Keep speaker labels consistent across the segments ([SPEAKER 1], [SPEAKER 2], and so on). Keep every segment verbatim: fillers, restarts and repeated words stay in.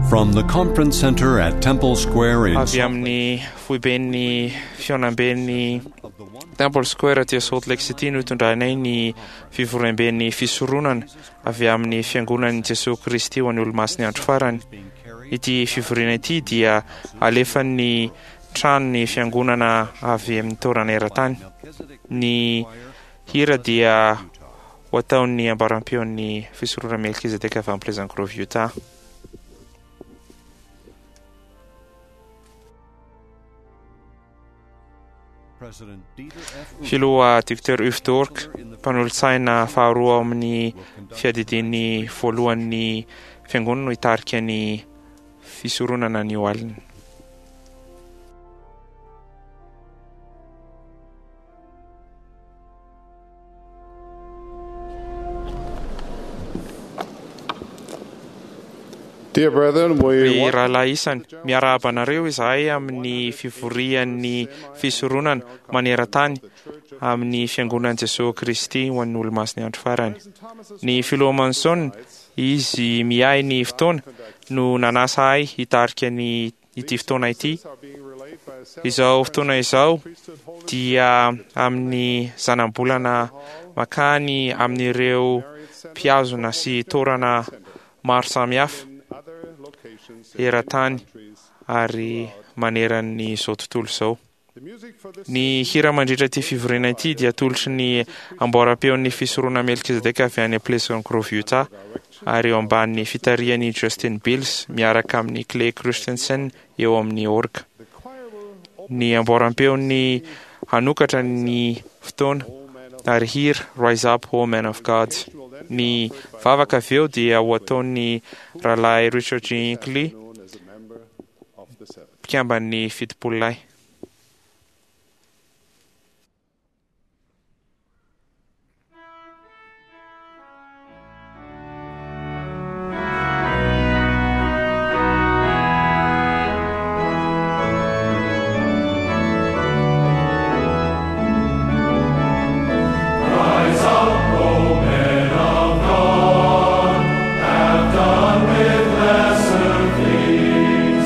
[SPEAKER 1] From the conference center at Temple Square in
[SPEAKER 2] Avy amin'ny foiben'ny fihaonamben'ny Temple Square aty Salt Lake City no itondranay ny fivoriamben'ny fisoronana avy amin'ny fiangonan'i Jesoa Kristy ho an'ny Olomasin'ny andro farany. Ity fivoriana ity dia alefan'ny tranon'ny fiangonana avy amin'ny toerana eran-tany. Ny hira dia ho ataon'ny ambaram-peon'ny fisoronana Melkizedeka avy amin'ny Pleasant Grove, Utah. Filoha Docteur Uchtdorf, mpanolotsaina faharoa ao amin'ny fiadidian'ny voalohan'ny fiangonana no hitarika ny fisoronana anio alina.
[SPEAKER 3] Dear brethren, we
[SPEAKER 2] Ry
[SPEAKER 3] want
[SPEAKER 2] rahalahy isany, miarahaba anareo izahay amin'ny fivorian'ny fisoronana maneran-tany amin'ny fiangonan'i Jesoa Kristy ho an'ny Olomasin'ny andro farany. Ny filoha Monson, izy miahy ny fotoana, no nanasa ahy hitarika ny ity fotoana ity. Izao fotoana izao dia amin'ny zanabolana makany amin'ireo mpihazona sy toerana maro samihafa eran-tany ary maneran'izao tontolo izao. Ny hira mandritra ity fivoriana ity dia atolotry ny amboaram-peon'ny fisoronana Melkizedeka avy any Pleasant Grove, Utah, ary eo ambanin'ny fitarihan'i Justin Bills miaraka amin'ny Clay Christensen eo amin'ny orga. Ny amboaram-peon'ny hanokatra ny fotoana ary hira Rise Up, O Man of God. Ny vavaka avy eo dia ho ataon'ny rahalahy Richard G. Hinckley, mpikamban'ny fitopololahy.
[SPEAKER 4] Rise up, O men of God, have done with lesser things.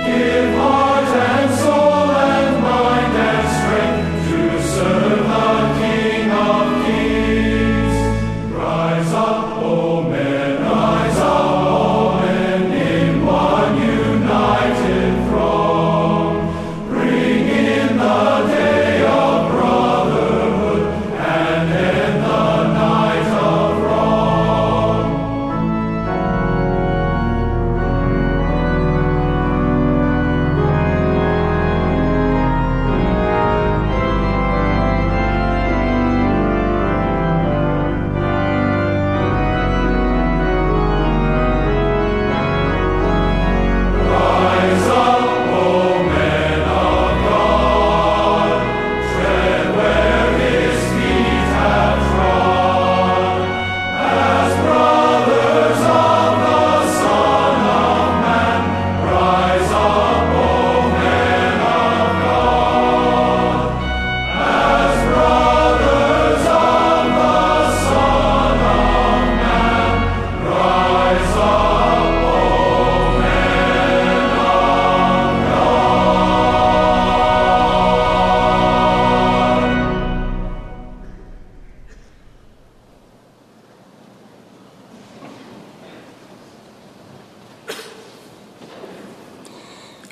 [SPEAKER 4] Give heart and soul and mind and strength to serve the King of Kings. Rise up, O men, rise up, O men, in one united throng. Bring in the day of brotherhood and end the night of wrong. Rise up, O men of God, tread where his feet have trod. As brothers of the Son of Man, rise up, O men of God. As brothers of the Son of Man, rise up, O men of God.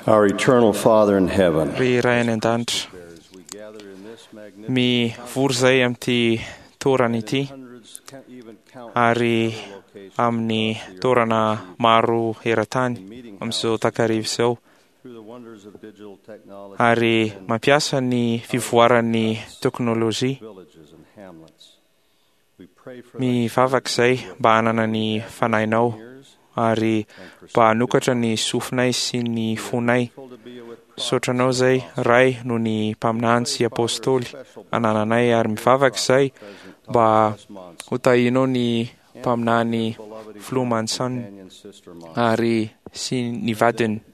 [SPEAKER 5] Our eternal Father in heaven,
[SPEAKER 2] Ry Ray any an-danitra, mivory izay amin'ity toerana ity ary amin'ny toerana maro eran-tany amin'izao takariva izao ary mampiasa ny fivoaran'ny teknôlôjia. Mivavaka izay mba hanana ny fanahinao ary mba hanokatra ny sofinay sy ny fonay. Misaotra anao izay, Ray, noho ny mpaminany sy apôstôly anananay, ary mivavaka izay mba ho tahianao ny mpaminany Filoha Monson ary sy ny vadiny.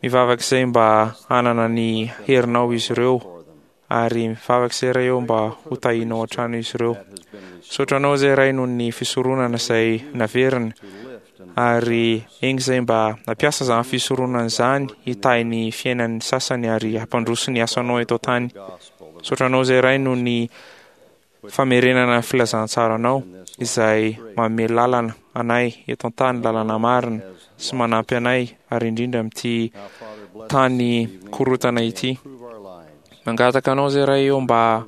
[SPEAKER 2] Mivavaka izay mba hanana ny herinao izy ireo, ary mivavaka izay, Ray, eo mba ho tahianao hatrany izy ireo. Misaotra anao izay, Ray, noho ny fisoronana izay naverina, Ary enga izay mba nampiasa izany fisoronana izany hitahy ny fiainan'ny sasany ary hampandroso ny asanao eto an-tany. Misaotra anao izay Ray noho ny famerenana ny filazantsaranao izay manome lalana anay eto an-tany, lalana marina sy manampy anay ary indrindra amin'ity tany korotana ity. Mangataka anao izay Ray eo mba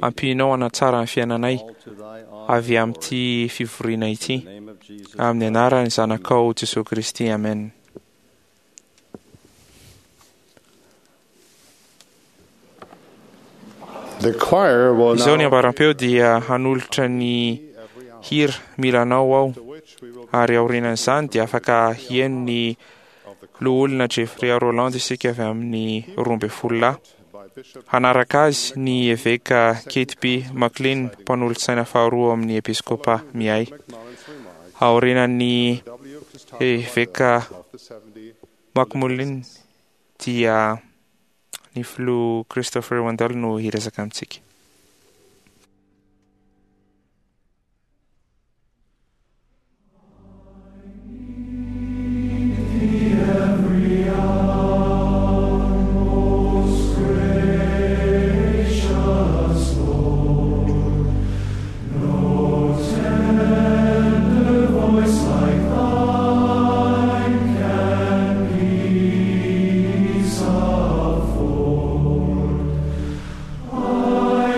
[SPEAKER 2] ampianao hanatsara ny fiainanay avy amin'ity fivoriana ity. Amin'ny anaran'ny Zanakao Jesosy Kristy, amen.
[SPEAKER 3] The choir will
[SPEAKER 2] Izao ny
[SPEAKER 3] now
[SPEAKER 2] ambaram-peo dia hanolotra ny hira Mila Anao Aho, ary aorianan'izany dia afaka hihaino ny loholona Jeffrey Roland isika avy amin'ny roa ambin'ny folo lahy. Hanaraka azy ny eveka Kate B. McLean, mpanolotsaina faharoa amin'ny episkopa Miay. Aorianan'ny eveka McMullin dia ny filoha Christopher Wendell no hiresaka amintsika.
[SPEAKER 4] Peace afford. I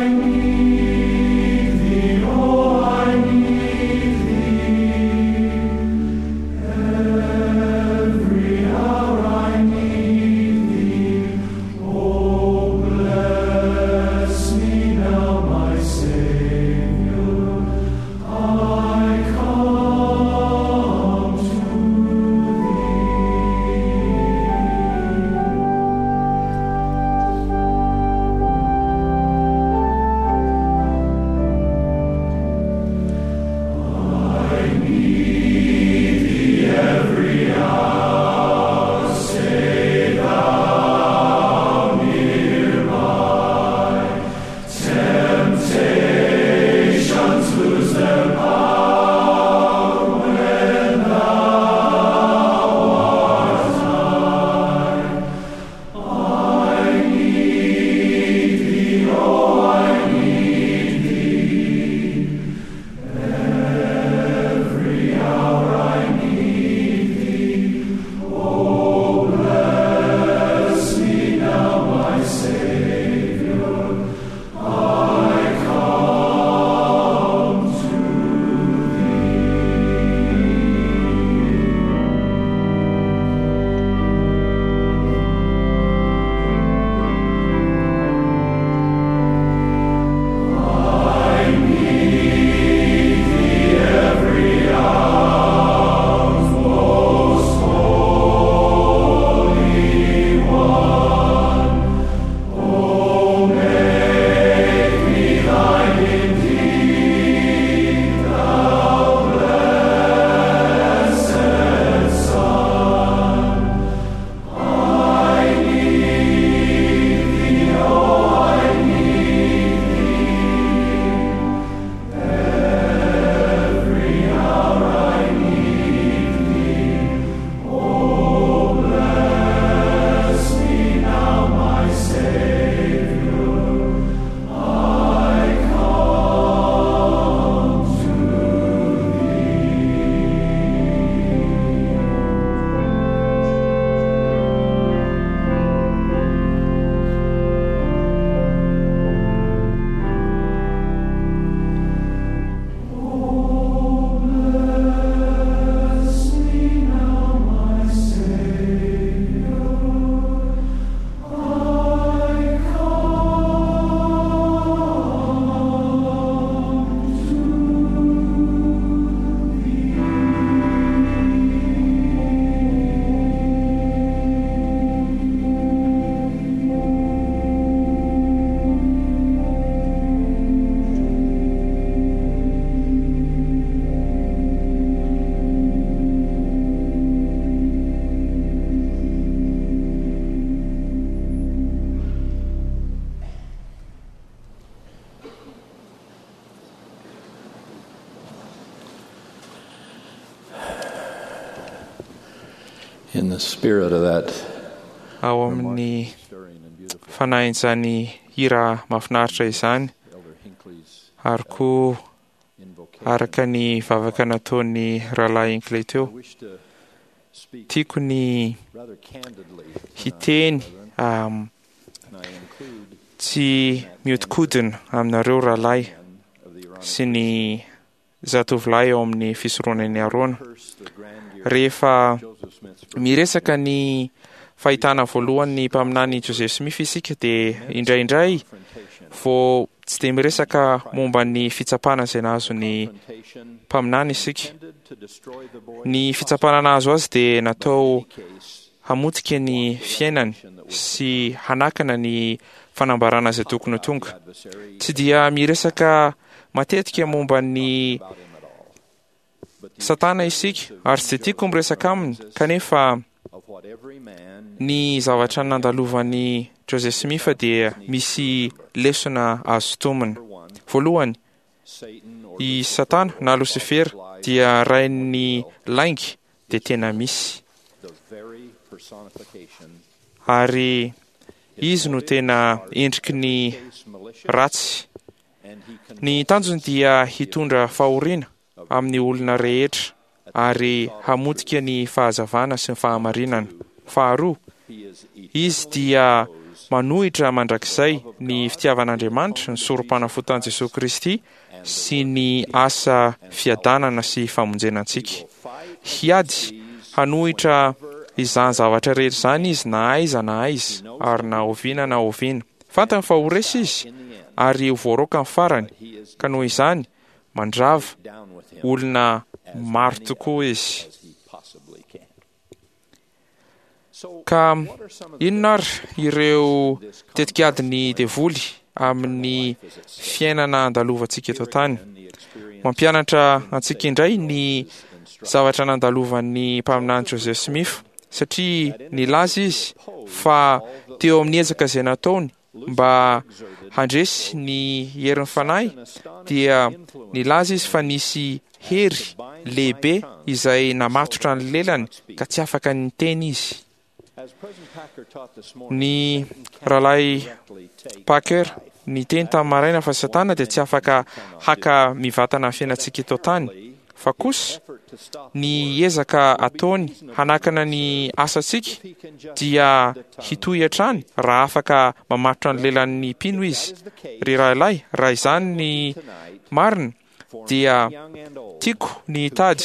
[SPEAKER 5] In the spirit of that
[SPEAKER 2] Ao amin'ny
[SPEAKER 5] stirring and beautiful
[SPEAKER 2] fanahin'izany hira mahafinaritra izany,
[SPEAKER 5] Elder Hinckley's
[SPEAKER 2] ary koa
[SPEAKER 5] invocation,
[SPEAKER 2] araka ny vavaka nataon'ny rahalahy Hinckley
[SPEAKER 5] I
[SPEAKER 2] teo,
[SPEAKER 5] wish to speak
[SPEAKER 2] tiako ny
[SPEAKER 5] rather candidly tonight,
[SPEAKER 2] hiteny
[SPEAKER 5] brethren,
[SPEAKER 2] um,
[SPEAKER 5] and I include
[SPEAKER 2] tsy mihodinkodina aminareo rahalahy
[SPEAKER 5] men of the Aaronic
[SPEAKER 2] sy ny zatovolahy ao amin'ny fisoronan'i Arona.
[SPEAKER 5] curse the grandeur
[SPEAKER 2] Rehefa
[SPEAKER 5] of Joseph Smith's
[SPEAKER 2] miresaka ny fahitana voalohany ny mpaminany Joseph Smith isika, dia indraindray
[SPEAKER 5] confrontation,
[SPEAKER 2] vao tsy dia miresaka momba ny fitsapana izay nahazo ny
[SPEAKER 5] confrontation
[SPEAKER 2] mpaminany isika.
[SPEAKER 5] intended to destroy the boy's
[SPEAKER 2] Ny fitsapana nahazo azy dia natao
[SPEAKER 5] case
[SPEAKER 2] hamotika ny fiainany sy hanakana ny fanambarana izay tokony ho tonga.
[SPEAKER 5] adversary
[SPEAKER 2] Tsy dia miresaka matetika momba ny
[SPEAKER 5] about him at all, but the
[SPEAKER 2] Satana isika, ary tsy dia tiako miresaka aminy, kanefa
[SPEAKER 5] of what every man
[SPEAKER 2] ny zavatra nandalovan'i Joseph Smith dia misy lesona azo tomina.
[SPEAKER 5] for one,
[SPEAKER 2] Voalohany,
[SPEAKER 5] Satan or
[SPEAKER 2] i Satana na Losifera dia rain'ny lainga dia tena misy,
[SPEAKER 5] the very personification
[SPEAKER 2] ary izy no tena endriky ny
[SPEAKER 5] case malicious
[SPEAKER 2] ratsy.
[SPEAKER 5] and he
[SPEAKER 2] Ny tanjony dia hitondra fahoriana amin'ny olona rehetra ary hamotika ny fahazavana sy ny fahamarinana. Faharoa,
[SPEAKER 5] he is
[SPEAKER 2] izy dia manohitra mandrakizay ny fitiavan'Andriamanitra, ny sorom-panafotan'i Jesosy Kristy sy ny asa fiadanana sy famonjena antsika. Hiady hanohitra izany zavatra rehetra izany izy na aiza na aiza ary na oviana na oviana. Fantany fa ho resy izy ary ho voaroaka ny farany, ka noho izany mandrava
[SPEAKER 5] down with him
[SPEAKER 2] olona maro tokoa izy.
[SPEAKER 5] as he possibly can. So
[SPEAKER 2] Ka
[SPEAKER 5] what are some of the
[SPEAKER 2] inona ary ireo tetikadin'ny devoly amin'ny fiainana andalovantsika eto an-tany?
[SPEAKER 5] and the experience
[SPEAKER 2] Mampianatra antsika indray ny zavatra nandalovan'ny mpaminany Joseph Smith, satria nilaza izy fa teo amin'ny ezaka izay nataony mba handresy ny herin'ny fanahy dia nilaza izy fa nisy hery lehibe izay namatotra ny lelany ka tsy afaka niteny izy.
[SPEAKER 5] as President Packer taught this morning,
[SPEAKER 2] Ny rahalahy
[SPEAKER 5] directly take
[SPEAKER 2] Packer niteny tamin'ny maraina fa Satana dia tsy afaka haka mivantana ny fiainantsika eto an-tany, fa kosa
[SPEAKER 5] effort to stop
[SPEAKER 2] ny ezaka ataony hanakana ny asantsika
[SPEAKER 5] he can just
[SPEAKER 2] dia hitohy hatrany raha afaka mamatotra ny lelan'ny mpino izy. Ry rahalahy, raha izany ny
[SPEAKER 5] tonight
[SPEAKER 2] marina
[SPEAKER 5] for
[SPEAKER 2] dia
[SPEAKER 5] young and old
[SPEAKER 2] tiako ny hitady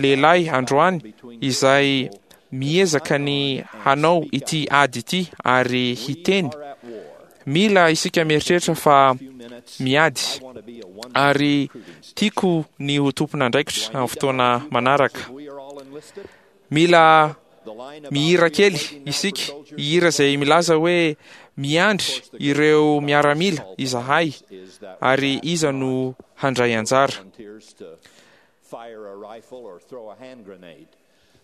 [SPEAKER 2] lehilahy androany izay miezaka ny hanao ity ady ity ary hiteny.
[SPEAKER 5] are at war.
[SPEAKER 2] Mila isika mieritreritra fa
[SPEAKER 5] Few minutes
[SPEAKER 2] miady
[SPEAKER 5] I want to be a one
[SPEAKER 2] ary tiako ny ho tompon'andraikitra amin'ny fotoana manaraka.
[SPEAKER 5] we are all enlisted.
[SPEAKER 2] Mila
[SPEAKER 5] The line about
[SPEAKER 2] mihira
[SPEAKER 5] we are
[SPEAKER 2] kely
[SPEAKER 5] waiting now for
[SPEAKER 2] isika,
[SPEAKER 5] soldiers
[SPEAKER 2] hihira izay milaza hoe miandry ireo miaramila izahay
[SPEAKER 5] is that
[SPEAKER 2] ary iza no handray anjara.
[SPEAKER 5] volunteers to fire a rifle or throw a hand grenade.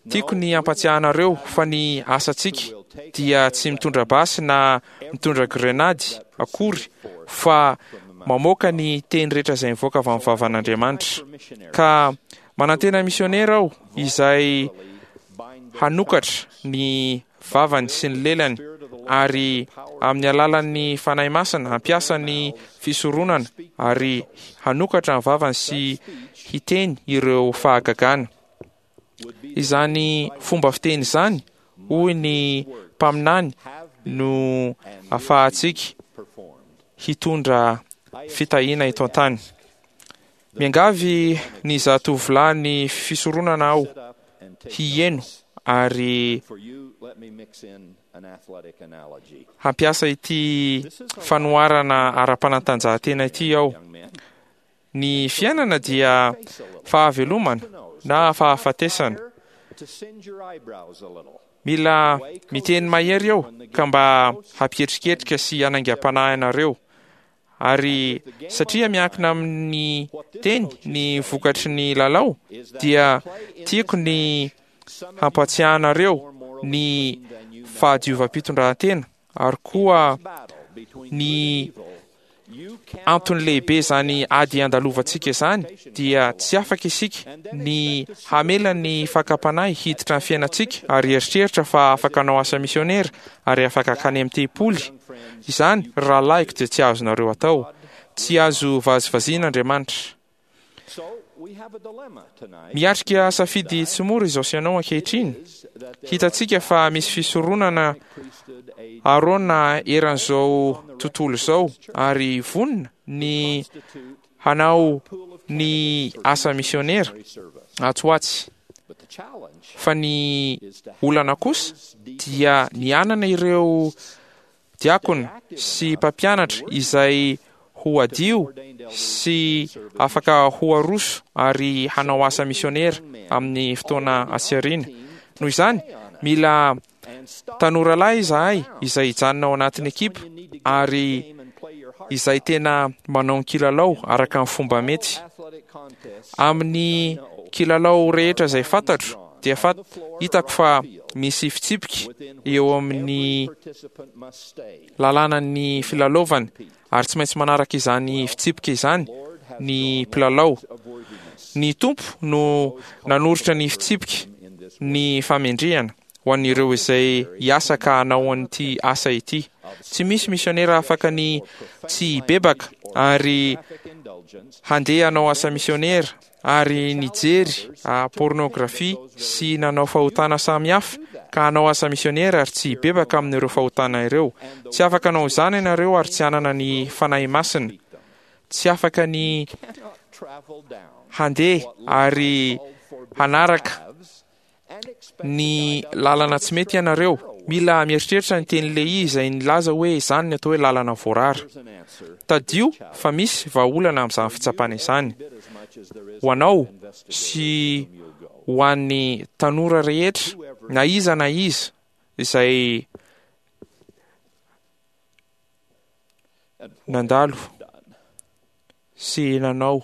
[SPEAKER 2] Tiako ny hampatsiahanareo fa ny asantsika dia tsy mitondra basy na mitondra grenady akory fa mamoaka ny teny rehetra izay mivoaka avy amin'ny vavan'Andriamanitra. Ka manantena misionera aho izay hanokatra ny vavany sy ny lelany ary amin'ny alalan'ny Fanahy Masina hampiasa ny fisoronana ary hanokatra ny vavany sy hiteny ireo fahagagana. Izany fomba fiteny izany, hoy ny mpaminany, no ahafahantsika
[SPEAKER 5] Performed.
[SPEAKER 2] hitondra fitahiana eto an-tany. Miangavy ny zatovolahy ny fisoronana aho
[SPEAKER 5] Sit up and take
[SPEAKER 2] hieno ary
[SPEAKER 5] For you, let me mix in an athletic analogy.
[SPEAKER 2] hampiasa ity fanoharana ara-panatanjahantena ity aho.
[SPEAKER 5] Young men,
[SPEAKER 2] Ny fiainana dia fahavelomana na fahafatesana.
[SPEAKER 5] to singe your eyebrows a little.
[SPEAKER 2] Mila miteny mahery eo ka mba hampietriketrika sy hanaingam-panahy anareo. Ary satria miankina amin'ny teny ny vokatry ny lalao dia tiako ny hampatsiahanareo ny fahadiovam-pitondrantena ary koa
[SPEAKER 5] Battle between
[SPEAKER 2] ny Antony lehibe izany ady andalovantsika izany dia tsy afaka isika ny hamela ny fakam-panahy hiditra ny fiainantsika ary eritreritra fa afaka hanao asa misionera ary afaka hankany amin'ny tempoly. Izany, ry rahalahiko, dia tsy azonareo atao. Tsy azo vazivaziana Andriamanitra. Miatrika safidy tsy mora izao sy ianao ankehitriny. Hitantsika fa misy fisoronana Arona eran'izao tontolo izao ary vonona ny hanao ny asa misionera atsy ho atsy. Fa ny olana kosa dia ny hanana ireo diakona sy mpampianatra izay ho hadio sy afaka ho aroso ary hanao asa misionera amin'ny fotoana atsy aoriana. Noho izany, mila tanora lahy izahay izay hijanona ao anatin'ny ekipa ary izay tena manao ny kilalao araka ny fomba mety. Amin'ny kilalao rehetra izay fantatro dia fat-, hitako fa misy fitsipika eo amin'ny lalànan'ny filalaovana ary tsy maintsy manaraka izany fitsipika izany ny mpilalao. Ny Tompo no nanoritra ny fitsipika ny famendrehana ho an'ireo izay hiasa ka hanao an'ity asa ity. Tsy misy misionera afaka ny tsy hibebaka ary handeha hanao asa misionera ary nijery pornografia sy nanao fahotana samihafa ka hanao asa misionera ary tsy hibebaka amin'ireo fahotana ireo. Tsy afaka hanao izany ianareo ary tsy hanana ny Fanahy Masina. Tsy afaka ny handeha ary hanaraka ny lalana tsy mety ianareo. Mila mieritreritra ny teny Lehi izay nilaza hoe izany ny atao hoe lalana voarara. Tadidio fa misy vahaolana amin'izany fitsapana izany. Ho anao sy ho an'ny tanora rehetra, na iza na iza izay nandalo sy nanao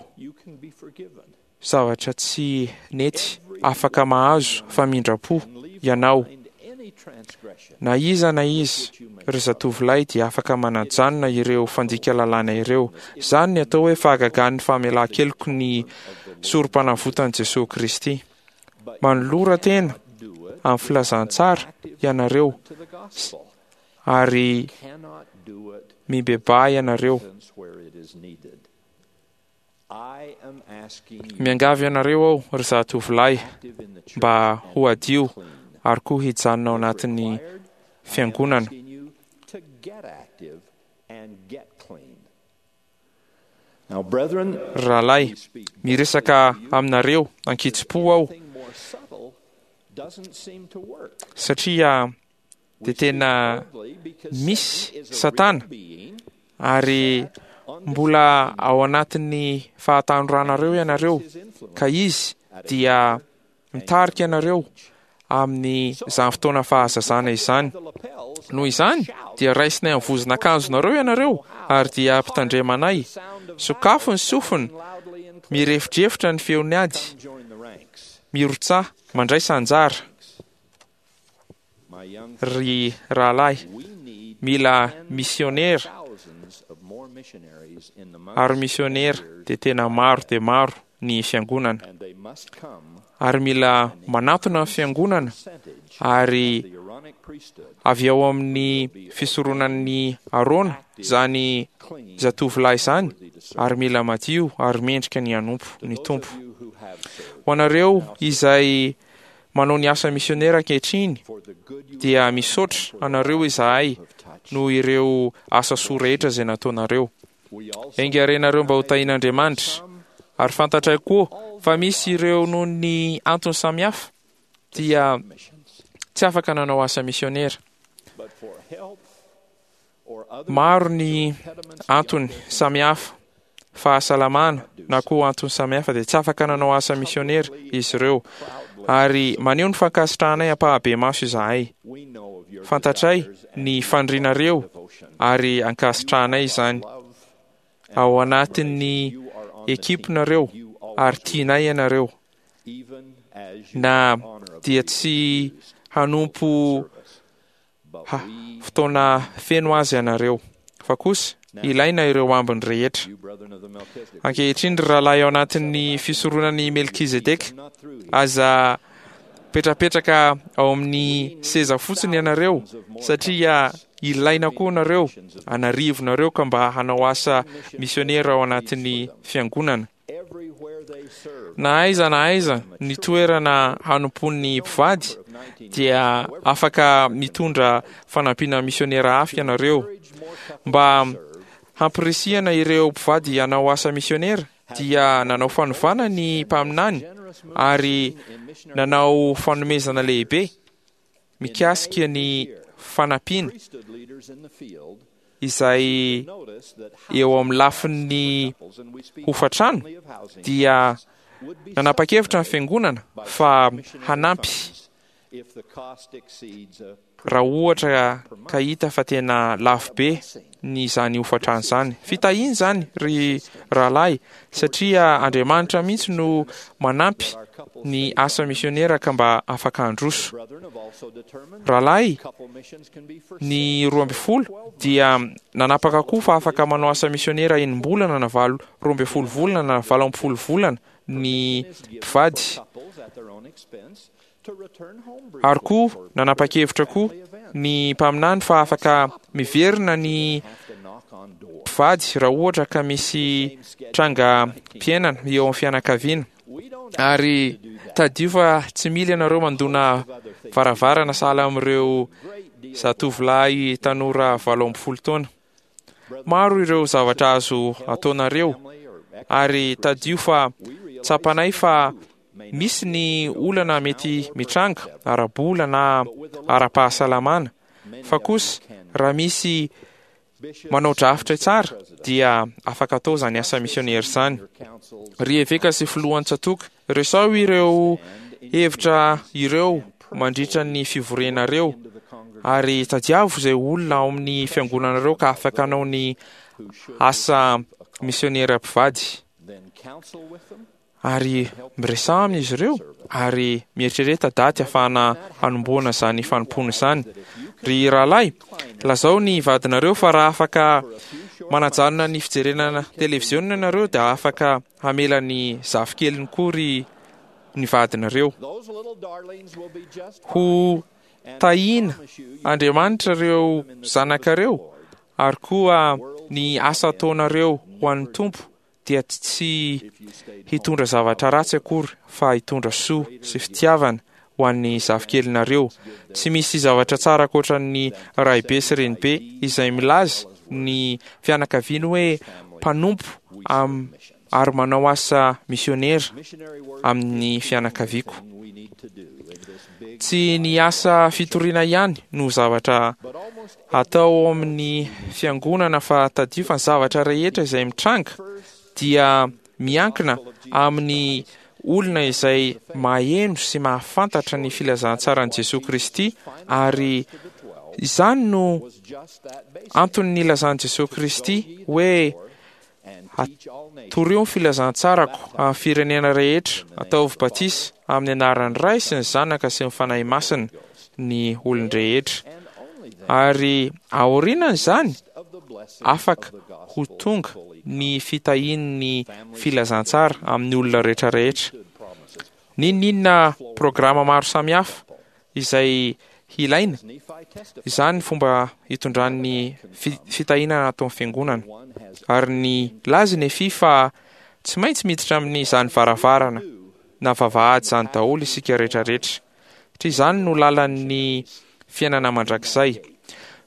[SPEAKER 2] zavatra tsy nety, afaka mahazo famindram-po ianao. Na iza na iza, ry zatovolahy, dia afaka manajanona ireo fandika lalàna ireo. Izany ny atao hoe fahagagan'ny famelan-keloky ny sorom-panavotan'i Jesoa Kristy. Manolora tena amin'ny filazantsara ianareo ary mibebaha ianareo. Miangavy anareo aho, ry zatovolahy, mba ho hadio ary koa hijanona ao anatin'ny fiangonana. Ry rahalahy, miresaka aminareo ankitsipo aho satria dia tena misy Satana ary mbola ao anatin'ny fahatanoranareo ianareo, ka izy dia mitarika anareo amin'izany fotoana fahazazana izany. Noho izany dia raisinay amin'ny vozon'akanjonareo ianareo ary dia ampitandremanay. Sokafo ny sofina, mirefodrefotra ny feon'ny ady, mirotsaha, mandraisa anjara. Ry rahalahy, mila misionera ary misionera dia tena maro dia maro ny fiangonana. Ary mila manatona ny fiangonana ary avy ao amin'ny fisoronan'ny Arona izany zatovolahy izany ary mila madio ary mendrika ny hanompo ny Tompo. Ho anareo izay manao ny asa misionera ankehitriny dia misaotra anareo izahay noho ireo asa soa rehetra izay nataonareo. Enga renareo mba ho tahian'Andriamanitra. Ary fantatray koa fa misy ireo noho ny antony samihafa dia tsy afaka nanao asa misionera. Maro ny antony samihafa, fahasalamana na koa antony samihafa dia tsy afaka nanao asa misionera izy ireo. Ary maneho ny fankasitrahanay ampahabemaso izahay. Fantatray ny fanirianareo ary ankasitrahanay izany. Ao anatin'ny ekipinareo ary tianay ianareo. Na dia tsy hanompo ha, fotoana feno azy ianareo, fa kosa Ilaina ireo ambiny rehetra. Ankehitriny, ry rahalahy ao anatin'ny fisoronan'i Melkizedeka, aza petrapetraka ao amin'ny seza fotsiny ianareo, satria ilaina koa nareo, anarivonareo ka mba hanao asa misionera ao anatin'ny fiangonana. Na aiza na aiza ny toerana hanompoan'ny mpivady dia afaka mitondra fanampiana misionera hafa ianareo. Mba hampirisihana ireo mpivady hanao asa misionera dia nanao fanovana ny mpaminany ary nanao fanomezana lehibe mikasika ny fanampiana izay eo amin'ny lafin'ny hofatrano. Dia nanapa-kevitra ny fiangonana fa hanampy raha ohatra ka hita fa tena lafo be ny izany hofatrano izany. Fitahiana izany, ry rahalahy, satria Andriamanitra mihitsy no manampy ny asa misionera ka mba afaka handroso. Rahalahy ny roa ambin'ny folo dia nanapaka koa fa afaka manao asa misionera enim-bolana na valo roa ambin'ny folo volana na valo ambin'ny folo volana ny mpivady. Ary koa nanapa-kevitra koa ny mpaminany fa afaka miverina ny mpivady raha ohatra ka misy trangam-piainana eo amin'ny fianakaviana. Ary tadidio fa tsy mila ianareo mandona varavarana sahala amin'ireo zatovolahy tanora valo ambin'ny folo taona. Maro ireo zavatra azo ataonareo, ary tadidio fa tsapanay fa misy ny olana mety mitranga ara-bola na ara-pahasalamana, fa kosa raha misy manao drafitra tsara dia afaka atao izany asa misionera izany. Ry eveka sy filohan'ny tsatòka, resaho ireo hevitra ireo mandritra ny fivorianareo, ary tadiavo izay olona ao amin'ny fiangonanareo ka afaka hanao ny asa misionera mpivady. Ary miresaha amin'izy ireo, ary mieritrereta daty ahafahana hanombohana izany fanompoana izany. Ry rahalahy, lazao ny vadinareo fa raha afaka manajanona ny fijerena televiziona ianareo dia afaka hamela ny zafikeliny koa ry ny vadinareo. Ho tahiana Andriamanitra ireo zanakareo, ary koa ny asa ataonareo ho an'ny Tompo dia tsy hitondra zavatra ratsy akory fa hitondra soa sy fitiavana ho an'ny zafikelinareo. Tsy misy zavatra tsara ankoatra ny raibe sy renibe izay milaza ny fianakaviany hoe mpanompo am ary manao asa misionera amin'ny fianakaviako. Tsy ny asa fitoriana ihany no zavatra atao amin'ny fiangonana, fa tadidio fa ny zavatra rehetra izay mitranga dia miankina amin'ny olona izay maheno sy mahafantatra ny filazantsaran'i Jesoa Kristy, ary izany no antony nilazan'i Jesoa Kristy hoe torio ny filazantsarako amin'ny firenena rehetra, ataovy batisa amin'ny anaran'ny Ray sy ny Zanaka sy ny Fanahy Masina ny olon-drehetra. Ary aorianan'izany afaka ho tonga ny fitahian'ny filazantsara amin'ny olona rehetra rehetra. N'inon'inona programa maro samihafa izay hilaina, izany fomba hitondran'ny fitahiana ataon'ny fiangonana. Ary ny laza Nefy fa tsy maintsy miditra amin'izany varavarana na vavahady izany daholo isika rehetra rehetra, satria izany no lalan'ny fiainana mandrakizay.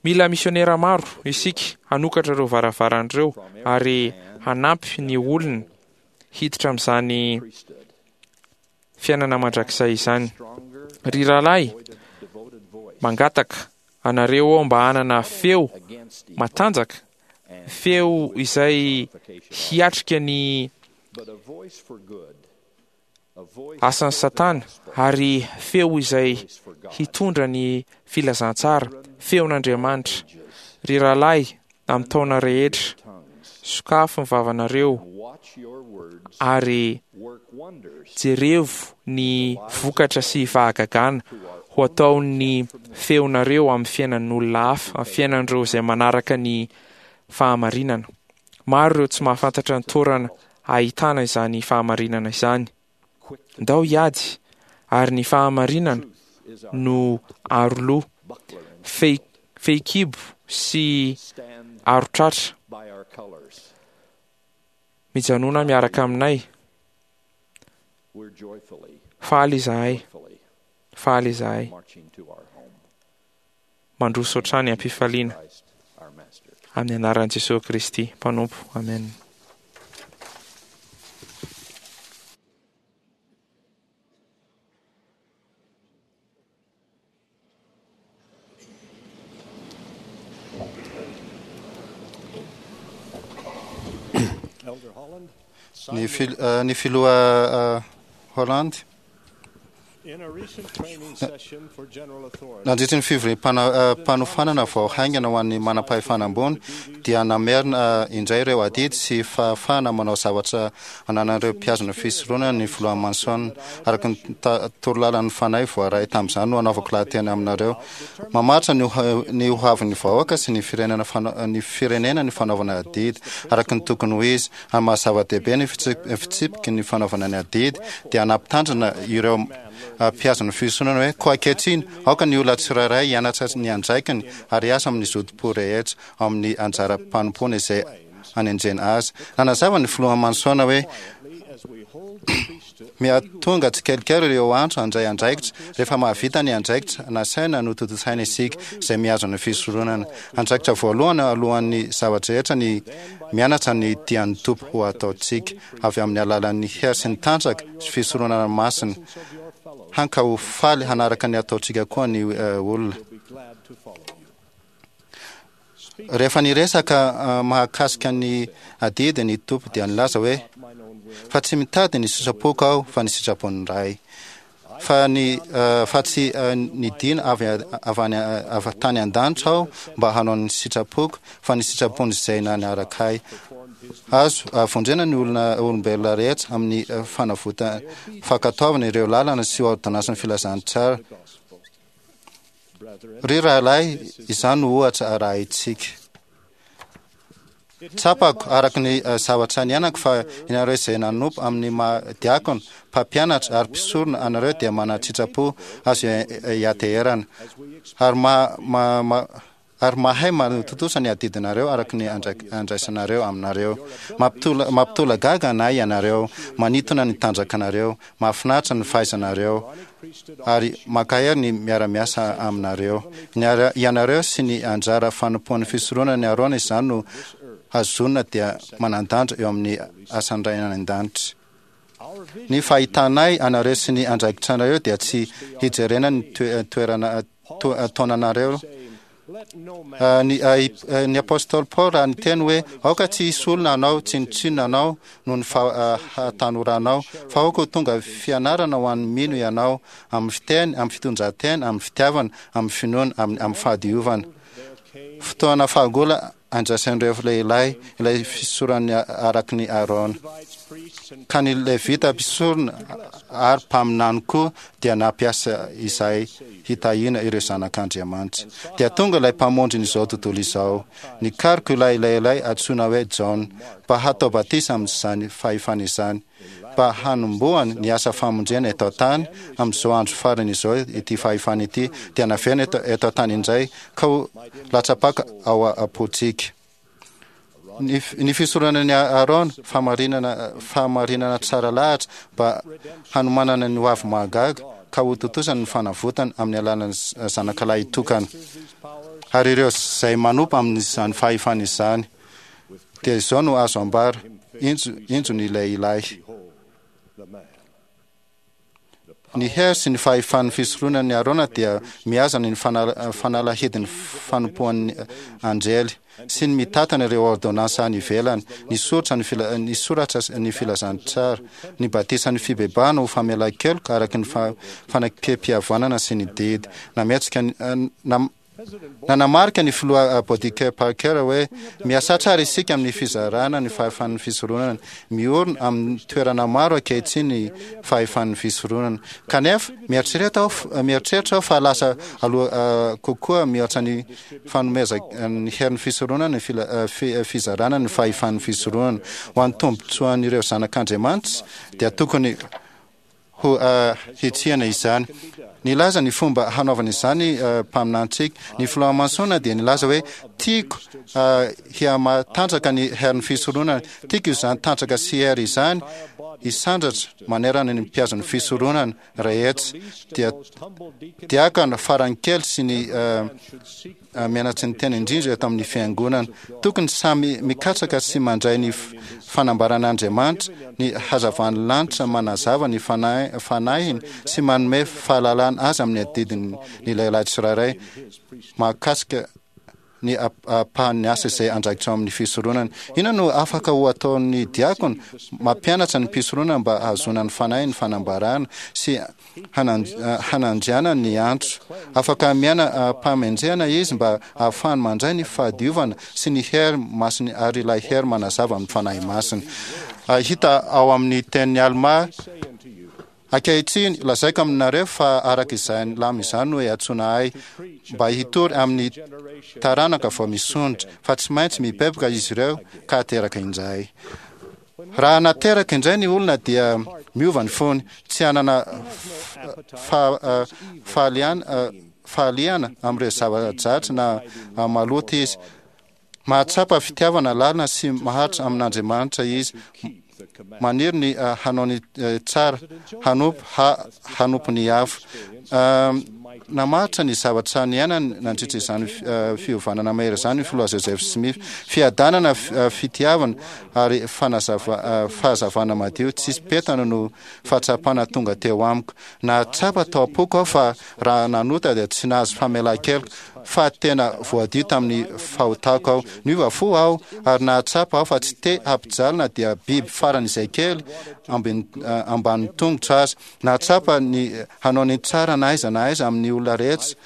[SPEAKER 2] Mila misionera maro isika hanokatra ireo varavarana ireo ary hanampy ny olona hiditra amin'izany fiainana mandrakizay izany. Ry rahalahy, mangataka anareo aho mba hanana feo matanjaka, feo izay hiatrika ny asan'ny Satana, ary feo izay hitondra ny filazantsara, feon'Andriamanitra. Ry rahalahy, amin'ny taona rehetra, sokafy ny vavanareo ary jerevo ny vokatra sy fahagagana ho ataon'ny feonareo amin'ny fiainan'olona hafa, amin'ny fiainan'ireo izay manaraka ny fahamarinana. Maro ireo tsy mahafantatra ny toerana ahitana izany fahamarinana izany. Ndao hiady, ary ny fahamarinana no aroloha, fehi- fehikibo sy arotratra. Mijanona miaraka aminay. Faly izahay, faly izahay. Mandroso hatrany am-pifaliana amin'ny anaran'i Jesosy Kristy Mpanompo. Amen.
[SPEAKER 3] Ny fil- eh, ny filoha eh, Holland nandritry ny fivoriam-panofanana vao haingana ho an'ny manam-pahefana ambony dia namerina indray ireo adidy sy fahafahana manao zavatra ananan'ireo mpihazona fisoronana ny filoha Manson. Araka ny torolalan'ny fanahy voaray tamin'izany no anaovako lahateny aminareo. Mamaritra ny ho- ny ho avin'ny vahoaka sy ny firenena fana- ny firenena ny fanaovana adidy araka ny tokony ho izy. Amin'ny maha zava-dehibe ny fitsip- fitsipiky ny fanaovana ny adidy dia nampitandrina ireo mpihazona fisoronana hoe koa ankehitriny aoka ny olona tsirairay hianatra ny andraikiny ary hiasa amin'ny zotom-po rehetra ao amin'ny anjara-mpanompoana izay anenjena azy. Nanazava ny filoha Manson hoe mihatonga tsikelikely ireo antso handray andraikitra rehefa mahavita ny andraikitra nasaina no tontosaina isika izay mihazona fisoronana. Andraikitra voalohany alohan'ny zavatra rehetra ny mianatra ny tian'ny Tompo ho ataontsika avy amin'ny alalan'ny hery sy ny tanjaka sy fisoronana masina, hanka ho faly hanaraka ny ataontsika koa ny olona. Rehefa niresaka mahakasika ny adidy ny Tompo dia nilaza hoe fa tsy mitady ny sitrapoko aho fa ny sitrapon'ny Ray. Fa ny fa tsy nidina avy avy any avy tany an-danitra aho mba hanao ny sitrapoko fa ny sitrapon'izay nanaraka ahy. Azo vonjena ny olona olombelona rehetra amin'ny fanavota fankatoavana ireo lalana sy ôrdônansin'ny filazantsara. Ry rahalahy, izany no ohatra arahintsika. Tsapako araka ny zavatra niainako fa ianareo izay nanompo amin'ny maha diakona, mpampianatra ary mpisorona anareo dia manan-tsitrapo azo iateherana ary ma, ma, ma, ary mahay manotontosa ny adidinareo araka ny andraisanareo aminareo. Mampitola, mampitolagaga anay ianareo, manintona ny tanjakanareo, mahafinaritra ny fahaizanareo, ary mankahery ny miara-miasa aminareo. Ianareo sy ny anjara fanompoan'ny fisoronana ny Arona izany no hazonina dia manan-danja eo amin'ny asan'ny Ray any an-danitra. Ny fahitanay anareo sy ny andraikitranareo dia tsy hijerena ny toerana taonanareo. Ny, ny apostoly Paoly raha niteny hoe aoka tsy hisy olona hanao tsinontsinona anao noho ny fahatanoranao, fa aoka ho tonga fianarana ho an'ny mino ianao, amin'ny fiteny, amin'ny fitondran-tena, amin'ny fitiavana, amin'ny finoana, amin'ny, amin'ny fahadiovana. Fotoana fahagola andraisan'ireo lehilahy ilay fisoron'ny araky ny Arona. Ka ny Levita mpisorona ary mpaminany koa dia nampiasa izay hitahiana ireo zanak'Andriamanitra. Dia tonga ilay mpamonjin'izao tontolo izao. Nikaroka ilay lehilahy antsoina hoe Jaona mba hatao batisa amin'izany fahefana izany, mba hanombohany ny asa famonjena eto an-tany amin'izao andro farany izao. Ity fahefana ity dia naverina eto, eto an-tany indray ka ho latsa-paka ao am-pontsika. Ny, ny fisoronana ny Arona, fahamarinana, fahamarinana tsara lahatra mba hanomanana ny hoavy mahagaga ka ho tontosany ny fanavotana amin'ny alalan'ny zanakalahy tokana. Ary ireo izay manompo amin'izany fahefana izany, dia izao no azo ambara, injo, injo ny lehilahy. Ny hery sy ny fahefan'ny fisoronan'i Arona dia mihazana ny fanalahidin'ny fanompoan'ny anjely sy ny mitantana ireo ôrdônansa any ivelany, ny soratra ny fila, ny soratra ny filazantsara, ny batisan'ny fibebahana ho famelan-keloka araka ny fanekempihavanana sy ny didy. Nametsika ny, nam, Nanamarika ny filoha Boddicke Parker hoe miasa tsara isika amin'ny fizarana ny fahefan'ny fisoronana. Miorina amin'ny toerana maro ankehitriny ny fahefan'ny fisoronana. Kanefa mieritreritra aho mieritreritra aho fa lasa aloha kokoa mihoatra ny fanomezana ny herin'ny fisoronana ny fizarana ny fahefan'ny fisoronana. Ho an'ny tombontsoan'ireo zanak'Andriamanitra dia tokony ho hitsiana izany. Nilaza ny fomba hanaovana izany mpaminantsika. Ny filoha Monson dia nilaza hoe tiako hihamatanjaka ny herin'ny fisoronana. Tiako izany tanjaka sy hery izany hisandratra manerana ny mpiazon'ny fisoronana rehetra. Dia diakona farany kely sy ny mianatry ny tena indrindra eto amin'ny fiangonana. Tokony samy mikatsaka sy mandray ny fanambaran'Andriamanitra, ny hazavan'ny lanitra manazava ny fanahiny sy manome fahalalana azy amin'ny adidiny ny lehilahy tsirairay mahakasika ny ampahan'ny asa izay andraikitra ao amin'ny fisoronana. Inona no afaka ho ataon'ny diakona? Mampianatra ny mpisoronana mba hahazoana ny fanahy ny fanambarana sy hanandriana ny antso. Afaka miaina am-pahamendrehana izy mba ahafahany mandray ny fahadiovana sy ny hery masiny ary ilay hery manazava amin'ny fanahy masina. Hita ao amin'ny tenin'i Alma: ankehitriny lazaiko aminareo fa araka izany lama izany no iantsoana ahy mba hitory amin'ny taranaka vao misondrotra, fa tsy maintsy mibebaka izy ireo ka ateraka indray. Raha nateraka indray ny olona dia miova ny fony, tsy hanana fahaliana amin'ireo zava-dratsy na maloto izy. Mahatsapa fitiavana lalina sy maharitra amin'Andriamanitra izy. Maniry ny hanao ny tsara, hanompo hanompo ny hafa. Namaritra ny zavatra niainany nandritra izany fiovanana mahery izany ny filoha Joseph Smith. Fiadanana, fitiavana ary fanazava fahazavana madio tsisy petana no fahatsapana tonga teo amiko. Nahatsapa tao am-poko aho fa raha nanota dia tsy nahazo famelan-keloka, fa tena voadio tamin'ny fahotako aho. Niova fo aho ary nahatsapa aho fa tsy te hampijalina dia biby faran'izay kely ambanin'ny tongotra aza. Nahatsapa ny hanao ny tsara na aiza na aiza amin'ny olona rehetra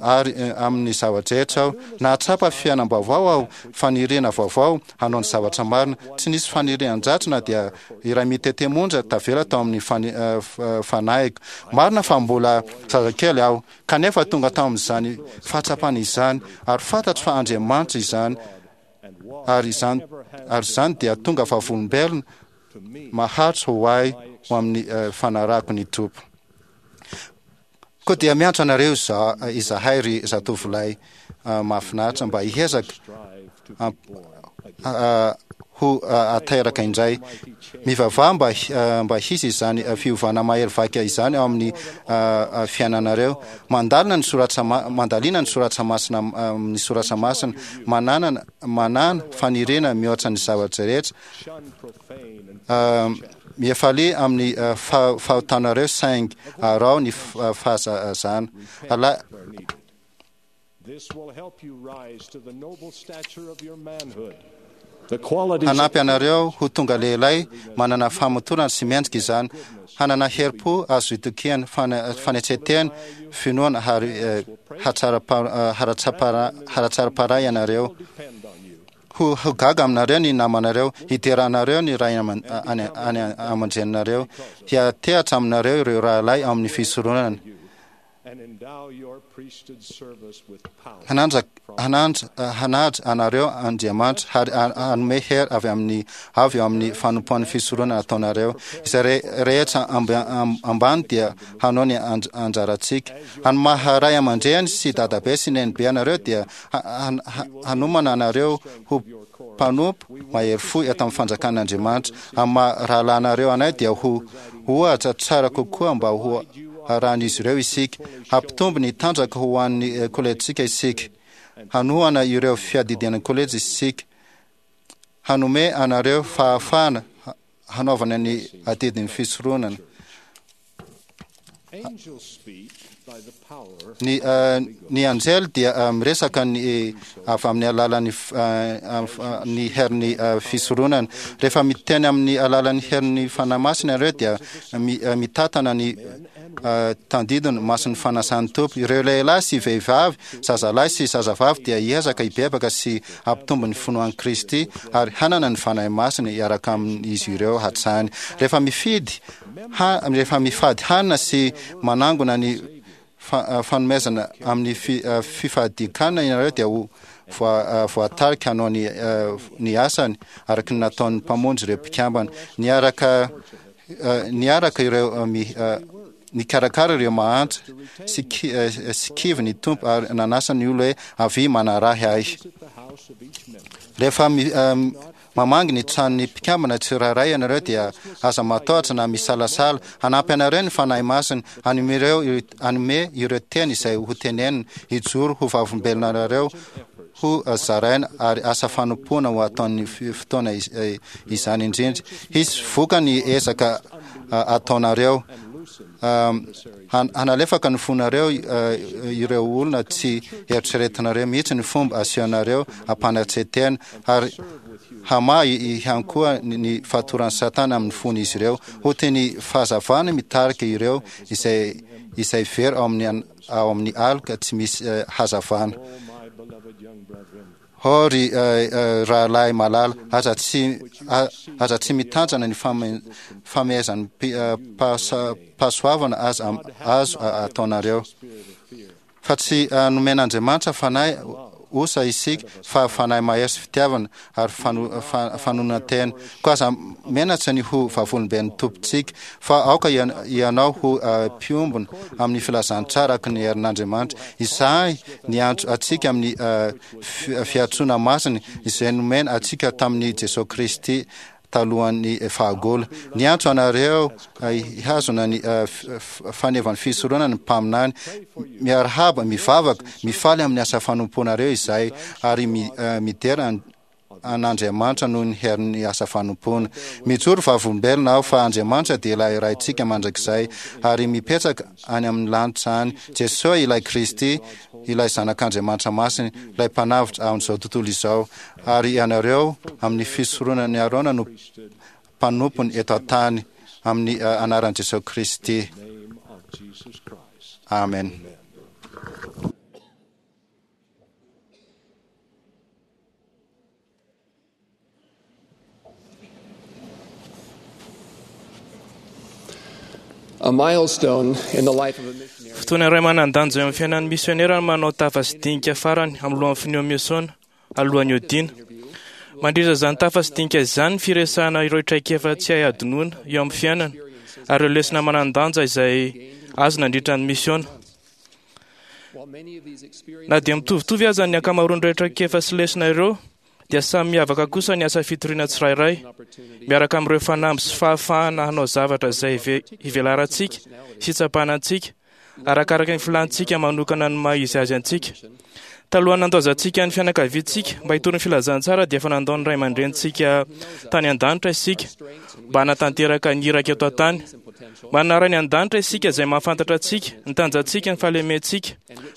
[SPEAKER 3] ary amin'ny zava-drehetra aho. Nahatsapa fiainam-baovao aho, faniriana vaovao hanao ny zavatra marina. Tsy nisy fanirian-dratsy na dia iray mitete monja tavela tao amin'ny fanahiko. Marina fa mbola zazakely aho, kanefa tonga tao amin'izany fahatsapana izany ary fantatro fa Andriamanitra izany, ary izany ary izany dia tonga vavolombelona maharitra ho ahy ho amin'ny fanarahako ny Tompo. Koa dia miantso anareo izahay ry zatovolahy mahafinaritra mba hiezaka ho ateraka indray. Mivavaha mba mba hisy izany fiovana mahery vaika izany ao amin'ny fiainanareo. Mandalina ny soratra mandalina ny soratra masina ny soratra masina, manana manana faniriana mihoatra ny zavatra rehetra. Mifalia amin'ny fahotanareo saingy araho ny fahazazana. Ala Hanampy anareo ho tonga lehilahy manana famotorana sy mendrika izany, hanana herim-po azo itokiana, fanetren-tena, finoana ary haratsaram-panahy ianareo. Ho ho gaga aminareo ny namanareo, hidera anareo ny ray aman-dreninareo, hiantehatra aminareo ireo rahalahy ao amin'ny fisoronana. Hananja hananja hanaja anareo Andriamanitra ary hanome hery avy amin'ny avy eo amin'ny fanompoan'ny fisoronana ataonareo. Izay rehetra ambany dia hanao ny anjarantsika. Any maha ray aman-dreny sy dadabe sy nenibe anareo dia hanomana anareo ho mpanompo mahery fo eto amin'ny fanjakan'Andriamanitra. Amin'ny maha rahalahinareo anay dia ho ohatra tsara kokoa mba ho arahan'izy ireo isika. Hampitombo ny tanjaka ho an'ny kolejintsika isika. Hanohana ireo fiadidian'ny kolejy isika. Hanome anareo fahafahana hanaovana ny adidin'ny fisoronana. Ny ny anjely dia miresaka ny avy amin'ny alalan'ny ny herin'ny fisoronana. Rehefa miteny amin'ny alalan'ny herin'ny Fanahy Masina ianareo dia mitantana ny tandindona masin'ny fanasan'ny Tompo. Ireo lehilahy sy vehivavy, zazalahy sy zazavavy dia hiezaka hibebaka sy hampitombo ny finoan'i Kristy ary hanana ny Fanahy Masina hiaraka amin'izy ireo hatrany. Rehefa mifidy, rehefa mifady hanina sy manangona ny fanomezana amin'ny fifadian-kanina ianareo dia ho voatarika hanao ny ny asany araka ny nataon'ny Mpamonjy ireo mpikambana. Niaraka niaraka ireo nikarakara ireo mahantra sy sy kivy ny Tompo ary nanasa ny olona hoe avia manarahy ahy. Rehefa mamangy ny tranon'ny mpikambana tsirairay ianareo dia aza matahotra na misalasala. Hanampy anareo ny Fanahy Masina hanome ireo hanome ireo teny izay ho tenenina, hijoro ho vavolombelona anareo, ho zaraina ary asa fanompoana ho ataon'ny fotoana izany indrindra. Hisy vokany ezaka ataonareo. Hanalefaka ny fonareo ireo olona tsy eritreretinareo mihitsy ny fomba asehonareo ampanatsetena ary hamaha ihany koa ny fatoran'i Satana amin'ny fon'izy ireo. Ho toy ny fahazavana mitarika ireo izay izay very ao amin'ny ao amin'ny aloka tsy misy hazavana. Ô ry rahalahy malala, aza tsy aza tsy mitanjana ny famehezan'ny pahasoavana aza azo ataonareo. Fa tsy nomen'Andriamanitra fanahy osa isika, fa fanahy mahery sy fitiavana ary fanonan-tena. Koa aza menatra ny ho vavolombelon'ny Tompontsika, fa aoka ianao ho mpiombona amin'ny filazantsara araka ny herin'Andriamanitra. Izahay niantso antsika amin'ny fiantsoana masina izay nomena antsika tamin'i Jesoa Kristy talohan'ny fahagola. Niantso anareo hihazona ny fanevan'ny fisoronana ny mpaminany. Miarahaba, mivavaka, mifaly amin'ny asa fanompoanareo izahay ary midera an'Andriamanitra noho ny herin'ny asa fanompoana. Mijoro vavolombelona aho fa Andriamanitra dia ilay Raintsika mandrakizay ary mipetraka any amin'ny lanitra any. Jesoa ilay Kristy, ilay Zanak'Andriamanitra Masina, ilay Mpanavotra amin'izao tontolo izao, ary ianareo amin'ny fisoronan'i Arona no mpanompony eto an-tany, amin'ny anaran'i Jesoa Kristy. Amen.
[SPEAKER 6] A milestone in the life of a missionary.
[SPEAKER 2] Fotoana iray manan-danja eo amin'ny fiainan'ny misionera ny manao tafa sy dinika farany amin'ny lohan'ny finoan'ny misiona alohan'ny hodiana. Mandritra izany tafa sy dinika izany ny firesahana ireo traikefa tsy hay hadinoina eo amin'ny fiainana ary ireo lesona manan-danja izay azo nandritra ny misiona. Na dia mitovitovy aza ny ankamaroan'ireo traikefa sy lesona ireo, dia samy miavaka kosa ny asa fitoriana tsirairay, miaraka amin'ireo fanamby sy fahafahana hanao zavatra izay hivelarantsika sy hitsapana antsika, arakaraka ny filantsika manokana ny maha izy azy antsika. Talohan'ny nandaozantsika ny fianakaviantsika mba hitory ny filazantsara dia efa nandao ny ray aman-drenintsika tany an-danitra isika mba hanatanteraka ny iraka eto an-tany. Manana Ray any an-danitra isika izay mahafantatra antsika, ny tanjantsika, ny fahalementsika.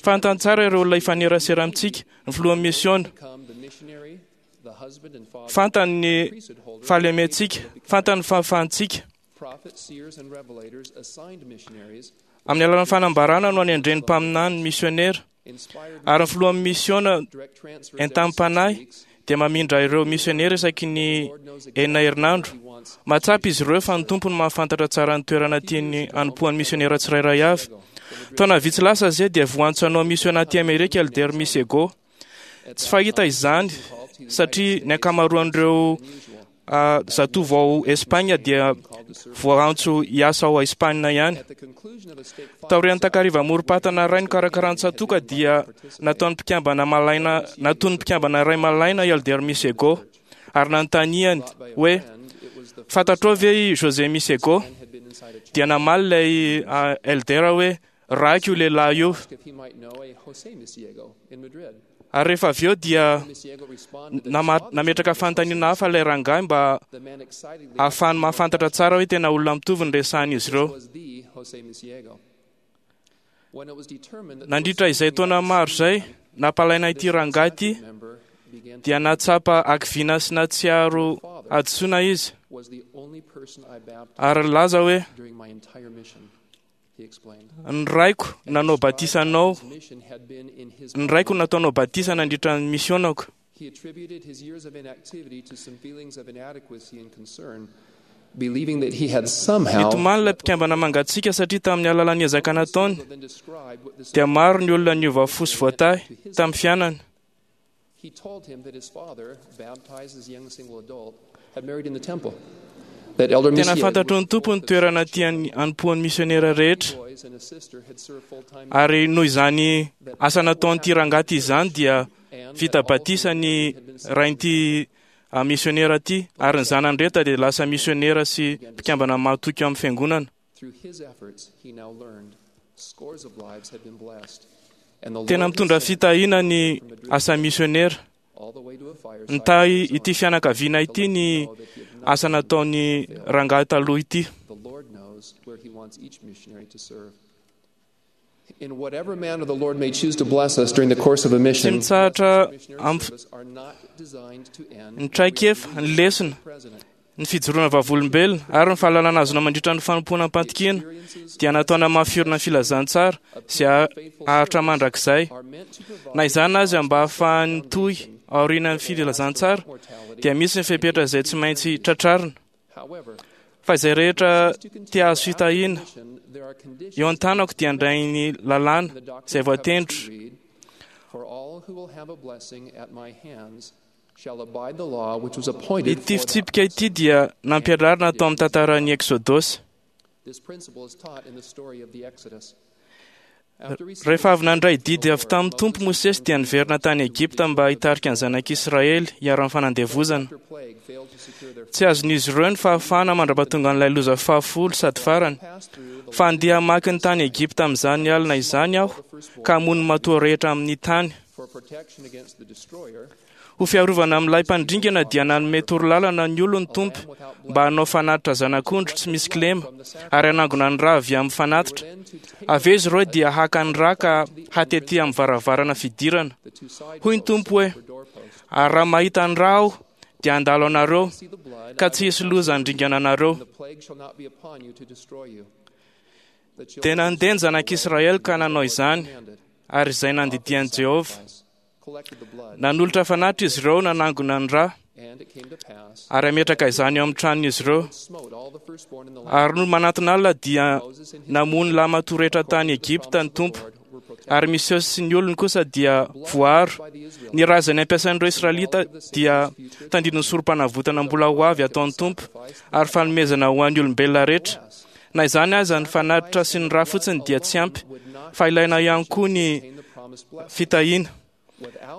[SPEAKER 2] Fantany tsara ireo olona hifanerasera amintsika, ny filohan'ny misiona. Fantany ny fahalementsika, fantany ny fahafahantsika. Amin'ny alalan'ny fanambarana no anendren'ny mpaminany misionera, ary ny filohan'ny misiona entam-panahy dia mamindra ireo misionera isaky ny enina herinandro. Mahatsapa izy ireo fa ny Tompo no mahafantatra tsara ny toerana tiany hanompoan'ny misionera tsirairay avy. Taona vitsy lasa izay dia voantso hanao misiona aty Amerika Elder Misego. Tsy fahita izany satria ny ankamaroan'ireo zatovo ao Espagne dia voaantso hiasa ao Espagne ihany. Taorian'ny takariva morom-patana iray nokarakarain'ny tsatoka dia nataon'ny mpikambana malaina nataon'ny mpikambana iray malaina i Elder Misego ary nanontaniany hoe fantatrao ve i José Misego? Dia namaly ilay Elder hoe raiko io lehilahy io. Ary rehefa avy eo dia nametraka fanontaniana hafa ilay rangahy mba hahafahany mahafantatra tsara hoe tena olona mitovy ny resahan'izy ireo. Nandritra izay taona maro izay, nampalaina ity rangahy ity, dia nahatsapa hakiviana sy nahatsiaro hadisoana izy, ary nilaza hoe: "Ny raiko nanao batisa anao, ny raiko nataonao batisa nandritra ny misionako."
[SPEAKER 6] He attributed his years of inactivity to some feelings of inadequacy and concern, believing that he had somehow
[SPEAKER 2] Nitomany ilay mpikambana mangatsiaka satria tamin'ny alalan'ny ezaka nataony dia maro ny olona niova fo sy voatahy tamin'ny fiainany.
[SPEAKER 6] He told him that his father, baptized as a young single adult, had married in the temple. That Elder
[SPEAKER 2] Tena
[SPEAKER 6] Messier
[SPEAKER 2] fantatry ny Tompo ny toerana tiany hanompoan'ny misionera rehetra,
[SPEAKER 6] boys and a sister had served full-time
[SPEAKER 2] ary noho izany asa nataon'ity rangahy izany dia vita batisa ny rain'ity ah, misionera ity, ary ny zanany rehetra dia lasa misionera sy mpikambana mahatoky amin'ny fiangonana.
[SPEAKER 6] Through his efforts, he now learned scores of lives had been blessed. And the
[SPEAKER 2] Tena
[SPEAKER 6] Lord
[SPEAKER 2] mitondra
[SPEAKER 6] had sent
[SPEAKER 2] fitahiana ny asa misionera.
[SPEAKER 6] all the way to a fireside
[SPEAKER 2] Nitahy ity fianakaviana ity ny asa nataon'ny rangahy taloha ity.
[SPEAKER 6] The Lord knows where He wants each missionary to serve. In whatever manner the Lord may choose to bless us during the course of a
[SPEAKER 2] Tsy
[SPEAKER 6] mission,
[SPEAKER 2] mitsahatra
[SPEAKER 6] missionary
[SPEAKER 2] amin'ny
[SPEAKER 6] service are not designed to end.
[SPEAKER 2] ny traikefa, ny lesona, ny fijoroana vavolombelona ary ny fahalalana azona mandritra ny fanompoana am-pantokiana dia nataona mahafiorina ny filazantsara sy haharitra mandrakizay. Na izany aza, mba ahafahany mitohy aorian'ny filazantsara dia misy ny fepetra izay tsy maintsy tratrarina.
[SPEAKER 6] However,
[SPEAKER 2] Fa izay rehetra te hahazo fitahiana
[SPEAKER 6] there are conditions
[SPEAKER 2] eo an-tanako dia handray ny lalàna izay voatendro.
[SPEAKER 6] for all who will have a blessing at my hands shall abide the law which was appointed
[SPEAKER 2] Ity
[SPEAKER 6] for that.
[SPEAKER 2] fitsipika ity dia nampianarina tao amin'ny tantaran'ny Eksodosy.
[SPEAKER 6] This principle is taught in the story of the Exodus.
[SPEAKER 2] Rehefa avy nandray didy avy tamin'ny Tompo Mosesy dia niverina tany Egypta mba hitarika ny zanak'Israely hiharan'ny fanandevozana.
[SPEAKER 6] After plague failed to secure their
[SPEAKER 2] Tsy azon'izy ireo ny fahafahana mandra-pahatonga an'ilay loza fahafolo sady farany. Fa handeha hamaky ny tany Egypta amin'izany alina izany aho, ka hamono ny matoa rehetra amin'ny tany.
[SPEAKER 6] for protection against the destroyer,
[SPEAKER 2] Ho fiarovana amin'ilay mpandringana dia nanome torolalana ny olon'ny Tompo mba hanao fanatitra zanak'ondry tsy misy kilema ary hanangona ny ra avy amin'ny fanatitra. Avy eo izy ireo dia haka ny ra ka hatety amin'ny varavarana fidirana. Hoy ny Tompo hoe: "Ary raha mahita ny ra aho dia handalo anareo, ka tsy hisy loza handringana anareo."
[SPEAKER 6] the plague shall not be upon you to destroy you. The
[SPEAKER 2] Dia
[SPEAKER 6] children
[SPEAKER 2] nandeha ny zanak'Israely ka nanao izany, ary izay nandidian'i Jehovah.
[SPEAKER 6] collected the blood,
[SPEAKER 2] Nanolotra fanatitra izy ireo nanangona ny ra,
[SPEAKER 6] and it came to pass,
[SPEAKER 2] ary hametraka izany eo amin'ny tranon'izy ireo.
[SPEAKER 6] smote all the firstborn in the land.
[SPEAKER 2] Ary no manatona alina dia namono lahimatoa rehetra tany Egypta ny Tompo, ary Mosesy sy ny olony kosa dia voaro. Ny ra izay nampiasain'ireo Israelita dia tandindon'ny sorom-panavotana mbola ho avy ataon'ny Tompo, ary fanomezana ho an'ny olombelona rehetra. Na izany aza, ny fanatitra sy ny ra fotsiny dia tsy ampy, fa ilaina ihany koa ny fitahiana.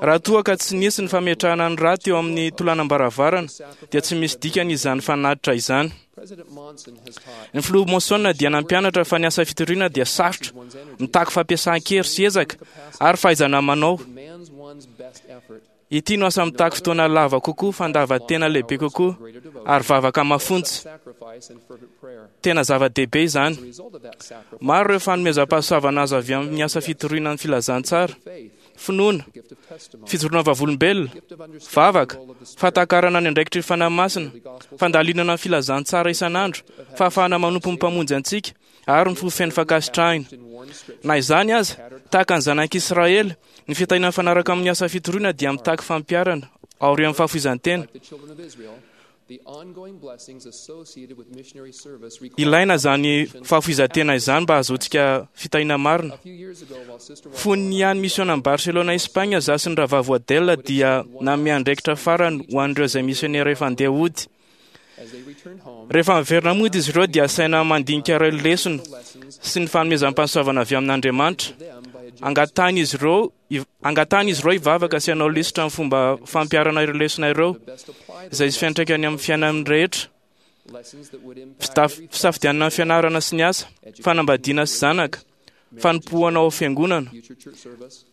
[SPEAKER 2] Raha toa ka tsy nisy ny fametrahana ny ra teo amin'ny tolanam-baravarana, dia tsy misy dikany izany fanatitra izany.
[SPEAKER 6] President Monson has taught
[SPEAKER 2] Ny filoha Monson dia nampianatra fa ny asa fitoriana dia sarotra, mitaky fampiasan-kery sy ezaka ary fahaizana manao.
[SPEAKER 6] demands one's best effort,
[SPEAKER 2] Ity no asa mitaky fotoana lava kokoa, fandavan-tena lehibe kokoa ary vavaka mafonja.
[SPEAKER 6] sacrifice, and fervent prayer.
[SPEAKER 2] Tena zava-dehibe izany.
[SPEAKER 6] The result of that sacrifice,
[SPEAKER 2] Maro ireo fanomezam-pahasoavana azo avy amin'ny asa fitoriana ny filazantsara,
[SPEAKER 6] faith,
[SPEAKER 2] finoana,
[SPEAKER 6] the gift of testimony,
[SPEAKER 2] fijoroana vavolombelona,
[SPEAKER 6] gift of understanding
[SPEAKER 2] vavaka,
[SPEAKER 6] the role of the Spirit,
[SPEAKER 2] fahatakarana ny andraikitry ny Fanahy Masina, fandalinana ny filazantsara isan'andro, fahafahana manompo ny Mpamonjy antsika, ary ny fo feno fankasitrahina.
[SPEAKER 6] in worn scripture,
[SPEAKER 2] Na izany aza, tahaka ny zanak'Israely, ny fitahiana mifanaraka amin'ny asa fitoriana dia mitaky fampiharana aorian'ny fahafoizan-tena.
[SPEAKER 6] like the children of Israel, the ongoing blessings associated with missionary service require
[SPEAKER 2] Ilaina izany fahafoizan-tena izany mba hahazoantsika fitahiana marina.
[SPEAKER 6] A few years ago, while Sister
[SPEAKER 2] Fony niany misiona any Barcelona, Espagne, za sy ny rahavavy Waddell dia nanome andraikitra farany ho an'ireo izay misionera efa handeha hody.
[SPEAKER 6] as they returned home,
[SPEAKER 2] Rehefa miverina mody izy ireo dia asaina mandinika ireo lesona sy ny fanomezam-pahasoavana avy amin'Andriamanitra.
[SPEAKER 6] them by a
[SPEAKER 2] Angatahana izy ireo angatahana izy ireo hivavaka sy hanao lisitra amin'ny fomba fampiharana ireo lesona ireo,
[SPEAKER 6] best apply the
[SPEAKER 2] izay hisy fiantraikany amin'ny fiainany rehetra.
[SPEAKER 6] lessons that would impact
[SPEAKER 2] Fitaf- Fisafidianana ny fianarana sy ny asa, fanambadiana sy zanaka, fanompoana ao fiangonana.
[SPEAKER 6] future church service,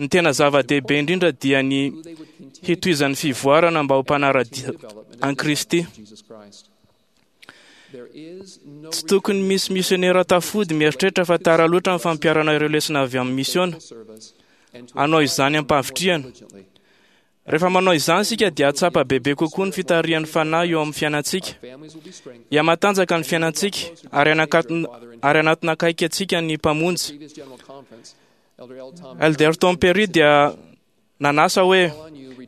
[SPEAKER 2] Ny tena zava-dehibe indrindra dia ny
[SPEAKER 6] who they would continue
[SPEAKER 2] hitohizan'ny fivoarana mba ho mpanara-dia
[SPEAKER 6] development
[SPEAKER 2] an'i Kristy.
[SPEAKER 6] of Jesus Christ. There is
[SPEAKER 7] Tsy tokony misy misionera tafody mieritreritra fa tara loatra ny fampiharana ireo lesona avy amin'ny misiona. Hanao izany am-pahavitrihana. Rehefa manao izany isika dia hahatsapa bebe kokoa ny fitarihan'ny Fanahy eo amin'ny fiainantsika. Hihamatanjaka ny fiainantsika ary hanakatona ary hanatona akaiky antsika ny Mpamonjy. Elder Tom Perry dia nanasa hoe: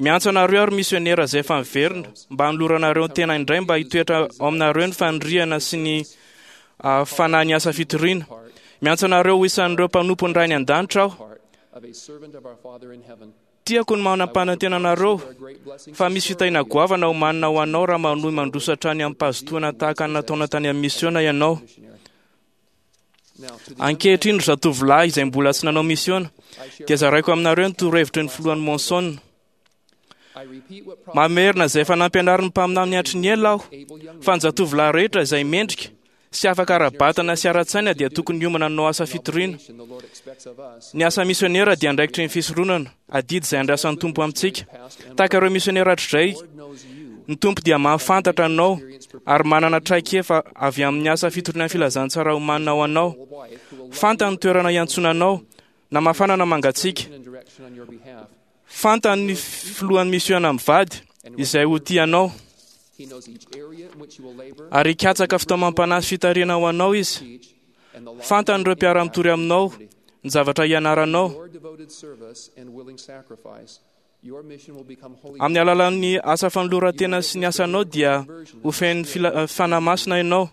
[SPEAKER 7] "Miantso anareo ary misionera izay efa niverina mba hanoloranareo tena indray mba hitoetra ao aminareo ny faniriana sy ny fanahy ny asa fitoriana. Miantso anareo ho isan'ireo mpanompon'ny Ray any an-danitra aho. Tiako ny manam-panantena anareo fa misy fitahiana goavana omanina ho anao raha manohy mandroso hatrany amim-pahazotoana tahaka ny nataonao tany amin'ny misiona ianao. Ankehitriny, ry zatovolahy izay mbola tsy nanao misiona, dia zaraiko aminareo ny torohevitry ny filohan'i Monson. Mamerina izay efa nampianarin'ny mpaminany hatry ny ela aho, fa ny zatovolahy rehetra izay mendrika sy afaka ara-batana sy ara-tsaina dia tokony hiomana hanao asa fitoriana. Ny asa misionera dia andraikitry ny fisoronana, adidy izay andrasan'ny Tompo amintsika. Tahaka ireo misionera hatrizay, ny Tompo dia mahafantatra anao ary manana traikefa avy amin'ny asa fitoriana ny filazantsara omanina ho anao. Fantany ny toerana iantsoana anao, na mafana na mangatsiaka. Fantany ny filohan'ny misiona mivady izay ho tia anao, ary hikatsaka fitaomam-panahy sy fitarihana ho anao izy. Fantany ireo mpiara-mitory aminao, ny zavatra hianaranao. Amin'ny alalan'ny asa fanoloran-tena sy ny asanao dia ho feno fila- Fanahy Masina ianao,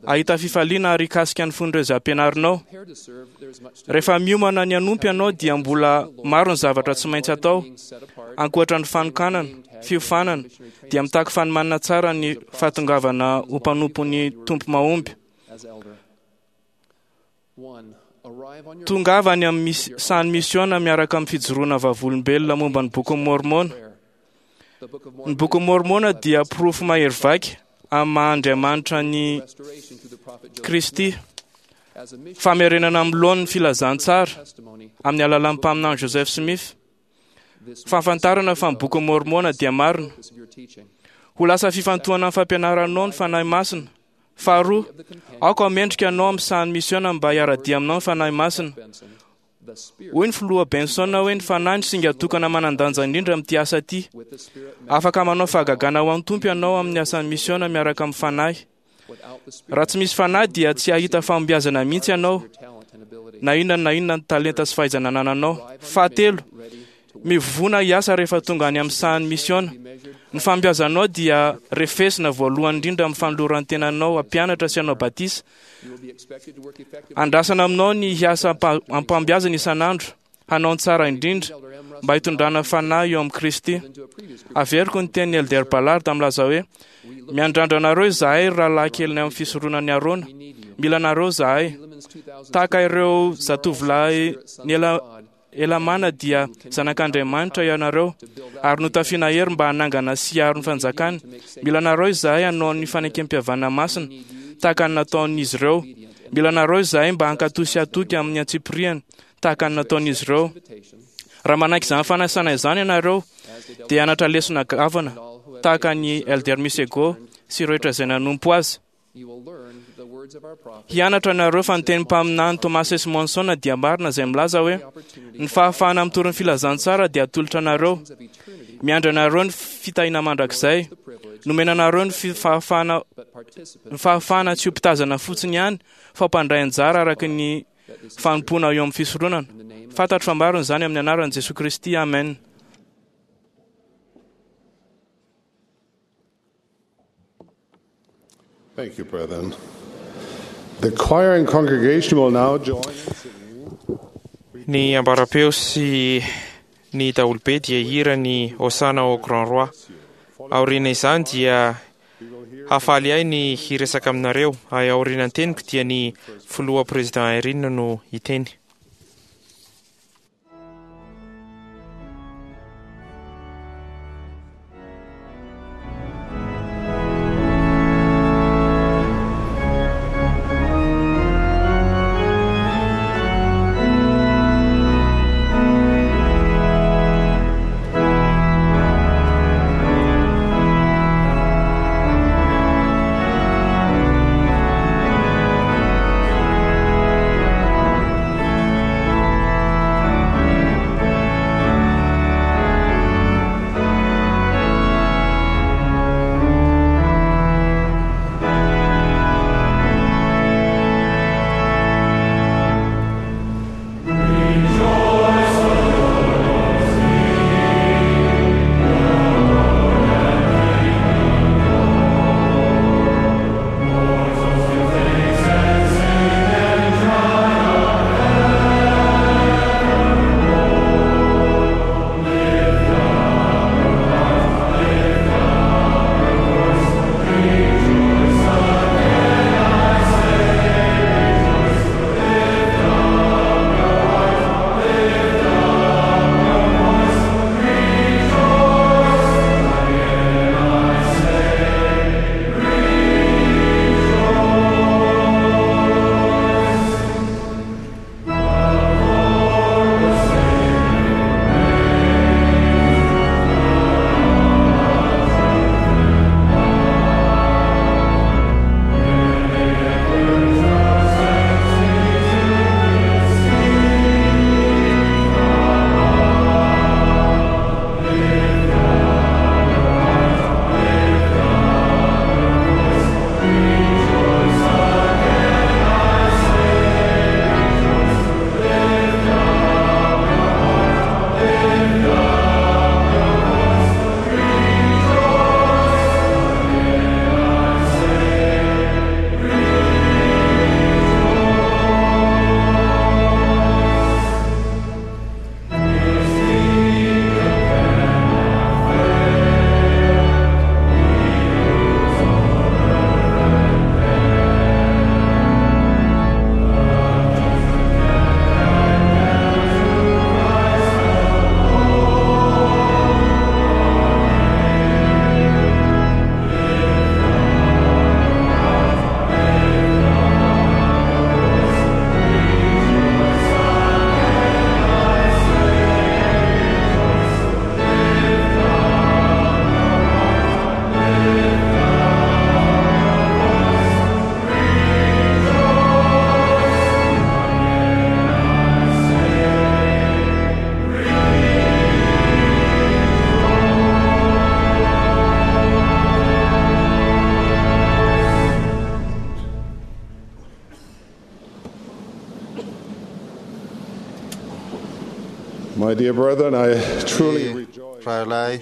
[SPEAKER 7] hahita fifaliana ary hikasika ny fon'ireo izay ampianarinao. Rehefa miomana ny hanompo ianao dia mbola maro ny zavatra tsy maintsy atao. Ankoatra ny fanokanana, fiofanana, dia mitaky fanomanana tsara ny fahatongavana ho mpanompon'ny Tompo mahomby. Tongava any amin'ny sahan'ny misiona miaraka amin'ny fijoroana vavolombelona momba ny Bokin'i Môrmôna. Ny Bokin'i Môrmôna dia porofo mahery vaika amin'ny maha Andriamanitra an'i Kristy. Famerenana amin'ny laoniny ny filazantsara amin'ny alalan'ny mpaminany Joseph Smith. Fahafantarana fa ny Bokin'i Môrmôna dia marina. Ho lasa fifantohana amin'ny fampianaranao ny Fanahy Masina. Faharoa, aoka ho mendrika anao amin'ny sahan'ny misiona mba hiara-dia aminao ny Fanahy Masina. Hoy ny Filoha Benson hoe ny Fanahy no singa tokana manan-danja indrindra amin'ity asa ity. Afaka manao fahagagana ho an'ny Tompo ianao amin'ny asan'ny misiona miaraka amin'ny Fanahy. Raha tsy misy Fanahy dia tsy hahita fahombiazana mihitsy ianao, na inona na inona ny talenta sy fahaizana anananao. Fahatelo, mivovona hiasa rehefa tonga any amin'ny sahan'ny misiona. Ny fahombiazanao dia refesina voalohany indrindra amin'ny fanoloran-tenanao hampianatra sy hanao batisa. Andrasana aminao ny hiasa am-pahombiazana isan'andro, hanao ny tsara indrindra, mba hitondrana fanahy eo amin'i Kristy. Averiko ny tenin'i Elder Ballard milaza hoe, Miandrandra anareo izahay, ry rahalahy kelinay amin'ny fisoronan'i Arona. Mila anareo izahay. Tahaka ireo zatovolahy niela Helamàna dia zanak'Andriamanitra ianareo, ary notafiana hery mba hanangana sy hiaro ny fanjakany. Mila anareo izahay hanao ny fanekempihavanana masina, tahaka ny nataon'izy ireo. Mila anareo izahay mba hankatò sy hatoky amin'ny antsipiriany, tahaka ny nataon'izy ireo. Raha manaiky izany fanasana izany ianareo, dia hianatra lesona goavana, tahaka an'i Elder Misego sy ireo rehetra izay nanompo azy. Hianatra ianareo fa ny tenin'ny mpaminany Thomas S. Monson dia marina izay milaza hoe, Ny fahafahana mitory ny filazantsara dia atolotra anareo. Miandry anareo ny fitahiana mandrakizay. Nomena anareo ny fahafahana ny fahafahana tsy ho mpitazana fotsiny ihany fa ho mpandray anjara araka ny fanompoana eo amin'ny fisoronana. Fantatro fa marina izany amin'ny anaran'i Jesoa Kristy. Amen.
[SPEAKER 8] Thank you, brethren. The choir and congregation will now join in singing.
[SPEAKER 2] Ny ambaram-peo sy ny daholobe dia hihira ny Hosanna au Grand Roi. Aoriana izany dia hahafaly ahy ny hiresaka aminareo, ary aorianan'ny teniko dia ny Filoha Président Eyring no hiteny.
[SPEAKER 8] My dear brethren, I truly rejoice.
[SPEAKER 3] Rahalahy,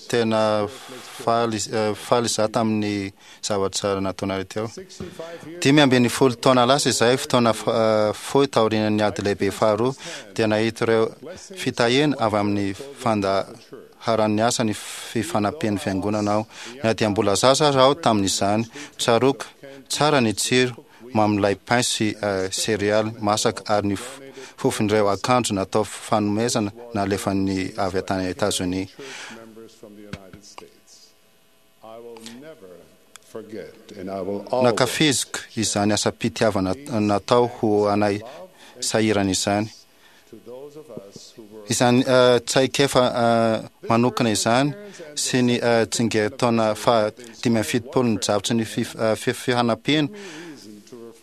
[SPEAKER 3] tena faly faly izaho tamin'ny zavatra nataonareo teo. Dimy ambin'ny folo taona lasa izay, fotoana fohy taorian'ny ady lehibe faharoa, dia nahita ireo fitahiana avy amin'ny fandaharan'ny asa ny fifanampian'ny fiangonana aho. Na dia mbola zaza aza aho tamin'izany, tsaroako tsara ny tsiro mamin'ilay pain sy céréales masaka ary ny fofon'ireo akanjo natao fanomezana nalefan'ny avy tany Etazonia. Nankafiziko izany asam-pitiavana natao ho anay sahirana izany. Izany traikefa manokana izany sy ny tsingerin-taona fahadimy amby fitopolo ny drafitry ny fifanampiana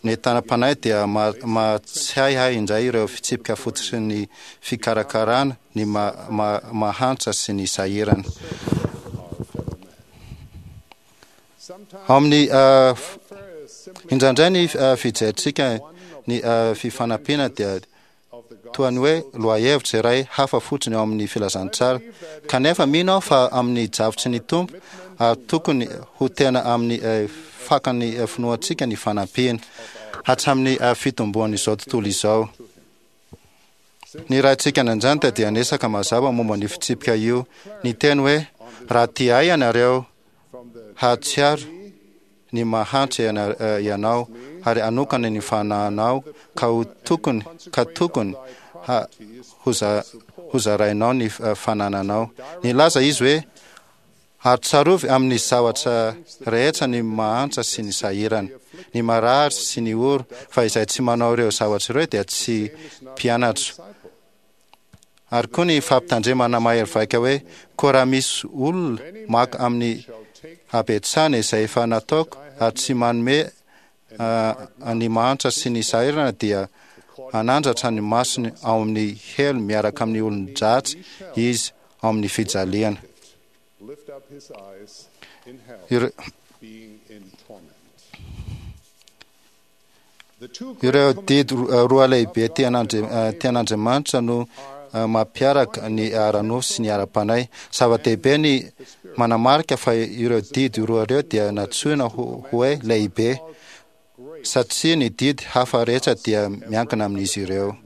[SPEAKER 3] ny tanam-panahy dia mahatsiahy ahy indray ireo fitsipika fototry ny fikarakarana ny mahantra sy ny sahirana. Ao amin'ny indraindray ny fijerintsika ny fifanampiana dia toa ny hoe lohahevitra iray hafa fotsiny ao amin'ny filazantsara. Kanefa mino aho fa amin'ny drafitry ny Tompo ary tokony ho tena amin'ny fakan'ny finoantsika ny fanampiana hatramin'ny fitomboan'izao tontolo izao. Ny Raintsika any an-danitra dia niresaka mazava momba ny fitsipika io, niteny hoe: raha tia ahy ianareo, hahatsiaro ny mahantra ianao ary hanokana ny fanahinao ka ho tokony ka tokony hozarainao ny fanananao. Nilaza izy hoe: ary tsarovy amin'ny zavatra rehetra ny mahantra sy ny sahirana, ny marary sy ny oro, fa izay tsy manao ireo zavatra ireo dia tsy mpianatro. Ary koa ny fampitandremana mahery vaika hoe: koa raha misy olona maka amin'ny habetsahana izay efa nataoko ary tsy manome ny mahantra sy ny sahirana dia hanandratra ny masony ao amin'ny helo miaraka amin'ny olon-dratsy izy ao amin'ny fijaliana. Ireo didy roa lehibe tian'Andriamanitra no mampiaraka ny ara-nofo sy ny ara-panahy. Zava-dehibe ny manamarika fa ireo didy roa ireo dia nantsoina hoe lehibe, satria ny didy hafa rehetra dia miankina amin'izy ireo.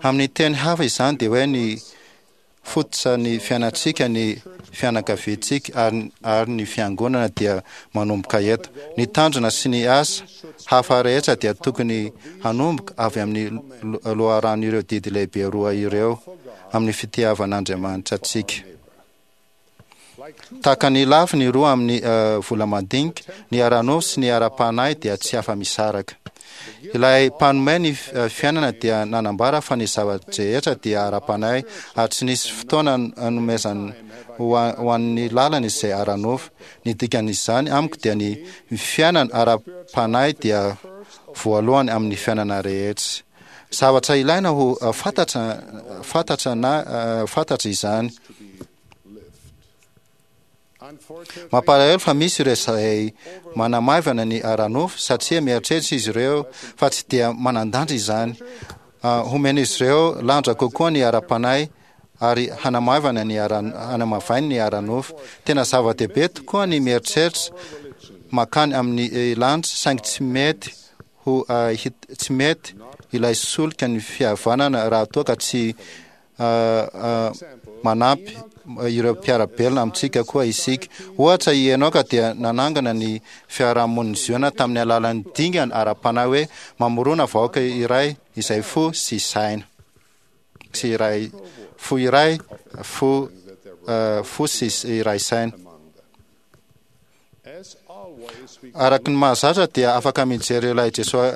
[SPEAKER 3] Amin'ny teny hafa izany dia hoe ny fototra ny fiainantsika, ny fianakaviantsika ary ary ny fiangonana dia manomboka eto. Ny tanjona sy ny asa hafa rehetra dia tokony hanomboka avy amin'ny loharan'ireo didy lehibe roa ireo amin'ny fitiavan'Andriamanitra antsika. Tahaka ny lafiny roa amin'ny vola madinika, ny ara-nofo sy ny ara-panahy dia tsy afa-misaraka. Ilay mpanome ny fiainana dia nanambara fa ny zava-drehetra dia ara-panahy ary tsy nisy fotoana nanomezany ho an'ny lalana izay ara-nofo. Ny dikan'izany amiko dia ny fiainana ara-panahy dia voalohany amin'ny fiainana rehetra. Zavatra ilaina ho fantatra fantatra na fantatra izany. Mampalahelo fa misy ireo izay manamaivana ny ara-nofo satria mieritreritra izy ireo fa tsy dia manan-danja izany. Homen'izy ireo lanja kokoa ny ara-panahy ary hanamaivana ny ara hanamavainy ny ara-nofo. Tena zava-dehibe tokoa ny mieritreritra mankany amin'ny lanitra, saingy tsy mety ho tsy mety ilay solika ny fihavanana raha toa ka tsy manampy ireo mpiara-belona amintsika koa isika. Ohatra, i Enoka dia nanangana ny fiarahamonin'i Ziona tamin'ny alalan'ny dingana ara-panahy hoe mamorona vahoaka iray izay fo sy saina sy iray fo iray fo fo sy iray saina. Araka ny mahazatra dia afaka mijery ilay Jesoa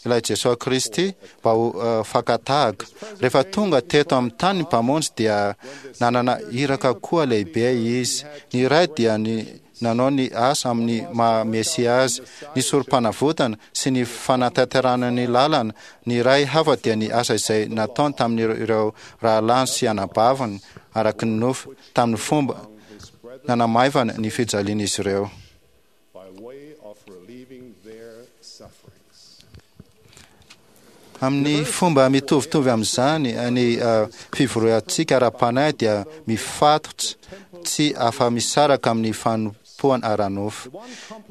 [SPEAKER 3] ilay Jesoa Kristy mba ho fakan-tahaka. Rehefa tonga teto amin'ny tany ny Mpamonjy dia nanana iraka koa lehibe izy. Ny iray dia ny nanao ny asa amin'ny maha Mesia azy, ny sorom-panavotana sy ny fanatanterahana ny lalana. Ny iray hafa dia ny asa izay nataony tamin'ireo rahalahiny sy anabaviny araka ny nofo tamin'ny fomba nanamaivana ny fijalian'izy ireo. Amin'ny fomba mitovitovy amin'izany, ny fivoriantsika ara-panahy dia mifatotra tsy afa-misaraka amin'ny fanompoana ara-nofo.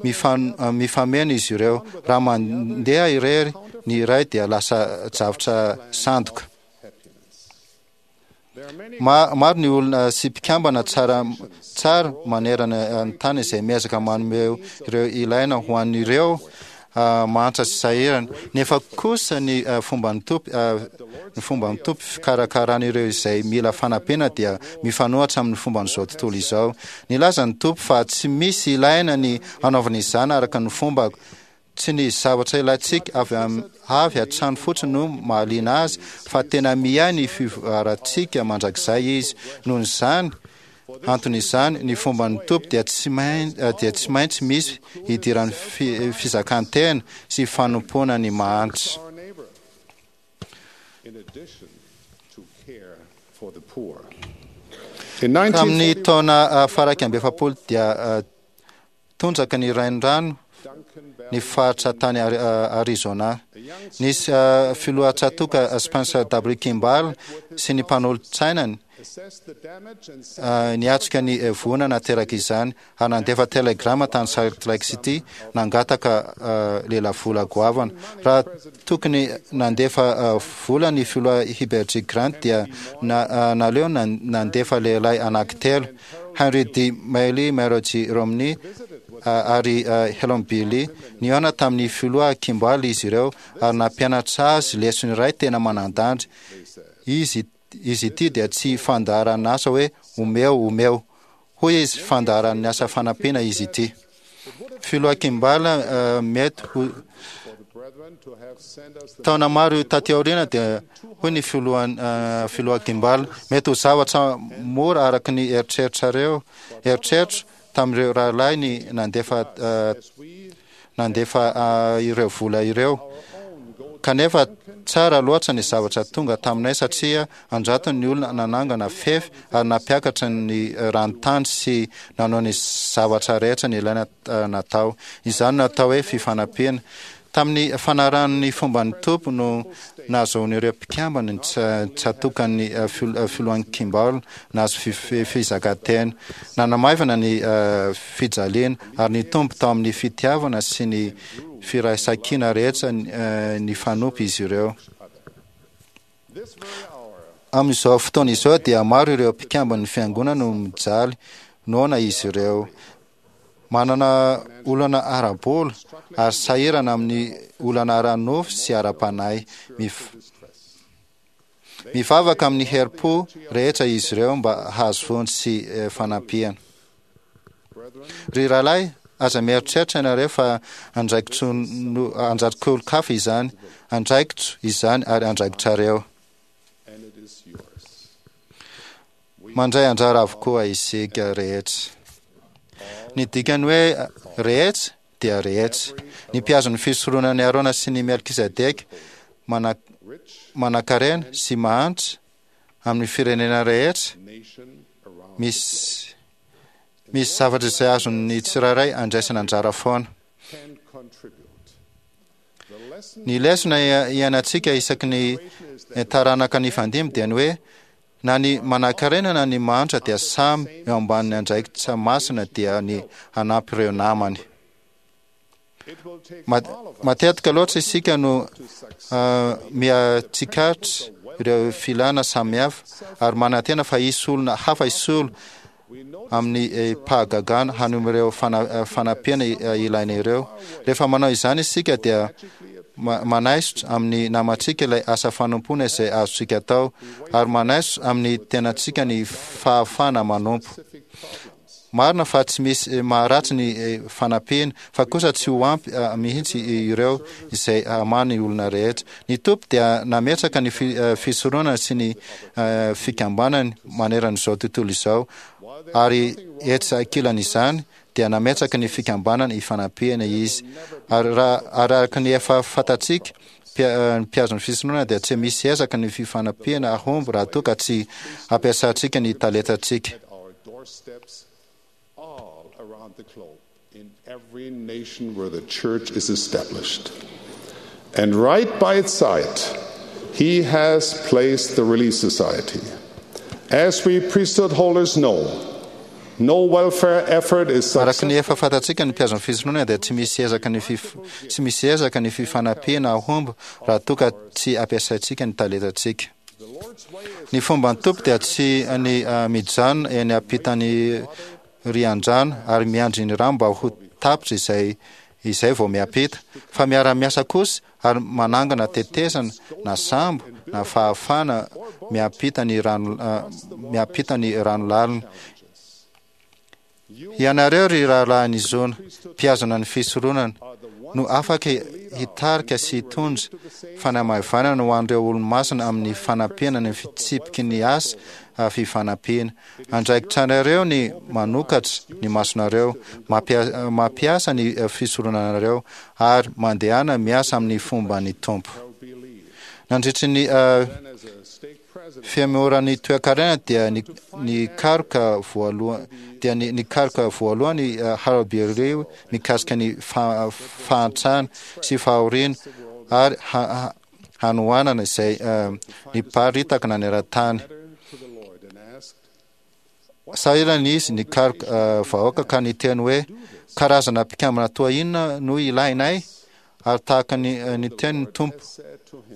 [SPEAKER 3] Mifameno izy ireo. Raha mandeha irery ny iray dia lasa zavatra sandoka. Maro ny olona sy mpikambana tsara tsara manerana ny tany izay miezaka manome ireo ilaina ho an'ireo mahantra sy sahirana. Nefa kosa ny fomban'ny Tompo, ny fomban'ny Tompo fikarakarana ireo izay mila fanampiana dia mifanohitra amin'ny fomban'izao tontolo izao. Nilaza ny Tompo fa tsy misy ilaina ny hanaovana izany araka ny fombako. Tsy ny zavatra ilaintsika avy avy hatrany fotsiny no mahaliana azy, fa tena miahy ny fivoarantsika mandrakizay izy. Noho izany antony izany, ny fomban'ny Tompo dia tsy dia tsy maintsy misy hidiran'ny fizakan-tena sy fanompoana ny mahantra. Tamin'ny taona faha-iraika amby efapolo dia tondraka ny renirano ny faritra tany Arizona. Nisy filoha tsatoka Spencer W. Kimball sy ny mpanolotsainany niatrika ny voina nateraka izany ary nandefa telegrama tany Salt Lake City nangataka lelavola goavana. Raha tokony nandefa vola ny filoha Heber G. Grant dia naleo nandefa lehilahy anankitelo, Henry D. Mailey, Mary G. Romney ary Helon B. Lee. Nihaona tamin'ny filoha Kimball izy ireo ary nampianatra azy lesona iray tena manan-danja. Izy izy ity dia tsy fandaharan'asa hoe omeo omeo. Hoy izy, fandaharan'ny asa fanampiana izy ity. Filoha Kimball mety ho taona maro taty aoriana dia hoy ny filoha filoha Kimball, mety ho zavatra mora araka ny eritreritrareo eritreritro tamin'ireo rahalahy ny nandefa nandefa ireo vola ireo. Kanefa tsara loatra ny zavatra tonga taminay satria an-jatony ny olona nanangana fefy ary nampiakatra ny ranontany sy nanao ny zavatra rehetra nilaina natao. Izany no atao hoe fifanampiana. Tamin'ny fanarahan'ny fomban'ny Tompo no nahazoan'ireo mpikambana ny tsatokan'ny filohan'i Kimball nahazo fizakan-tena. Nanamaivana ny fijaliana ary nitombo tao amin'ny fitiavana sy ny firaisankina rehetra nifanompo izy ireo. Amin'izao fotoana izao dia maro ireo mpikamban'ny fiangonana no mijaly noana izy ireo. Manana olana ara-bola ary sahirana amin'ny olana ara-nofo sy ara-panahy. Mivavaka amin'ny herim-po rehetra izy ireo mba hahazo vonjy sy fanampiana. Ry rahalahy, aza mieritreritra ianareo fa andraikitr'-olon-kafa izany. Andraikitro izany ary andraikitrareo. Mandray anjara avokoa isika rehetra. Ny dikan'ny hoe rehetra dia rehetra. Ny mpihazo ny fisoronan'i Arona sy ny Melkizedeka, manankarena sy mahantra, amin'ny firenena rehetra, misy misy zavatra izay azon'ny tsirairay andraisana anjara foana. Ny lesona iainantsika isaky ny taranaka nifandimby dia ny hoe na ny manankarena na ny mahantra dia samy eo ambanin'ny andraikitra masina dia ny hanampy ireo namany. Matetika loatra isika no miha-tsikaritra ireo filana samihafa ary manantena fa hisy olona hafa hisolo amin'ny fahagagana hanome ireo fanampiana ilaina ireo. Rehefa manao izany isika dia manaisotra amin'ny namantsika ilay asa fanompoana izay azontsika atao ary manaisotra amin'ny tenantsika ny fahafahana manompo. Marina fa tsy misy maharatsy ny fanampiana, fa kosa tsy ho ampy mihitsy ireo izay hamaha ny olona rehetra. Ny Tompo dia nametraka ny fisoronana sy ny fikambanany manerana izao tontolo izao, ary etsy ankilan'izany dia nametraka ny fikambanana ifanampiana Izy. Ary raha araka ny efa fantatsika, ny mpihazo ny fisoronana dia tsy misy ezaka ny fifanampiana hahomby raha toa ka tsy ampiasantsika ny talentantsika.
[SPEAKER 8] All around the globe, in every nation where the church is established. And right by its side, he has placed the Relief Society. As we priesthood holders know, no welfare effort is
[SPEAKER 3] Araka ny efa fantatsika, ny mpiazon'ny fisoronana dia tsy misy ezaka ny fif- tsy misy ezaka ny fifanampiana ahomby raha toa ka tsy ampiasaintsika ny talentantsika. Ny fomba ny Tompo dia tsy ny uh, mijanona eny ampitan'ny riandrano ary miandry ny rano mba ho tapitra izay izay vao miampita, fa miara-miasa kosa ary manangana tetezana na sambo na fahafahana miampita ny rano uh, miampita ny rano lalina. Ianareo, ry rahalahin'i Zona, mpiazona ny fisoronana, no afaka hitarika sy hitondra fanamaivanana ho an'ireo olo-masina amin'ny fanampiana ny fitsipiky ny asa fifanampiana. Andraikitranareo ny manokatra ny masonareo, mampia- mampiasa ny fisoronanareo ary mandehana miasa amin'ny fomba ny Tompo. Nandritry ny uh, fihemoran'ny toekarena dia ny nikaroka voalohany dia ny nikaroka voalohany uh, Harold B. Lee mikasika ny fa, fahantrana sy fahoriana ary ha, ha, hanoanana izay uh, niparitaka naneran-tany. Sahirana izy nikaroka uh, vahoaka ka niteny hoe: "Karazana mpikambana toa inona no ilainay?" Ary tahaka ny ny teny ny Tompo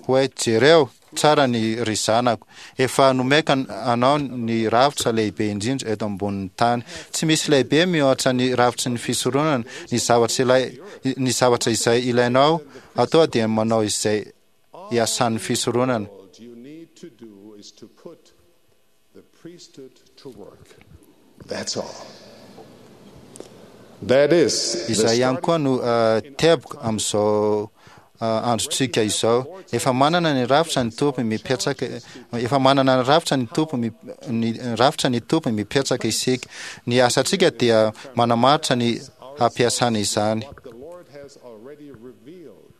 [SPEAKER 3] hoe: "Jereo tsara ny ry zanako, efa nomeko anao ny rafitra lehibe indrindra eto ambonin'ny tany. Tsy misy lehibe mihoatra ny rafitry ny fisoronana. Ny zavatra ilay ny zavatra izay ilainao atao dia manao izay iasan'ny fisoronana."
[SPEAKER 8] You need to do is to put the priesthood to work. That's all. That is the
[SPEAKER 3] Izay ihany koa no uh, teboka amin'izao uh, androntsika izao. Efa manana ny rafitra ny Tompo mipetraka, efa manana ny rafitra ny Tompo mi, ny rafitra ny Tompo mipetraka isika. Ny asantsika dia manamaritra ny hampiasana izany.
[SPEAKER 8] The Lord has already revealed.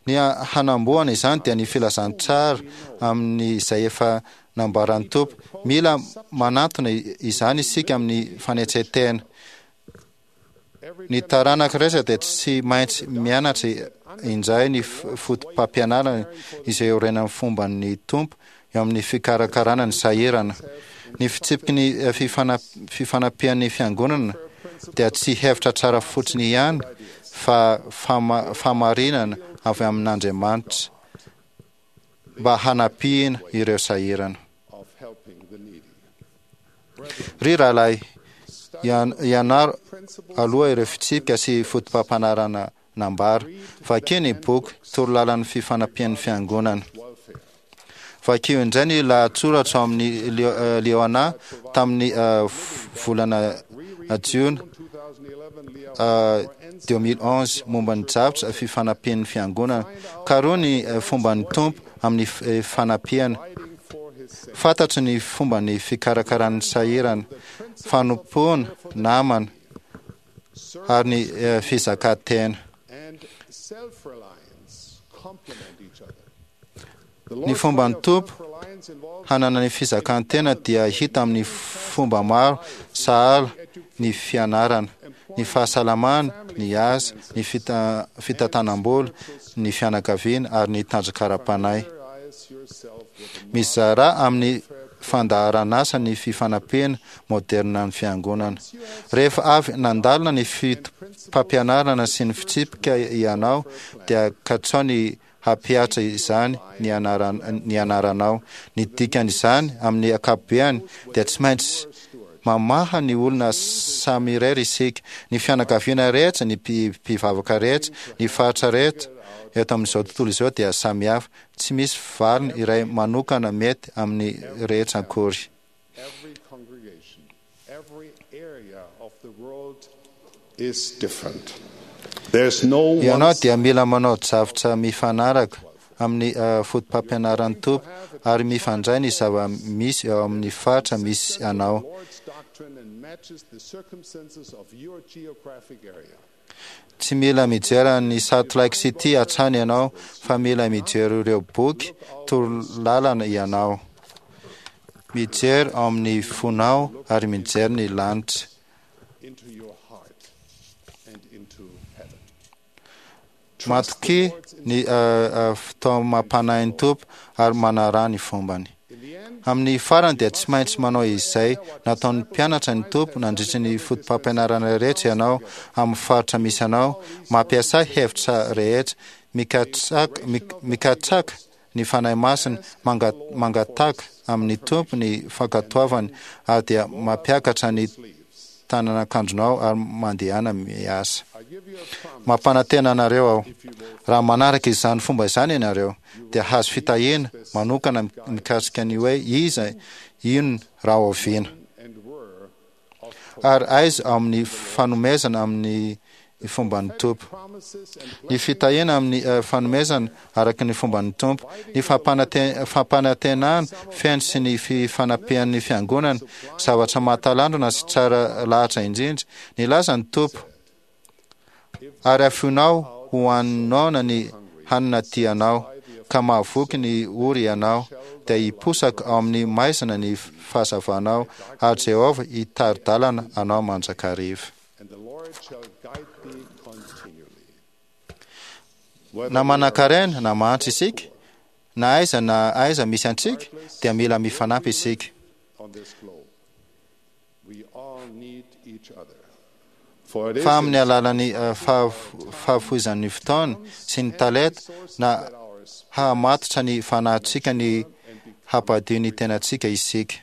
[SPEAKER 3] Ny hanamboana izany dia ny filazantsara amin'ny izay efa nambaran'ny Tompo. Mila manantona izany isika amin'ny fanetren-tena. Ny taranaka rehetra dia tsy maintsy mianatra indray ny foto-pampianarana izay iorenan'ny fomban'ny Tompo eo amin'ny fikarakarana ny sahirana. Ny fitsipiky ny fifana- fifanampian'ny fiangonana dia tsy hevitra tsara fotsiny ihany fa fama- fahamarinana avy amin'Andriamanitra mba hanampiana ireo sahirana.
[SPEAKER 8] Of helping the needy.
[SPEAKER 3] Ry rahalahy, ian- ianaro aloha ireo fitsipika sy foto-pampianarana nambara. Vakio ny boky torolalan'ny fifanampian'ny fiangonana. Vakio indray ny lahatsoratra ao amin'ny Leo- eh, Liahona tamin'ny eh, volana jiona eh, deux mille onze momba ny drafitra fifanampian'ny fiangonana. Karoho ny eh, fomban'ny Tompo amin'ny f- eh, fanampiana. Fantatry ny fomba ny fikarakaran'ny sahirana, fanompoana namana ary ny eh, fizakantena.
[SPEAKER 8] And self-reliance complement each other.
[SPEAKER 3] Ny fomba ny Tompo hanana ny fizakantena dia hita amin'ny fomba maro, sahala ny fianarana, ny fahasalamana, ny asa, ny fita- fitantanam-bola, ny fianakaviana ary ny tanjaka ara-panahy. Mizara amin'ny fandaharanasa ny fifanampiana moderna ny fiangonana. Rehefa avy nandalina ny foto-pampianarana sy ny fitsipika ianao dia katsao ny hampihatra izany ny anaran- ny anaranao. Ny dikan'izany amin'ny ankapobeany dia tsy maintsy mamaha ny olona samy irery isika. Ny fianakaviana rehetra, ny mpi- mpivavaka rehetra, ny faritra rehetra eto amin'izao tontolo izao dia samy hafa. Tsy misy valiny iray manokana mety amin'ny rehetra akory.
[SPEAKER 8] Every congregation, every area of the world is different. There's no one
[SPEAKER 3] Ianao dia mila manao drafitra mifanaraka amin'ny uh, foto-pampianaran'ny Tompo ary mifandray ny zava-misy eo amin'ny faritra misy anao.
[SPEAKER 8] Lord's doctrine and matches the circumstances of your geographic area.
[SPEAKER 3] Tsy mila mijery ny Salt Lake City hatrany ianao fa mila mijery ireo boky torolalana ianao. Mijery ao amin'ny fonao ary mijery ny lanitra.
[SPEAKER 8] Into your heart and into heaven.
[SPEAKER 3] Matokia ny fitaomam-panahin'ny Tompo ary manaraha ny fombany. Amin'ny farany dia tsy maintsy manao izay nataon'ny mpianatra ny Tompo nandritry ny foto-pampianarana rehetra ianao amin'ny faritra misy anao, mampiasa hevitra rehetra, mikatsaka mikatsaka ny Fanahy Masina, mangataka amin'ny Tompo ny fankatoavany ary dia mampiakatra ny tanan'akanjonao ary mandehana miasa. Mampanantena anareo aho, raha manaraka izany fomba izany ianareo, dia hahazo fitahiana manokana mikasika ny hoe iza, inona, rahoviana, ary aiza ao amin'ny fanomezana amin'ny fomban'ny Tompo. Ny fitahiana amin'ny fanomezana araka ny fomban'ny Tompo, ny fampanantenana feno sy ny fifanampian'ny fiangonana, zavatra mahatalanjona sy tsara lahatra indrindra. Nilaza ny Tompo, ary afoinao ho an'ny noana ny hanina tianao, ka mahavoky ny ory ianao, dia hiposaka ao amin'ny maizina ny fahazavanao, ary Jehovah hitari-dalana anao mandrakariva. Na manankarena na mahantra isika, na aiza na aiza misy antsika, dia mila mifanampy isika. Fa amin'ny alalan'ny fahafoizan'ny fotoana sy ny talenta na hahamatotra ny fanahintsika ny hampadio ny tenantsika isika.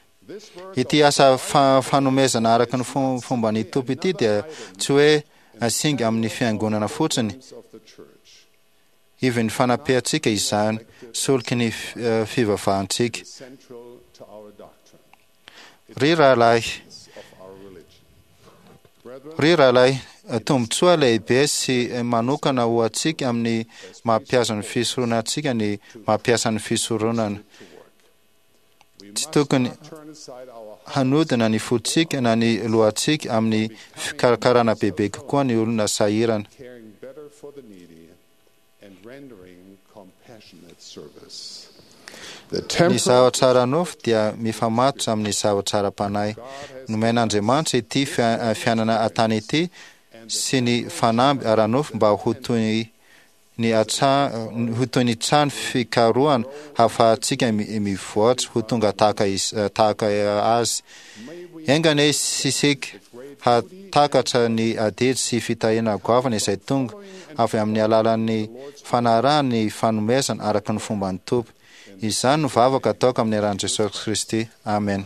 [SPEAKER 3] Ity asa fanomezana araka ny fomban'ny Tompo ity dia tsy hoe singa amin'ny fiangonana fotsiny, ivon'ny fanampiantsika izany, soloky ny fivavahantsika. Ry rahalahy, ry rahalahy, tombontsoa lehibe sy manokana ho antsika amin'ny mampiasa ny fisoronana antsika ny mampiasa ny fisoronana. Tsy tokony hanodina ny fontsika na ny lohantsika amin'ny fikarakarana bebe kokoa ny olona sahirana. Ny zavatra ara-nofo dia mifamatotra amin'ny zavatra ara-panahy. Nomen'Andriamanitra ity fiainana an-tany ity sy ny fanamby ara-nofo mba ho toy ny ho toy ny trano fikarohana hahafahantsika mivoatra ho tonga tahaka tahaka Azy. Enga anie isika hahatakatra ny adidy sy fitahiana goavana izay tonga avy amin'ny alalan'ny fanarahana ny fanomezana araka ny fomban'ny Tompo. Izany no vavaka ataoko amin'ny anaran'i Jesosy Kristy. Amena.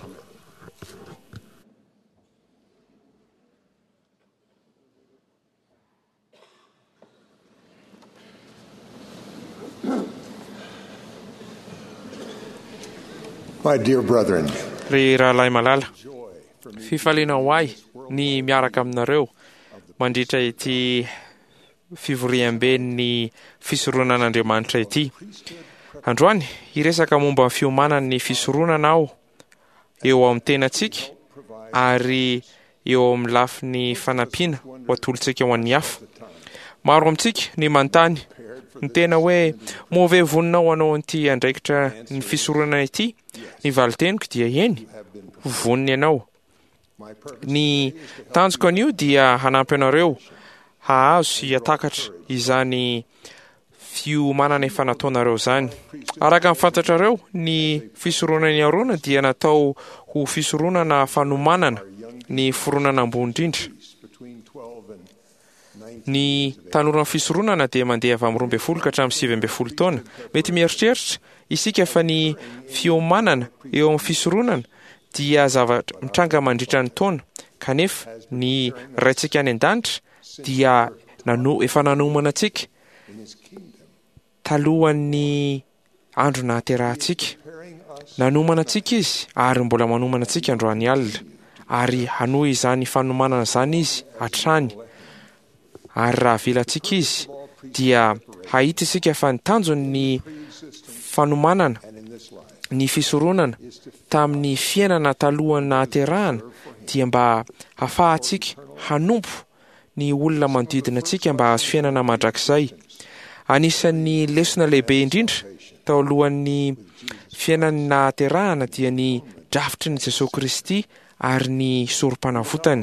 [SPEAKER 9] My dear brethren,
[SPEAKER 2] Ry rahalahy malala, fifaliana ho ahy ny miaraka aminareo mandritra ity fivoriamben'ny fisoronan'Andriamanitra ity. Androany, hiresaka momba ny fiomanan'ny fisoronana aho eo amin'ny tenantsika ary eo amin'ny lafiny fanampiana ho atolotsika ho an'ny hafa. Maro amintsika ny manontany ny tena hoe moa ve vonona ho anao an'ity andraikitra ny fisoronana ity? Ny valin-teniko dia eny, vonona ianao. Ny tanjoko anio dia hanampy anareo hahazo sy hatakatra izany fiomanana efa nataonareo izany. Araka ny fantatrareo, ny fisoronan'i Arona dia natao ho fisoronana fanomanana ny fironana ambony indrindra. Ny tanoran'ny fisoronana dia mandeha avy amin'ny roa ambin'ny folo ka hatramin'ny sivy ambin'ny folo taona. Mety mieritreritra isika fa ny fiomanana eo amin'ny fisoronana dia zavatra mitranga mandritra ny taona, kanefa ny Raintsika any an-danitra dia nano, efa nanomana antsika talohan'ny andro nahaterahantsika. Nanomana antsika Izy ary mbola manomana antsika androany alina, ary hanohy izany fanomanana izany Izy hatrany. Ary raha avelantsika Izy, dia hahita isika fa ny tanjony ny fanomanana ny fisoronana tamin'ny fiainana talohan'ny nahaterahana dia mba hafahantsika hanompo ny olona manodidina antsika mba hahazo fiainana mandrakizay. Anisan'ny lesona lehibe indrindra tao alohan'ny fiainan'ny nahaterahana dia ny drafitry ny Jesosy Kristy ary ny sorom-panavotany.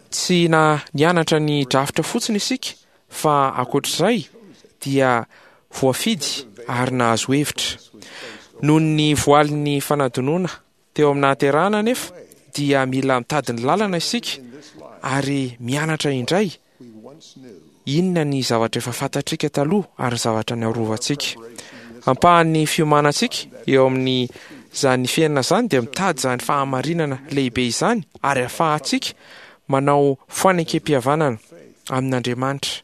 [SPEAKER 2] Tsy na nianatra ny drafitra fotsiny isika Fa ankoatr'izay dia voafidy ary nahazo hevitra. Noho ny voalin'ny fanadinoana teo amin'ny nahaterahana anefa dia mila mitady ny lalana isika ary mianatra indray inona ny zavatra efa fantatrika taloha ary ny zavatra niarovantsika. Ampahan'ny fiomanantsika eo amin'ny izany fiainana izany dia mitady izany fahamarinana lehibe izany ary ahafahantsika manao fanekem-pihavanana amin'Andriamanitra.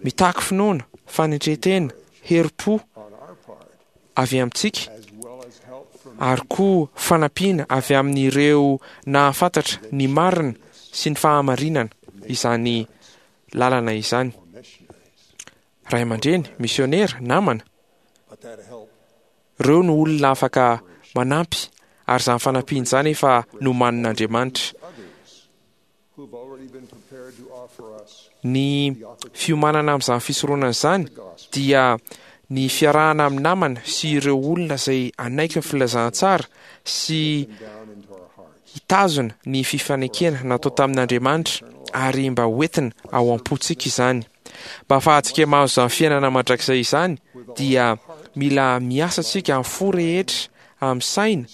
[SPEAKER 2] Mitaky finoana, fanetren-tena, herim-po avy amintsika ary koa fanampiana avy amin'ireo nahafantatra ny marina sy ny fahamarinana izany lalana izany. Ray aman-dreny, misionera, namana, ireo no olona afaka manampy ary izany fanampiana izany efa nomanin'Andriamanitra. Ny fiomanana amin'izany fisoronana izany dia ny fiarahana amin'ny namana sy ireo olona izay hanaiky ny filazantsara sy hitazona ny fifanekena natao tamin'Andriamanitra ary mba hoentina ao am-pontsika izany. Mba hahafahantsika mahazo izany fiainana mandrakizay izany dia mila miasa antsika amin'ny fo rehetra, amin'ny saina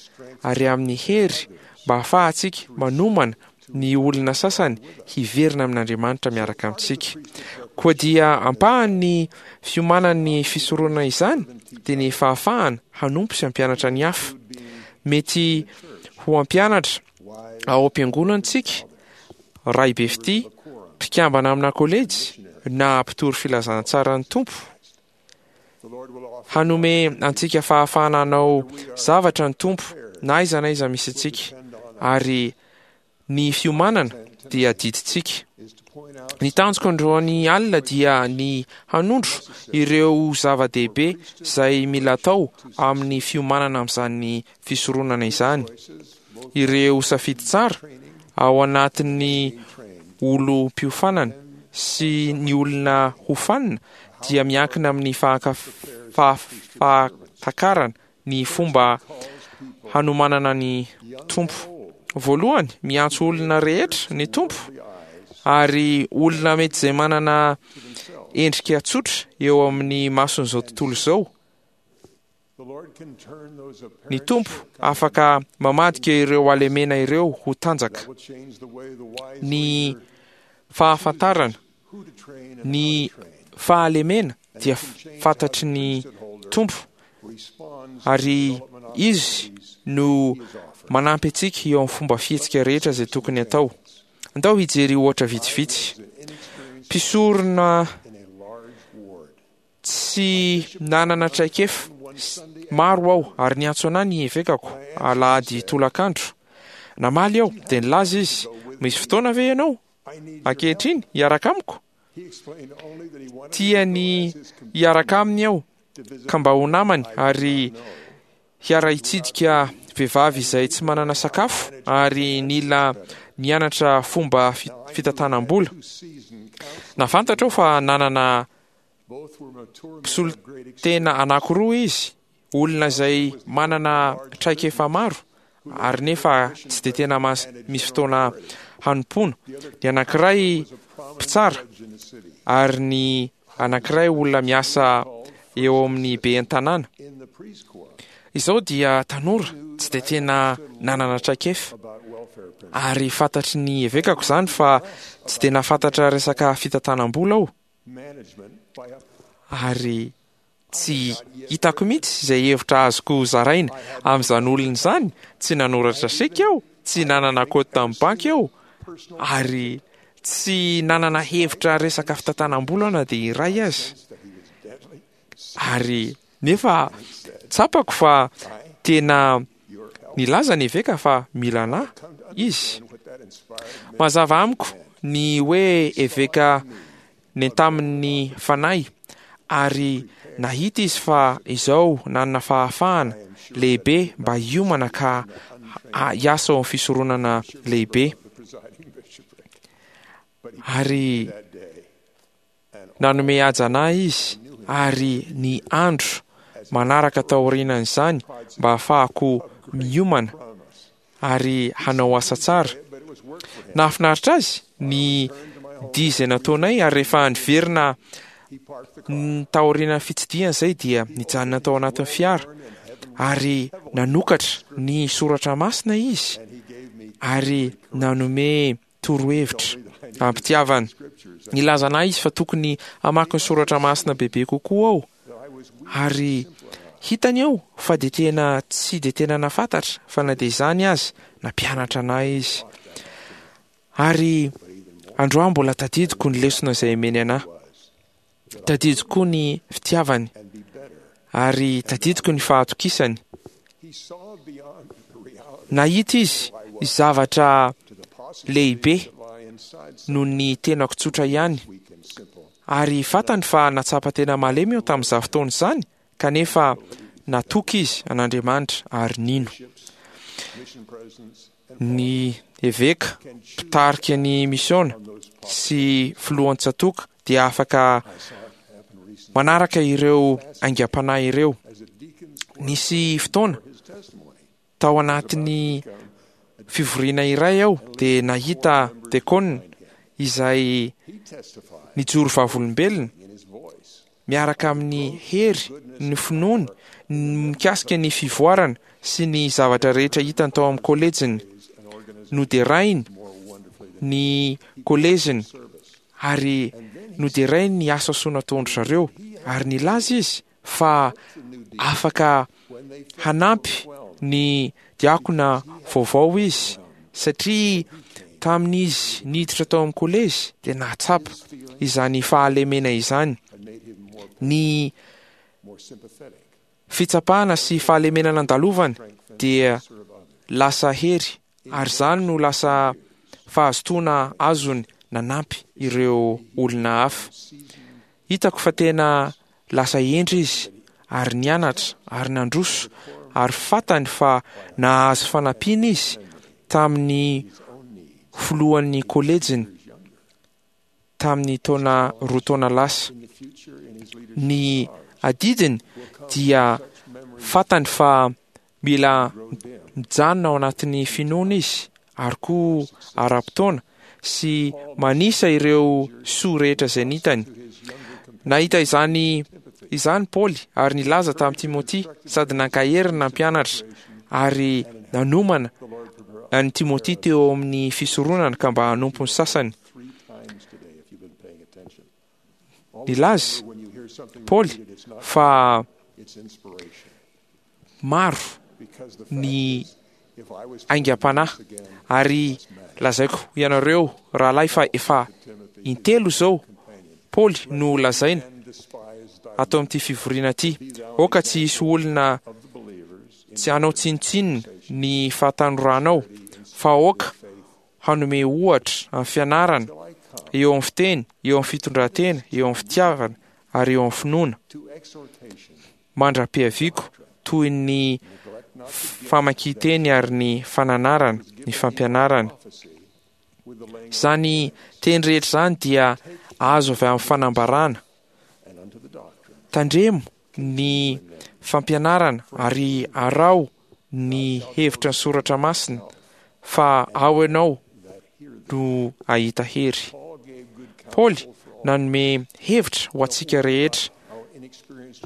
[SPEAKER 2] ary amin'ny hery mba hahafahantsika manomana ny olona sasany hiverina amin'Andriamanitra miaraka amintsika. Koa dia ampahan'ny fiomanan'ny fisoronana izany dia ny fahafahana hanompo sy hampianatra ny hafa. Mety ho hampianatra ao am-piangonana isika, ray be fitia, mpikambana amina kolejy na mpitory filazantsaran'ny Tompo. Hanome antsika fahafahana hanao zavatra ny Tompo na aiza na aiza misy antsika, ary ny fiomanana dia adidintsika. Ny tanjoko androany alina dia ny hanondro ireo zava-dehibe izay mila atao amin'ny fiomanana amin'izany fisoronana izany. Ireo safidy tsara ao anatin'ny olom-piofanana sy ny olona hofanina dia miankina amin'ny fahatakarana ny fomba hanomanana ny Tompo. Voalohany, miantso olona rehetra ny Tompo, ary olona mety izay manana endrika tsotra eo amin'ny mason'izao tontolo izao. Ny Tompo afaka mamadika ireo halemena ireo ho tanjaka. Ny fahafantarana ny fahalemena dia fantatry ny Tompo ary Izy no manampy antsika eo amin'ny fomba fihetsika rehetra izay tokony atao. Andao hijery ohatra vitsivitsy. Mpisorona tsy nanana traikefa maro aho ary niantso anà ny evekako alahady tolakandro. Namaly aho dia nilaza izy, misy fotoana ve ianao ankehitriny hiaraka amiko? Tiany hiaraka aminy aho ka mba ho namany ary hiara-hitsidika vehivavy izay tsy manana sakafo ary nila nianatra fomba fitantanam-bola. Nahafantatra aho fa nanana mpisolo-tena anankiroa izy, olona izay manana traikefa maro ary nefa tsy dia tena misy fotoana hanompoana. Ny anankiray mpitsara ary ny anankiray olona miasa eo amin'ny ben'ny tanàna. Izao dia tanora tsy dia tena nanana traikefa ary fantatry ny evekako izany fa tsy dia nahafantatra resaka fitantanam-bola aho ary tsy hitako mihitsy izay hevitra azoko zaraina amin'izany olona izany. Tsy nanoratra seky aho, tsy nanana kaonty tamin'ny banky aho ary tsy nanana hevitra resaka fitantanam-bola na dia iray aza. Ary nefa tsapako fa tena nilaza ny eveka fa mila anà izy. Mazava amiko ny hoe eveka nentamin'ny fanahy ary nahita izy fa izao nanana fahafahana lehibe mba hiomana ka hiasa ao amin'ny fisoronana lehibe. Ary nanome haja anà izy ary ny andro manaraka · Nahafinaritra azy ny dihy izay nataonay, ary rehefa niverina taorian'ny fitsidihana izay dia nijanona tao anatin'ny fiara ary nanokatra ny soratra masina izy ary nanome torohevitra ampitiavana. Nilaza anay izy fa tokony hamaky ny soratra masina bebe kokoa aho, ary hitany eo fa dia tena tsy dia tena nafantatra, fa na dia izany azy nampianatra anay izy. Ary androany mbola tadidiko ny lesona izay omeny anahy, tadidiko koa ny fitiavany, ary tadidiko ny fahatokisany. Nahita izy zavatra lehibe noho ny tenako tsotra ihany, ary fantany fa natsapa tena malemy aho tamin'izany fotoana izany, kanefa natoky izy an'Andriamanitra ary nino. Ny eveka mpitarika ny misiona sy filohan-tsatoka dia afaka manaraka ireo aingam-panahy ireo. Nisy fotoana tao anatin'ny fivoriana iray aho dia nahita dekona izay nijoro vavolombelona miaraka amin'ny hery ny finoany mikasika ny fivoarana sy ny zavatra rehetra hitany tao amin'ny kolejiny. Noderainy ny kolejiny ary noderainy ny asa soa nataon-dry zareo, ary nilaza izy fa afaka hanampy ny diakona vaovao izy, satria tamin'izy niditra tao amin'ny kolejy dia nahatsapa izany fahalemena izany. Ny fitsapana sy fahalemena nandalovany dia lasa hery, ary izany no lasa fahazotoana azony nanampy ireo olona hafa. Hitako fa tena lasa hendry izy ary nianatra ary nandroso, ary fantany fa nahazo fanampiana izy tamin'ny filohan'ny kolejiny tamin'ny taona roa taona lasa. Ny adidiny dia fantany fa mila mijanona ao anatin'ny finoana izy, ary koa ara-potoana sy manisa ireo soa rehetra izay nitany. Nahita izany izany Paoly ary nilaza tamin'i Timoty, sady nankahery ny nampianatra ary nanomana an'i Timoty teo amin'ny fisoronana ka mba hanompo ny sasany. Nilaza Paoly fa maro ny aingam-panahy, ary lazaiko ianareo rahalahy fa efa intelo izao Paoly no lazaina atao amin'ity fivoriana ity. Aoka tsy hisy olona tsy hanao tsinontsinona ny fahatanoranao, fa aoka hanome ohatra amin'ny fianarana, eo amin'ny fiteny, eo amin'ny fitondran-tena, eo amin'ny fitiavana ary eo amin'ny finoana, mandra-piaviako toy ny famakian-teny ary ny fananarana, ny fampianarana. Izany teny rehetra izany dia azo avy amin'ny fanambarana. Tandremo ny fampianarana ary araho ny hevitra ny soratra masina, fa ao ianao no hahita hery. Paoly nanome hevitra ho antsika rehetra.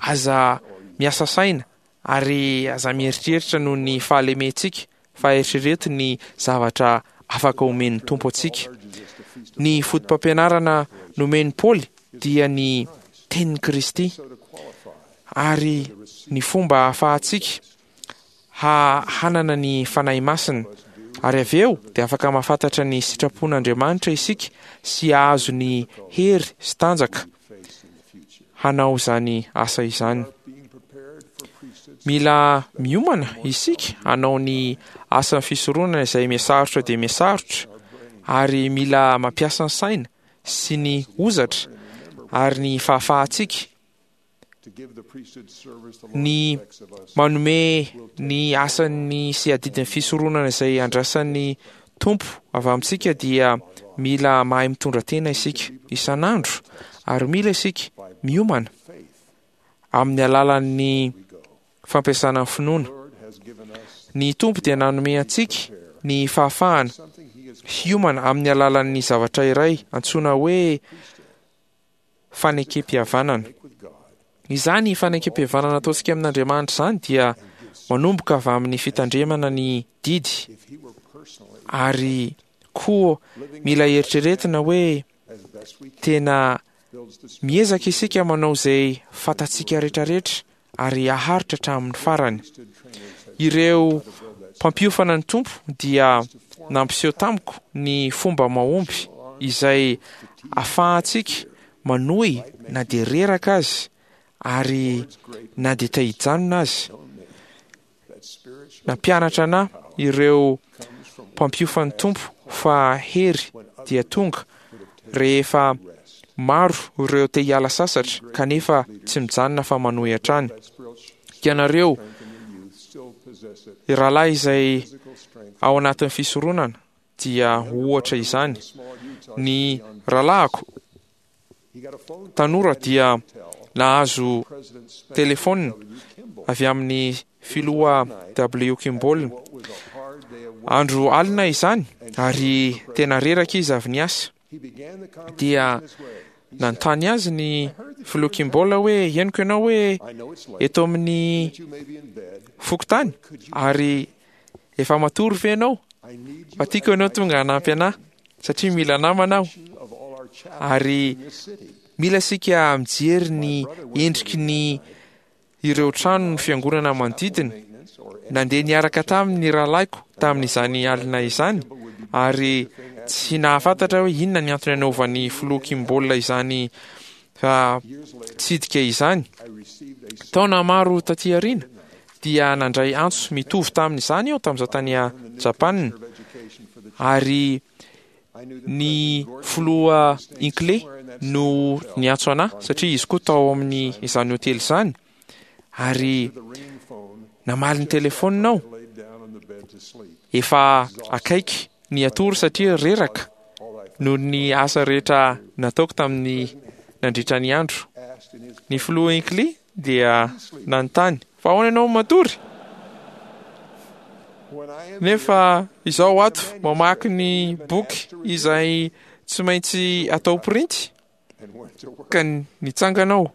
[SPEAKER 2] Aza miasa saina ary aza mieritreritra noho ny fahalementsika, fa eritrereto ny zavatra afaka omen'ny Tompo antsika. Ny foto-pampianarana nomen'i Paoly dia ny tenin'i Kristy, ary ny fomba ahafahantsika ha hanana ny Fanahy Masina, ary avy eo dia afaka mahafantatra ny sitrapon'Andriamanitra isika sy hahazo ny hery sy tanjaka hanao izany asa izany. Mila miomana isika hanao ny asan'ny fisoronana izay mihasarotra dia mihasarotra, ary mila mampiasa ny saina sy ny hozatra ary ny fahafahantsika ny manome ny asan'ny sy adidin'ny fisoronana izay andrasan'ny Tompo avy amintsika. Dia mila mahay mitondra tena isika isan'andro, ary mila isika miomana amin'ny alalan'ny fampiasana ny finoana. Ny Tompo dia nanome antsika ny fahafahana hiomana amin'ny alalan'ny zavatra iray antsoina hoe fanekempihavanana. Izany fanekempihavanana ataontsika amin'Andriamanitra izany dia manomboka avy amin'ny fitandremana ny didy, ary koa mila eritreretina hoe tena miezaka isika manao izay fantatsika rehetrarehetra ary haharitra hatramin'ny farany. Ireo mpampiofana ny Tompo dia nampiseho tamiko ny fomba mahomby izay ahafahantsika manohy na dia reraka azy ary na dia te hijanona azy. Nampianatra anahy ireo mpampiofan'ny Tompo fa hery dia tonga rehefa maro ireo te hiala sasatra kanefa tsy mijanona fa manohy hatrany. Ianareo rahalahy izay ao anatin'ny fisoronana dia ohatra izany. Ny rahalahiko tanora dia nahazo telefônina avy amin'ny filoha W. Kimball. Andro alina izany ary tena reraka izy avy niasa. Dia nanontany azy ny filoha Kimball hoe henoko ianao hoe eto amin'ny fokontany ary efa matory ve ianao? Fa tiako ianao tonga hanampy anahy satria mila namana aho. Ary mila isika mijery ny endriky ny ireo trano ny fiangonana manodidina. Nandeha niaraka taminy ny rahalahiko tamin'izany alina izany ary tsy nahafantatra hoe inona ny antony anaovan'ny filoha Kimball izany tsidika izany. Taona maro taty aoriana dia nandray antso mitovy tamin'izany aho tamin'izaho tany Japana, ary ny filoha Hinckley no niantso anahy satria izy koa tao amin'ny izany hotely izany, ary namaly ny telefaonina aho. Efa akaiky ny hatory satria reraka noho ny asa rehetra nataoko tamin'ny nandritra ny andro. Ny filoha Hinckley dia nanontany fa ahoana ianao matory? Nefa izao ato mamaky ny boky izay tsy maintsy atao printy, ka nitsangana aho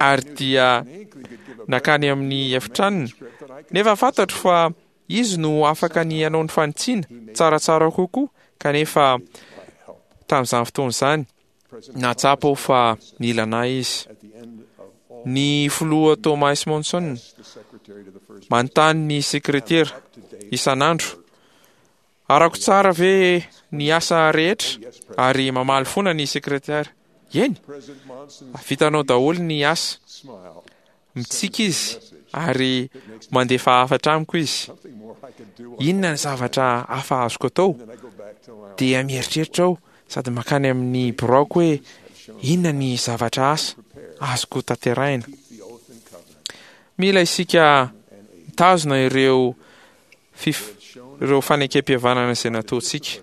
[SPEAKER 2] ary dia nakany amin'ny efitranony. Nefa fantatro fa izy no afaka ny hanao ny fanitsiana tsaratsara kokoa, kanefa tamin'izany fotoana izany nahatsapa aho fa nila anahy izy. Ny filoha Thomas Monson manontany ny sekretera isan'andro, arako tsara ve ny asa rehetra? Ary mamaly foana ny sekretera, eny, vitanao daholo ny asa. Mitsiky izy ary mandefa hafatra amiko izy. Inona ny zavatra hafa azoko atao? Dia mieritreritra aho sady makany amin'ny biraoko hoe inona ny zavatra asa azoko tanterahina. Mila isika mitazona ireo fif- ireo fanekempihavanana izay nataontsika.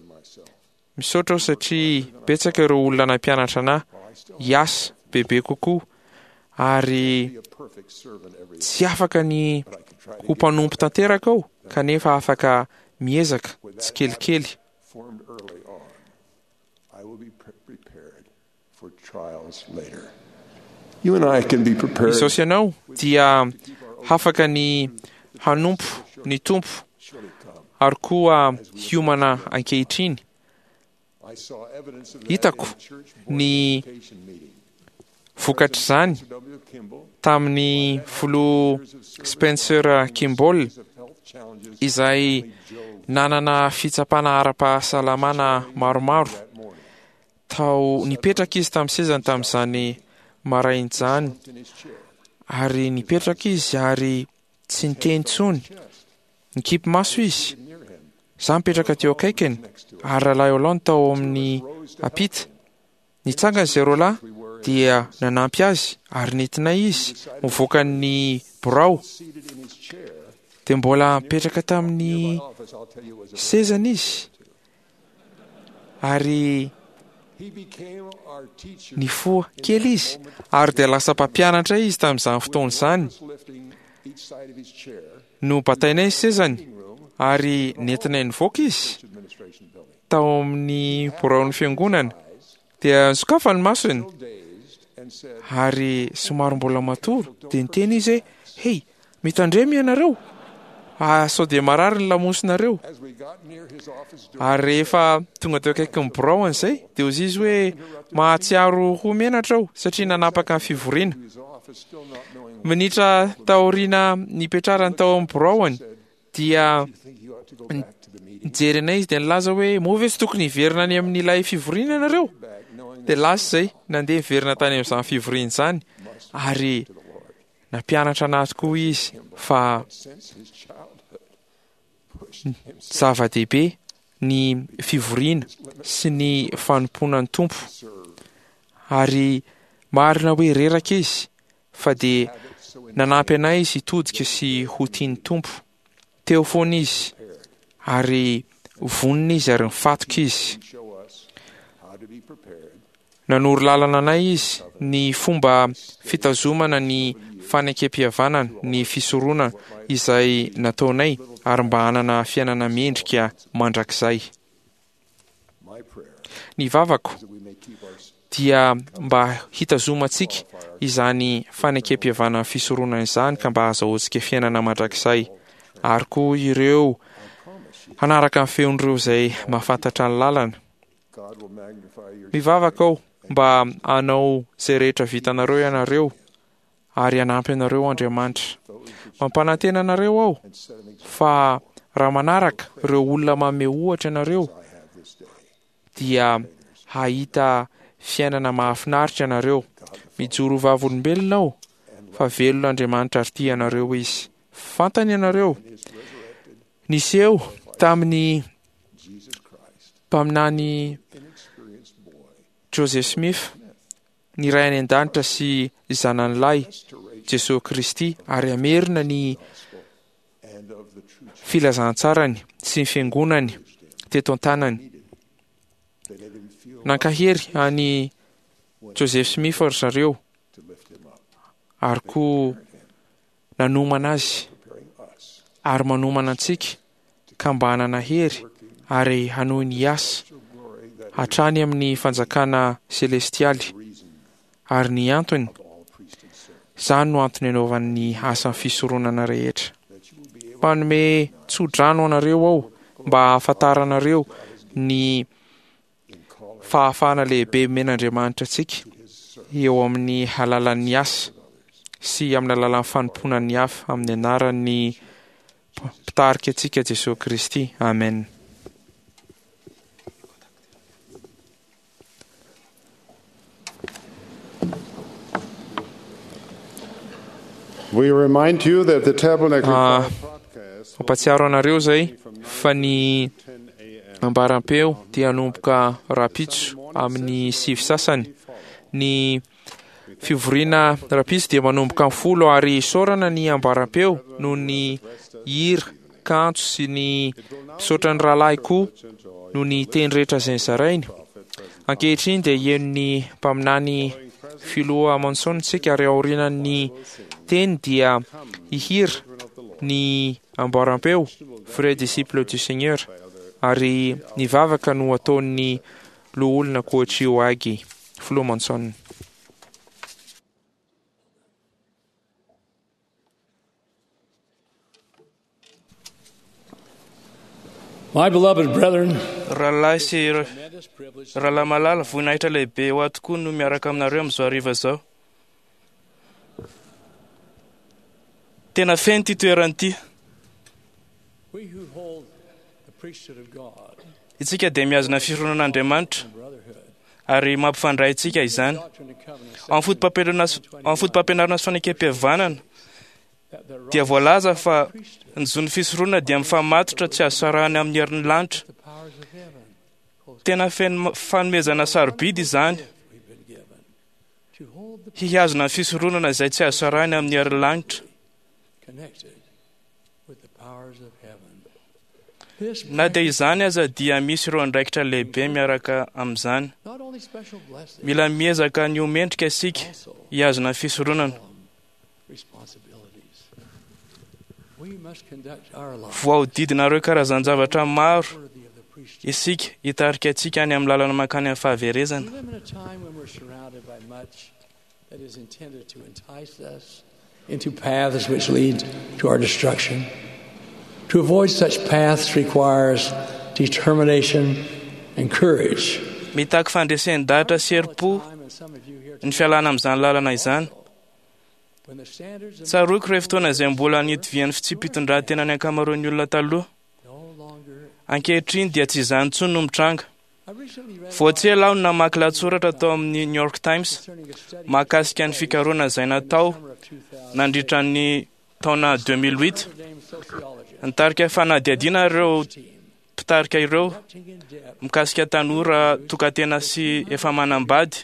[SPEAKER 2] Misaotra aho satria betsaka ireo olona nampianatra anahy hiasa bebe kokoa ary tsy afaka ny ho mpanompo tanteraka aho, kanefa afaka miezaka tsikelikely. Izaho sy ianao dia afaka ny hanompo ny Tompo ary koa hiomana ankehitriny. Hitako ny vokatr'izany tamin'ny filoha Spencer Kimball izay nanana fitsapana ara-pahasalamana maromaro. Tao nipetraka izy tamin'ny sezany tamin'izany maraina izany, ary nipetraka izy ary tsy niteny intsony. Nikipy maso izy. Izaho nipetraka teo akaikiny, ary Rahalahy Holland tao amin'ny ampita. Nitsangana izay roa lahy dia nanampy azy ary nentinay izy mivoaka ny birao. Dia mbola nipetraka tamin'ny sezany izy ary nifoha kely izy, ary dia lasa mpampianatra izy tamin'izany fotoana izany. Nobatainay ny sezany ary nentinay nivoaka izy tao amin'ny biraon'ny fiangonana, dia nisokafany ny masony ary somary mbola matory, dia niteny izy hoe: "Hey, mitandrema ianareo, ah, sao dia marary ny lamosinareo." Ary rehefa tonga teo akaikin'ny biraony izay, dia hoy izy hoe: "Mahatsiaro ho menatra aho satria nanapaka ny fivoriana." Minitra taoriana nipetrarany tao amin'ny biraony, dia nijery anay izy dia nilaza hoe: "Moa ve tsy tokony hiverina any amin'ilay fivoriana ianareo?" Dia lasa izay, nandeha niverina tany amin'izany fivoriana izany, ary nampianatra anazy koa izy fa zava-dehibe ny fivoriana sy ny fanompoana ny Tompo. Ary marina hoe reraka izy, fa dia nanampy anay izy hitodika sy ho tia ny Tompo. Teo foana izy, ary vonona izy ary nifatoka izy. Nanoro lalana anay izy ny fomba fitazomana ny fanekem-pihavanana, ny fisoronana izay nataonay, ary mba hanana fiainana mendrika mandrakizay. Ny vavako dia mba hitazomantsika izany fanekem-pihavanana fisoronana izany, ka mba hahazahoantsika fiainana mandrakizay, ary koa ireo hanaraka ny feon'ireo izay mahafantatra ny lalana. Mivavaka aho mba hanao izay rehetra vitanareo ianareo, ary hanampy anareo Andriamanitra. Mampanantena anareo aho fa raha manaraka ireo olona manome ohatra ianareo, dia hahita fiainana mahafinaritra ianareo. Mijoro ho vavolombelona aho fa velona Andriamanitra ary tia anareo izy. Fantany ianareo. Niseho tamin'ny mpaminany Joseph Smith ny Ray any an-danitra sy zanany lahy Jesosy Kristy, ary hamerina ny filazantsarany sy ny fiangonany teto an-tanany. Nankahery an'i Joseph Smith ry zareo, ary koa nanomana azy, ary manomana antsika ka mba hanana hery ary hanohy ny asa hatrany amin'ny fanjakana selestialy. Ary ny antony, izany no antony anaovan'ny asan'ny fisoronana rehetra. Mpanome tso-drano anareo aho mba hahafantaranareo ny fahafahana lehibe omen'Andriamanitra antsika eo amin'ny alalan'ny asa sy amin'ny alalan'ny fanompoana ny hafa, amin'ny anaran'ny mpitarika antsika Jesosy Kristy. Amen.
[SPEAKER 8] We remind you that the Tabernacle
[SPEAKER 2] Ah, mampatsiaro anareo izay fa ny ambaram-peo dia hanomboka rahampitso amin'ny sivy sasany. Ny fivoriana rahampitso dia manomboka amin'ny folo, ary isaorana ny ambaram-peo noho ny hira kanto sy ny misaotra ny rahalahy koa noho ny teny rehetra izay nozarainy. Ankehitriny dia heno ny mpaminany filoha Monson isika, ary aorian'ny teny dia hihira ny amboaram-peo Vrai disciple du Seigneur, ary ny vavaka no ataon'ny loholona Koichi Ohagi, filoha Monson.
[SPEAKER 10] My beloved brethren,
[SPEAKER 7] Rahalahy sy rahalahy malala, voninahitra lehibe ho ahy tokoa no miaraka aminareo amin'izao hariva izao. Tena feno ity toerana ity.
[SPEAKER 10] we who hold the priesthood of God
[SPEAKER 7] Isika dia mihazona ny fironan'Andriamanitra ary mampifandray antsika izany. Ao amin'ny foto-pampianarana sy- ao amin'ny foto-pampianarana sy fanekem-pihavanana dia voalaza fa ny zon'ny fisoronana dia mifamatotra tsy azo sarahina amin'ny herin'ny lanitra. Tena feno fanomezana sarobidy izany,
[SPEAKER 10] to hold the
[SPEAKER 7] hihazona ny fisoronana izay tsy azo sarahina amin'ny herin'ny lanitra.
[SPEAKER 10] connected with the powers of heaven. This
[SPEAKER 7] Na dia izany aza dia misy ireo andraikitra lehibe miaraka amin'izany.
[SPEAKER 10] not only special blessings,
[SPEAKER 7] Mila miezaka ny ho mendrika isika hihazona ny fisoronana.
[SPEAKER 10] responsibilities. We must conduct our lives
[SPEAKER 7] Voahodidina ireo karazan-javatra maro
[SPEAKER 10] worthy of the
[SPEAKER 7] isika hitarika antsika any amin'ny lalana mankany amin'ny fahaverezana.
[SPEAKER 10] We live in a time when we're surrounded by much that is intended to entice us into paths which lead to our destruction. To avoid such paths requires determination and courage.
[SPEAKER 7] Mitaky fandresen-dahatra sy herim-po ny fialana amin'izany lalana izany.
[SPEAKER 10] When the standards of
[SPEAKER 7] Tsaroako ireo fotoana izay mbola nitovian'ny fitsipi-pitondran-tena ny ankamaroan'ny olona taloha. Ankehitriny dia tsy izany intsony no mitranga. Vao tsy ela aho no namaky lahatsoratra tao amin'ny New York Times mahakasika ny fikarohana izay natao nandritra ny taona deux mille huit. Nitarika fanadihadiana ireo mpitarika ireo mikasika tanora tokantena sy efa manambady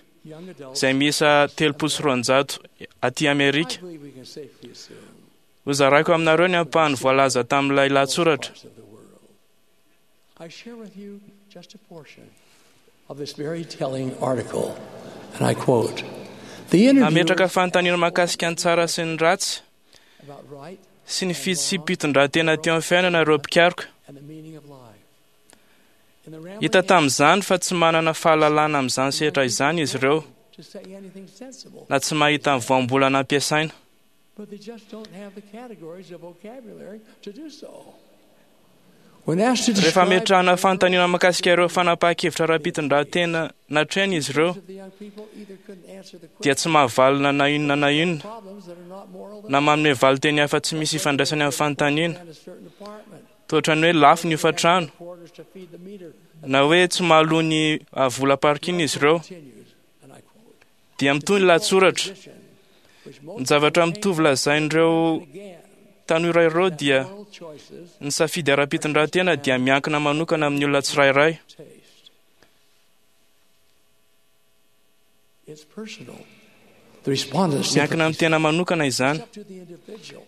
[SPEAKER 7] izay miisa telopolo sy roanjato aty Amerika.
[SPEAKER 10] I believe we can safely assume
[SPEAKER 7] Hozaraiko aminareo ny ampahany voalaza tamin'ilay lahatsoratra.
[SPEAKER 10] I share with you just a portion of this very telling article, and I quote: "The
[SPEAKER 7] Nametraka
[SPEAKER 10] interviewers
[SPEAKER 7] fanontaniana mahakasika ny tsara sy ny ratsy
[SPEAKER 10] about right
[SPEAKER 7] sy ny fitsipi-pitondran-tena teo amin'ny fiainana ireo mpikaroka.
[SPEAKER 10] and the meaning of life. In the rambling
[SPEAKER 7] Hita tamin'izany fa tsy manana fahalalana amin'izany sehatra izany izy ireo
[SPEAKER 10] to say anything sensible,
[SPEAKER 7] na tsy mahita ny voambolana ampiasaina.
[SPEAKER 10] but they just don't have the categories of vocabulary to do so. When asked to
[SPEAKER 7] Rehefa
[SPEAKER 10] describe
[SPEAKER 7] ametrahana fanontaniana mahakasika ireo fanapahan-kevitra ara-pitondran-tena natrehiny izy ireo
[SPEAKER 10] the young people either couldn't answer the
[SPEAKER 7] dia tsy mahavalona na inona na inona
[SPEAKER 10] problems that are not moral
[SPEAKER 7] na manome valin-teny hafa tsy misy ifandraisany amin'ny fanontaniana
[SPEAKER 10] in a certain apartment,
[SPEAKER 7] toa ny hoe lafo ny hofantrano
[SPEAKER 10] quarters to feed the meter,
[SPEAKER 7] na hoe tsy mahaloa ny ah, vola parking izy ireo
[SPEAKER 10] continues, and I quote,
[SPEAKER 7] dia mitohy ny lahatsoratra. Ny zavatra mitovy lazain'ireo tanora ireo dia
[SPEAKER 10] moral choices
[SPEAKER 7] ny safidy ara-pitondran-tena dia miankina manokana amin'ny olona tsirairay.
[SPEAKER 10] taste. It's personal. The respondents
[SPEAKER 7] Miankina amin'ny tena manokana izany.
[SPEAKER 10] It's up to the individual.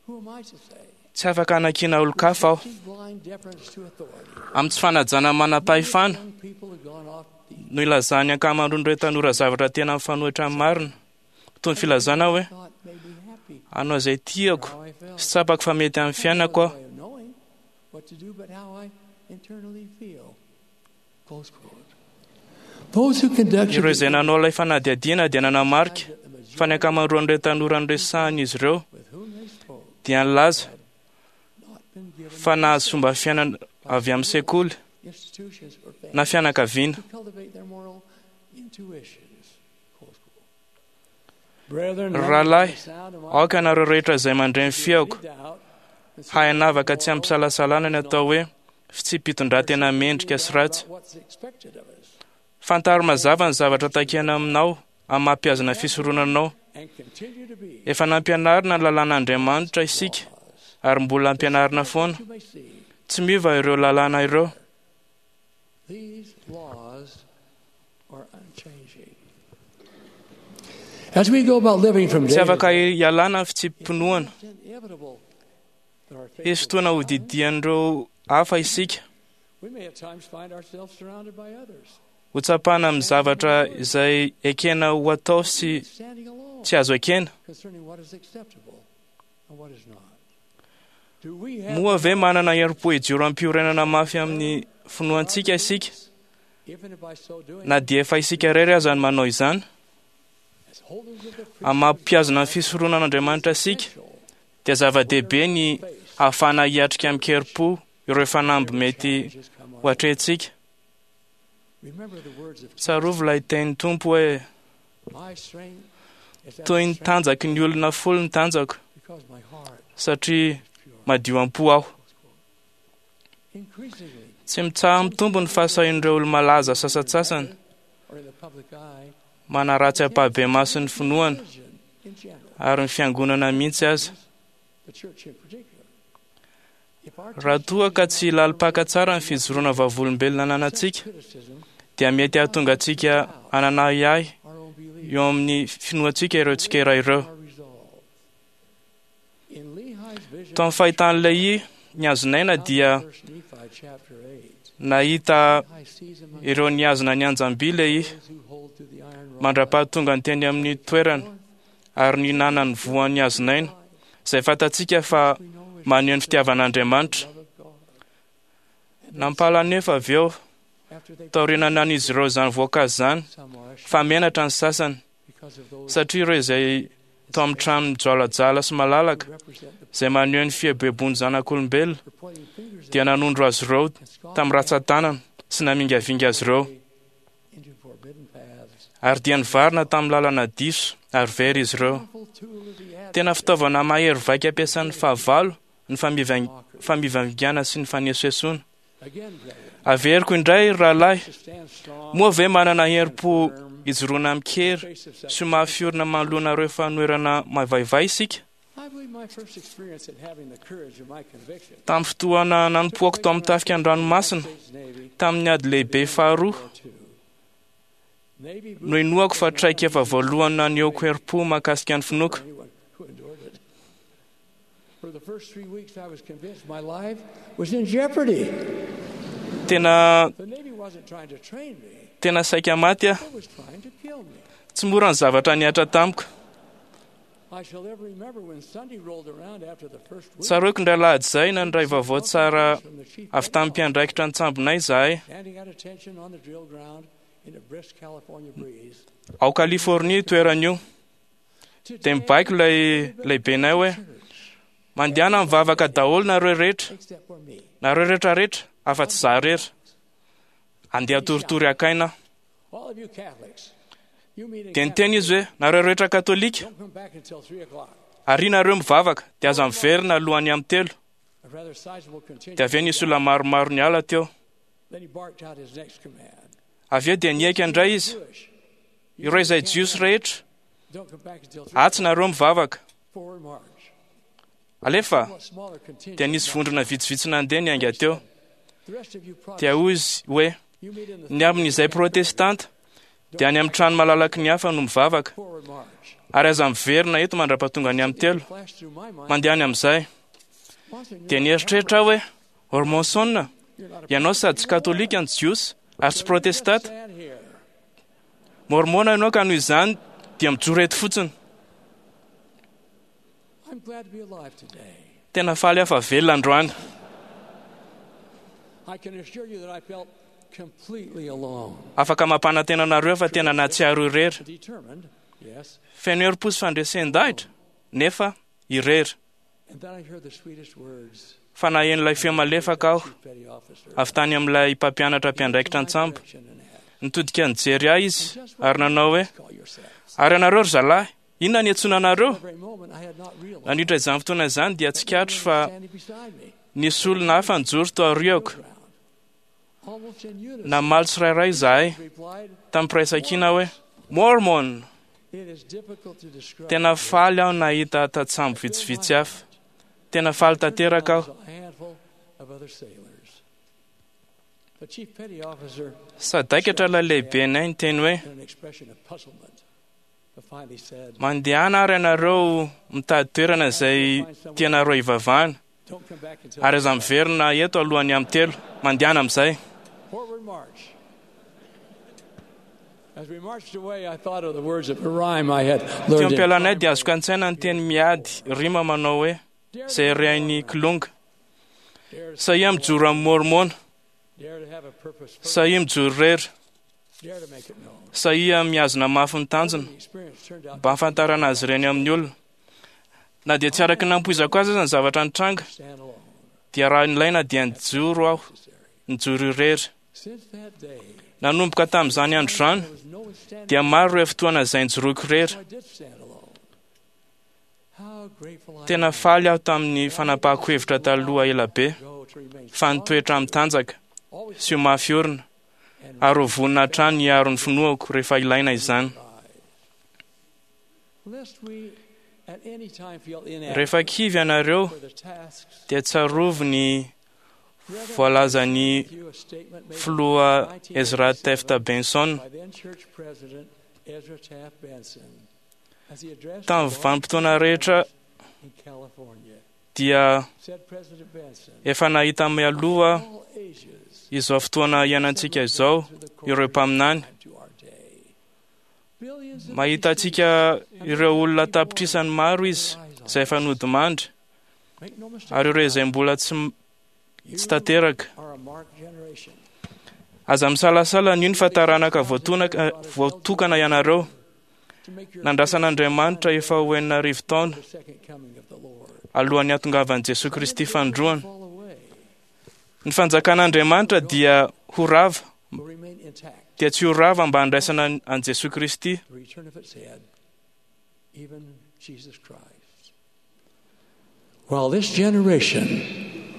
[SPEAKER 10] Who am I to say?
[SPEAKER 7] Tsy afaka hanakiana olon-kafa aho.
[SPEAKER 10] Blind deference to authority.
[SPEAKER 7] Amin'ny tsy fanajana manam-pahefana
[SPEAKER 10] Young people have gone off the
[SPEAKER 7] no ilazan'ny ankamaroan'ireo tanora zavatra tena mifanohitra amin'ny marina. Toy ny filazana hoe
[SPEAKER 10] thought made me happy.
[SPEAKER 7] hanao izay tiako
[SPEAKER 10] How I felt.
[SPEAKER 7] sy tsapako fa mety amin'ny fiainako aho.
[SPEAKER 10] Way of knowing what to do, but how I internally feel. Close quote. Those who conducted
[SPEAKER 7] Ireo izay nanao ilay fanadihadiana dia nanamarika fa ny ankamaroan'ireo tanora noresahana izy ireo
[SPEAKER 10] with whom they spoke
[SPEAKER 7] dia nilaza
[SPEAKER 10] not been given
[SPEAKER 7] fa nahazo fomba fiainana avy amin'ny sekoly
[SPEAKER 10] institutions or
[SPEAKER 7] na
[SPEAKER 10] families
[SPEAKER 7] fianakaviana.
[SPEAKER 10] to cultivate their moral intuitions. Close quote. Brethren,
[SPEAKER 7] Rahalahy,
[SPEAKER 10] the sound of my
[SPEAKER 7] aoka ianareo rehetra izay mandre ny feoko
[SPEAKER 10] doubt
[SPEAKER 7] hahay hanavaka tsy ampisalasalana ny atao hoe fitsipi-pitondran-tena mendrika sy ratsy.
[SPEAKER 10] about what's expected of us
[SPEAKER 7] Fantaro mazava ny zavatra takiana aminao amin'ny maha-mpihazona fisoronanao.
[SPEAKER 10] and continue to be
[SPEAKER 7] Efa nampianarina ny lalàn'Andriamanitra isika ary mbola ampianarina foana.
[SPEAKER 10] you may see
[SPEAKER 7] Tsy miova ireo lalàna ireo.
[SPEAKER 10] these laws are unchanging. As we go about living from
[SPEAKER 7] Tsy
[SPEAKER 10] day to
[SPEAKER 7] afaka
[SPEAKER 10] day,
[SPEAKER 7] hialana ny fitsipi-pinoana.
[SPEAKER 10] it's inevitable that our faith
[SPEAKER 7] Hisy fotoana hodidian'ireo hafa isika.
[SPEAKER 10] we may at times find ourselves surrounded by others,
[SPEAKER 7] Ho tsapana amin'ny zavatra izay ekena ho atao sy
[SPEAKER 10] standing alone
[SPEAKER 7] tsy azo ekena.
[SPEAKER 10] concerning what is acceptable and what is not. Do we have
[SPEAKER 7] Moa ve manana herim-po hijoro am-piorenana mafy amin'ny finoantsika isika
[SPEAKER 10] even if by so doing
[SPEAKER 7] na dia efa isika irery aza no manao izany?
[SPEAKER 10] as holders of the
[SPEAKER 7] Amin'ny maha-mpihazona ny fisoronan'Andriamanitra isika dia zava-dehibe ny ahafahana hiatrika amin-kerim-po ireo fanamby mety ho atrehintsika.
[SPEAKER 10] remember the words of
[SPEAKER 7] Tsarovy ilay tenin'ny Tompo hoe
[SPEAKER 10] my strength is at
[SPEAKER 7] toy
[SPEAKER 10] the
[SPEAKER 7] ny
[SPEAKER 10] strength
[SPEAKER 7] tanjaky ny olona folo ny tanjako
[SPEAKER 10] because my heart
[SPEAKER 7] satria madio am-po aho.
[SPEAKER 10] increasingly
[SPEAKER 7] Tsy mitsaha mitombo ny fahasahian'ireo olo-malaza sasantsasany
[SPEAKER 10] or in the public eye
[SPEAKER 7] manaratsy ampahibemaso ny finoana
[SPEAKER 10] religion in general
[SPEAKER 7] ary ny fiangonana mihitsy aza.
[SPEAKER 10] the church in particular if our
[SPEAKER 7] Raha toa ka tsy lalim-paka tsara ny fijoroana vavolombelona ananantsika
[SPEAKER 10] criticism
[SPEAKER 7] dia mety hahatonga antsika hanana ahiahy
[SPEAKER 10] our own belief
[SPEAKER 7] eo amin'ny finoantsika ireo tsikera ireo.
[SPEAKER 10] our resolve in Lehi's vision
[SPEAKER 7] Tao amin'ny fahitan'ilay i ny hazonaina dia
[SPEAKER 10] First Nephi chapter eight
[SPEAKER 7] nahita
[SPEAKER 10] Lehi sees among
[SPEAKER 7] ireo nihazona ny anjam-by ilay i
[SPEAKER 10] those who hold to the iron rod
[SPEAKER 7] mandra-pahatonga ny teny amin'ny toerana ary nihinana ny voan'ny hazonaina izay fantatsika fa
[SPEAKER 10] we know is
[SPEAKER 7] maneho ny fitiavan'Andriamanitra.
[SPEAKER 10] the love of God
[SPEAKER 7] Nampala nefa avy eo taoriana nan'izy ireo izany voankazo izany fa menatra ny sasany satria ireo izay tao amin'ny trano mijoalajoala sy malalaka izay maneho ny fieboebon'ny zanak'olombelona dia nanondro azy ireo tamin'ny ratsan-tanana sy namingavinga azy ireo ary dia nivarina tamin'ny lalana diso ary very izy ireo. Tena fitaovana mahery vaika ampiasan'ny fahavalo ny famivangana sy ny fanesoesoana. Averiko indray rahalahy, moa ve manana herim-po ijoroana amin-kery sy mafy orina manoloana ireo fanoherana mavaivay isika? Tamin'ny fotoana nanompoako tao amin'ny tafika an-dranomasina tamin'ny ady lehibe faharoa no inoako fa traikefa voalohany nanehoako herim-po mahakasika ny finoako. Tena tena saika maty aho. Tsy mora ny zavatra nihatra tamiko. Tsaroako indray alahady izay nandray vaovao tsara avy tamin'ny mpiandraikitra an-tsambonay izahay. Ao Californie toerana io. Dia mibaiko ilay lehibenay hoe mandehana mivavaka daholo nareo rehetra, nareo rehetra rehetra afa-tsy izaho irery. Andeha toritory akaina. Dia niteny izy hoe nareo rehetra katolika, ary nareo mivavaka dia aza miverina alohan'ny amin'ny telo. Dia avy eo nisy olona maromaro niala teo. Avy eo dia niaika indray izy, ireo izay jiosy rehetra, atsy nareo mivavaka. Alefa dia nisy vondrona vitsivitsy nandeha niainga teo. Dia hoy izy hoe ny amin'izay protestanta dia any amin'ny trano malalaky ny hafa no mivavaka, ary aza miverina eto mandra-pahatonga ny amin'ny telo. Mandeha any amin'izay. Dia nieritreritra aho hoe Ormonson, ianao sady tsy katolika ny jiosy ary tsy protestanta, mormona ianao ka noho izany dia mijoro eto fotsiny. Tena faly aho fa velona androany. Afaka mampanantena anareo fa tena nahatsiaro irery. Feno herim-po sy fandresen-dahitra nefa irery. Fa naheno ilay feo malefaka aho avy tany amin'ilay mpampianatra mpiandraikitra an-tsambo. Nitodika nijery ahy izy ary nanao hoe ary ianareo ry zalahy, inona ny antsoina anareo? Nandritra izany fotoana izany dia tsikatro fa nisy olona hafa nijoro tao aoriako. Namaly tsirairay izahay tamin'ny firaisankina hoe Mormon. Tena faly aho nahita tatsambo vitsivitsy hafa. Tena faly tanteraka aho. Sadaikatra ilay lehibenay niteny hoe mandehana ary ianareo mitady toerana izay tianareo hivavahana, ary aza miverina eto alohan'ny amin'ny telo. Mandehana amin'izay. Teo am-pialanay dia azoko an-tsaina ny teny miady rima manao hoe izay rehain'ny kilonga. Sahia mijoro amin'ny mormona, sahia mijoro irery, sahia mihazona mafy ny tanjona mba hahafantarana azy ireny amin'ny olona. Na dia tsy araka ny nampoizako azy aza ny zavatra nitranga, dia raha nilaina dia nijoro aho, nijoro irery. Nanomboka tamin'izany andro izany dia maro ireo fotoana izay nijoroako irery. Tena faly aho tamin'ny fanapahako hevitra taloha ela be fa nitoetra amin'ny tanjaka sy ho mafy orina ary ho vonona hatrany hiaro ny finoako rehefa ilaina izany. Rehefa kivy ianareo dia tsarovy ny voalazan'ny filoha Ezra Taft Benson tamin'ny vanim-potoana rehetra dia efa nahita mialoha izao fotoana iainantsika izao ireo mpaminany. Mahita antsika ireo olona tapitrisany maro izy izay efa nodimandry, ary ireo izay mbola tsy tsy tanteraka. Aza misalasala anio ny fa taranaka voatokana ianareo. Nandrasan'Andriamanitra efa ho enina arivo taona alohan'ny hatongavan'i Jesoa Kristy fanindroany. Ny fanjakan'Andriamanitra dia ho rava, dia tsy ho rava mba handraisana an'i Jesoa Kristy.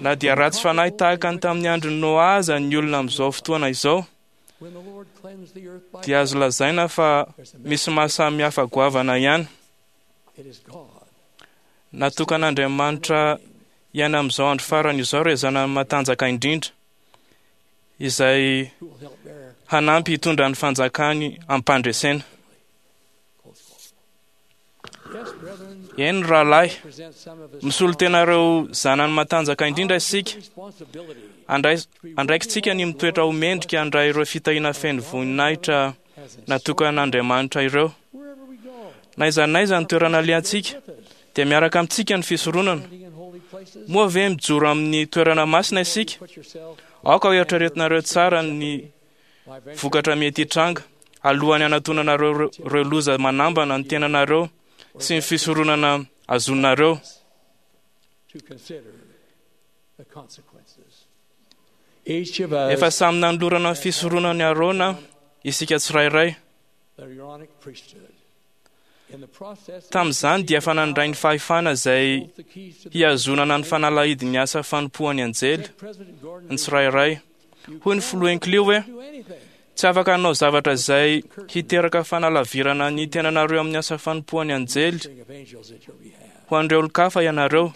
[SPEAKER 7] Na dia ratsy fanahy tahaka ny tamin'ny andron'i Noa aza ny olona amin'izao fotoana izao, dia azo lazaina fa misy mahasamihafa goavana ihany. Natokan'Andriamanitra ihany amin'izao andro farany izao ireo zanany matanjaka indrindra, izay hanampy hitondra ny fanjakany am-pandresena. Eny rahalahy, misolo tena ireo zanany matanjaka indrindra isika. Andraikitsika ny mitoetra ho mendrika handray ireo fitahiana feno voninahitra natokan'Andriamanitra ireo. Na aiza na aiza ny toerana alehantsika, dia miaraka amintsika ny fisoronana. Moa ve mijoro amin'ny toerana masina isika? Aoka ho eritreretinareo tsara ny vokatra mety hitranga alohan'ny hanatonanareo ireo loza manambana ny tenanareo sy ny fisoronana azonareo. Efa samy nanolorana ny fisoronan'i Arona isika tsirairay. Tamin'izany dia efa nandray ny fahefana izay hihazonana ny fanalahidin'ny asa fanompoan'ny anjely ny tsirairay. Hoy ny filoha Hinckley hoe: tsy afaka hanao zavatra izay hiteraka fanalavirana ny tenanareo amin'ny asa fanompoan'ny anjely ho an'ireo olon-kafa ianareo.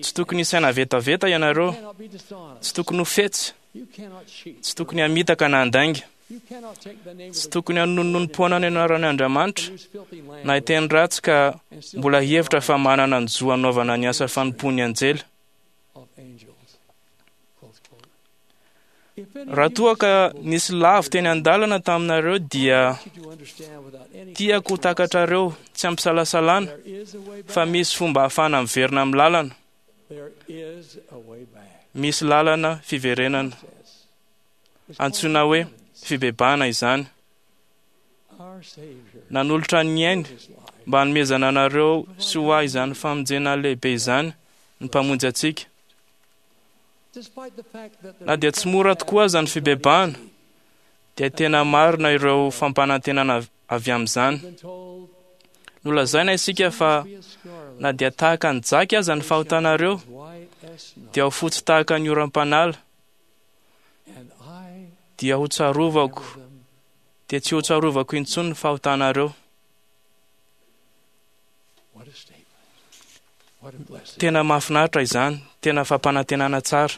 [SPEAKER 7] Tsy tokony hisaina vetaveta ianareo, tsy tokony ho fetsy, tsy tokony hamitaka na handainga, tsy tokony hanononom-poana ny anaran'Andriamanitra na hiteny ratsy ka mbola hihevitra fa manana ny zo hanaovana ny asa fanompoan'ny anjely. Raha toa ka nisy lavo teny an-dalana taminareo dia tiako ho takatrareo tsy ampisalasalana fa misy fomba ahafahana miverina amin'ny lalana. Misy lalana fiverenana. Antsoina hoe fibebahana izany. Nanolotra ny ainy mba hanomezana anareo sy ho ahy izany famonjena lehibe izany ny Mpamonjy antsika. Na dia tsy mora tokoa aza ny fibebahana, dia tena marina ireo fampanantenana avy amin'izany. Nolazaina isika fa na dia tahaka ny jaky aza ny fahotanareo, dia ho fotsy tahaka ny oram-panala, dia ho tsarovako, dia tsy ho tsarovako intsony ny fahotanareo. Tena mahafinaritra izany, tena fampanantenana tsara.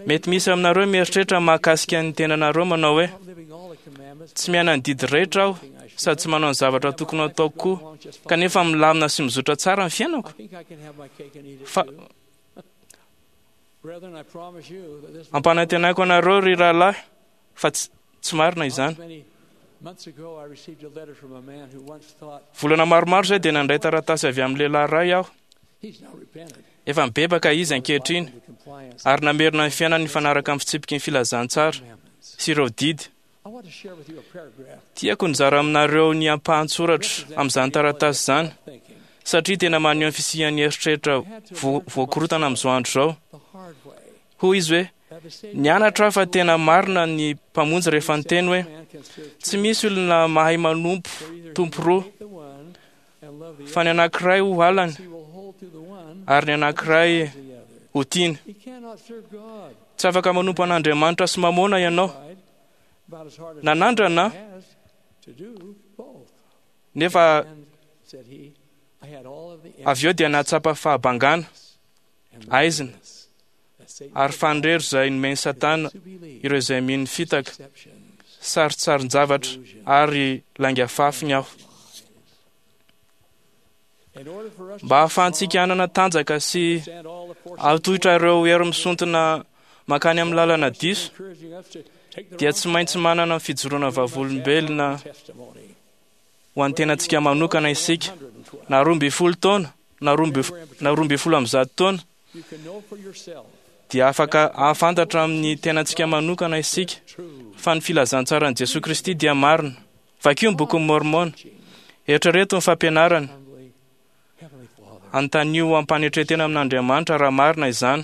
[SPEAKER 7] Mety misy aminareo mieritreritra mahakasika ny tenanareo manao hoe: tsy miaina ny didy rehetra aho sady tsy manao ny zavatra tokony hataoko koa, kanefa milamina sy mizotra tsara ny fiainako. Fa ampanantenako anareo ry rahalahy fa tsy marina izany. Volana maromaro izay dia nandray taratasy avy amin'ny lehilahy iray aho. Efa mibebaka izy ankehitriny ary namerina ny fiainany nifanaraka amin'ny fitsipiky ny filazantsara sy ireo didy. Tiako nizara aminareo ny ampahan-tsoratra amin'izany taratasy izany, satria tena maneho ny fisian'ny eritreritra voakorotana amin'izao andro izao. Hoy izy hoe: nianatra aho fa tena marina ny Mpamonjy rehefa niteny hoe tsy misy olona mahay manompo tompo roa, fa ny anankiray ho halany ary ny anankiray ho tiany. Tsy afaka manompo an'Andriamanitra sy mamona ianao. Nanandrana nefa avy eo dia nahatsapa fahabangana, aizina ary fandrero izay nomen'i Satana ireo izay mino ny fitaka, sarintsarin-javatra ary lainga fafiny aho. Mba hahafahantsika hanana tanjaka sy hahatohitra ireo hery misontina mankany amin'ny lalana diso, dia tsy maintsy manana fijoroana vavolombelona ho an'ny tenantsika manokana isika, na roa ambin'ny folo taona, na roa ambin'ny folo amby zato taona, Dia afaka hahafantatra amin'ny tenantsika manokana isika fa ny filazantsaran'i Jesoa Kristy dia marina. Vakio ny bokin'i Môrmôna. Eritrereto ny fampianarany. Anontanio ampanetren-tena amin'Andriamanitra raha marina izany.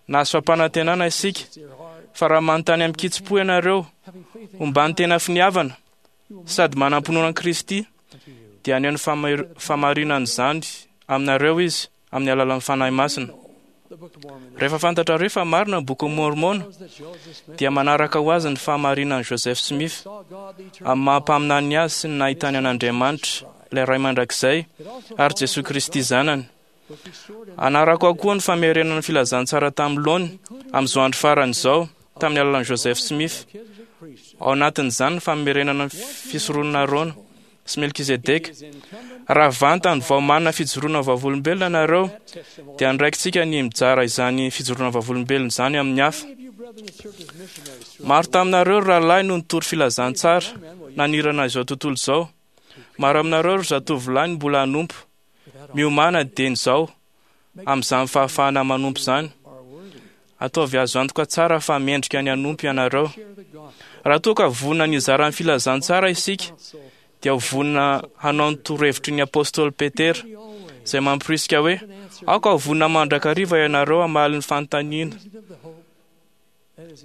[SPEAKER 7] Nahazo fampanantenana isika fa raha manontany amin-kitsim-po ianareo homban'ny tena finiavana sady manam-pinoana an'i Kristy, dia haneho ny fahamarinan'izany aminareo izy amin'ny alalan'ny Fanahy Masina. Rehefa fantatrareo fa marina ny bokin'i Môrmôna, dia manaraka ho azy ny fahamarinan'i Joseph Smith amin'ny maha-mpaminany azy sy ny nahitany an'Andriamanitra, ilay Ray mandrakizay, ary Jesoa Kristy zanany. Anarako ao koa ny famerenana ny filazantsara tamin'ny laony amin'izao andro farany izao tamin'ny alalan'i Joseph Smith. Ao anatin'izany ny famerenana ny fisoronana Arona sy Melkizedeka. Raha vantany vao manana fijoroana vavolombelona ianareo, dia andraikitsika ny mijara izany fijoroana vavolombelona izany amin'ny hafa. Maro taminareo ry rahalahy no nitory filazantsara nanirana izao tontolo izao. Maro aminareo ry zatovolahy no mbola hanompo. Miomàna dieny izao amin'izany fahafahana manompo izany. Ataovy azo antoka tsara fa mendrika ny hanompo ianareo. Raha toa ka vonona ny hizara ny filazantsara isika, dia ho vonona hanao ny torohevitry ny apôstôly Petera, izay mampirisika hoe aoka ho vonona mandrakariva ianareo hamaly ny fanontaniana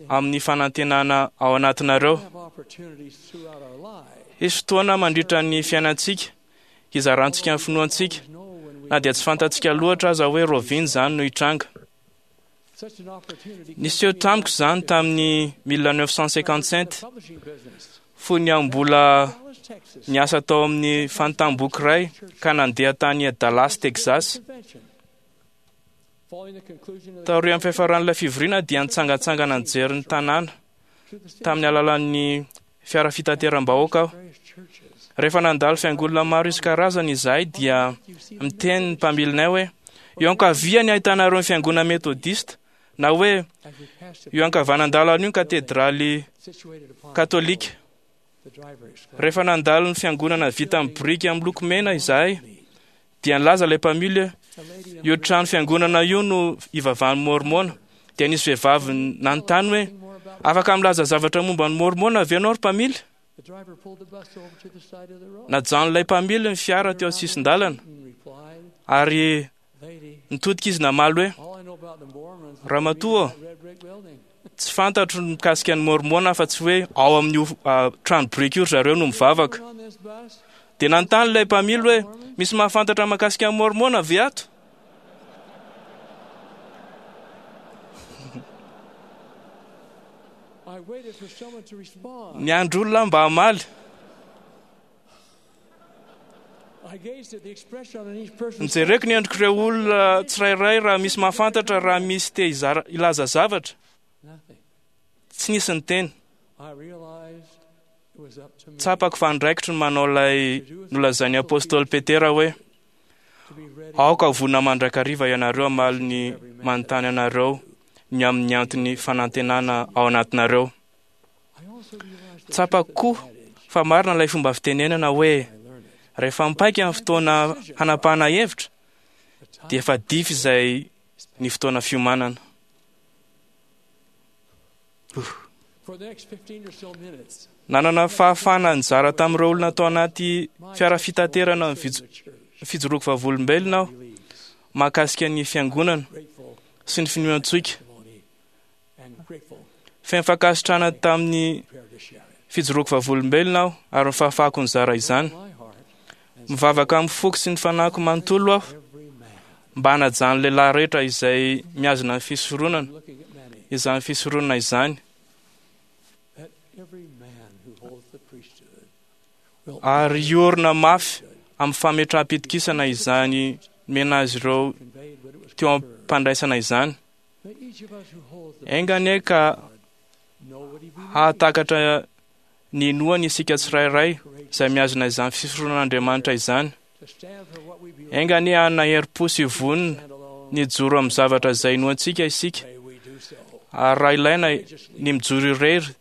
[SPEAKER 7] amin'ny fanantenana ao anatinareo. Hisy fotoana mandritra ny fiainantsika hizarantsika ny finoantsika, na dia tsy fantatsika loatra aza hoe rahoviana izany no hitranga. Niseho tamiko izany tamin'ny mille neuf cent cinquante-sept, fony aho mbola niasa tao amin'ny fanontam-boky iray ka nandeha tany Dallas, Texas. Taorian'ny fiafaran'ilay fivoriana dia nitsangantsangana nijery ny tanàna tamin'ny alalan'ny fiara fitateram-bahoaka aho. Rehefa nandalo fiangonana maro isan-karazany izahay dia miteny ny mpamilinay hoe eo ankavia ny ahitanareo ny fiangonana metodista, na hoe eo ankavanandalana io ny katedraly katolika. Rehefa nandalo ny fiangonana vita amin'ny biriky amin'ny loko mena izahay dia nilaza ilay mpamily hoe io trano fiangonana io no ivavahan'ny Môrmôna. Dia nisy vehivavy nanontany hoe afaka milaza zavatra momba ny Môrmôna ve ianao ry mpamily? Najanon'ilay mpamily ny fiara teo an-tsisin-dalana ary nitodika izy namaly hoe ramatoa, tsy fantatro ny mikasika ny Môrmôna fa tsy hoe ao amin'io trano biriky io ry zareo no mivavaka. Dia nanontany ilay mpamily hoe misy mahafantatra mahakasika ny Môrmôna ve ato? Niandry olona mba hamaly. Nijereko ny endrik'ireo olona tsirairay raha misy mahafantatra, raha misy te hizara hilaza zavatra. Tsy nisy niteny. Tsapako fa andraikitro ny manao ilay nolazain'ny apôstôly Petera hoe aoka ho vonona mandrakariva ianareo hamaly ny manontany anareo ny amin'ny antony fanantenana ao anatinareo. Tsapako koa fa marina ilay fomba fitenenana hoe rehefa mipaika ny fotoana hanapahana hevitra dia efa dify izay ny fotoana fiomanana. Nanana fahafahana nizara tamin'ireo olona tao anaty fiara fitaterana ny fijoroako vavolombelona aho mahakasika ny fiangonana sy ny finoantsika. Feno fankasitrahana tamin'ny fijoroako vavolombelona aho ary ny fahafahako nizara izany. Mivavaka amin'ny foko sy ny fanahiko manontolo aho mba hanajan'ny lehilahy rehetra izay mihazona ny fisoronana, izany fisoronana izany. Ary hiorina mafy amin'ny fametraham-pitokisana izany nomena azy ireo teo am-pandraisana izany. Enga anie ka hahatakatra ny inoany isika tsirairay izay mihazona izany fisoronan'Andriamanitra izany. Enga anie hanana herim-po sy vonona ny hijoro amin'ny zavatra izay inoantsika isika. Ary raha ilaina ny mijoro irery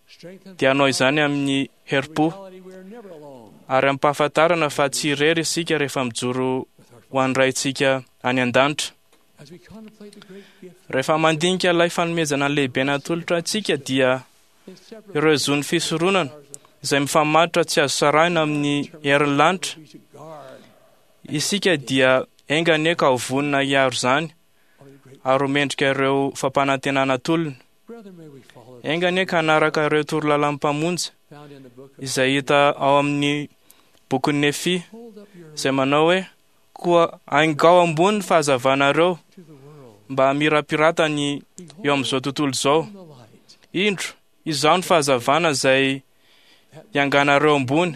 [SPEAKER 7] dia hanao izany amin'ny herim-po, ary ampahafantarana fa tsy irery isika rehefa mijoro ho an'ny Raintsika any an-danitra. Rehefa mandinika ilay fanomezana lehibe natolotra antsika dia ireo zon'ny fisoronana izay mifamatotra tsy azo sarahina amin'ny herin'ny lanitra, isika dia enga anie ka ho vonona hiaro izany ary ho mendrika ireo fampanantenana atolony. Enga anie ka hanaraka ireo torolalan'ny Mpamonjy izay hita ao amin'ny bokin'i Nefia, izay manao hoe: koa aingao ambony ny fahazavanareo mba hamirapiratany eo amin'izao tontolo izao. Indro, izaho ny fahazavana izay ianganareo ambony,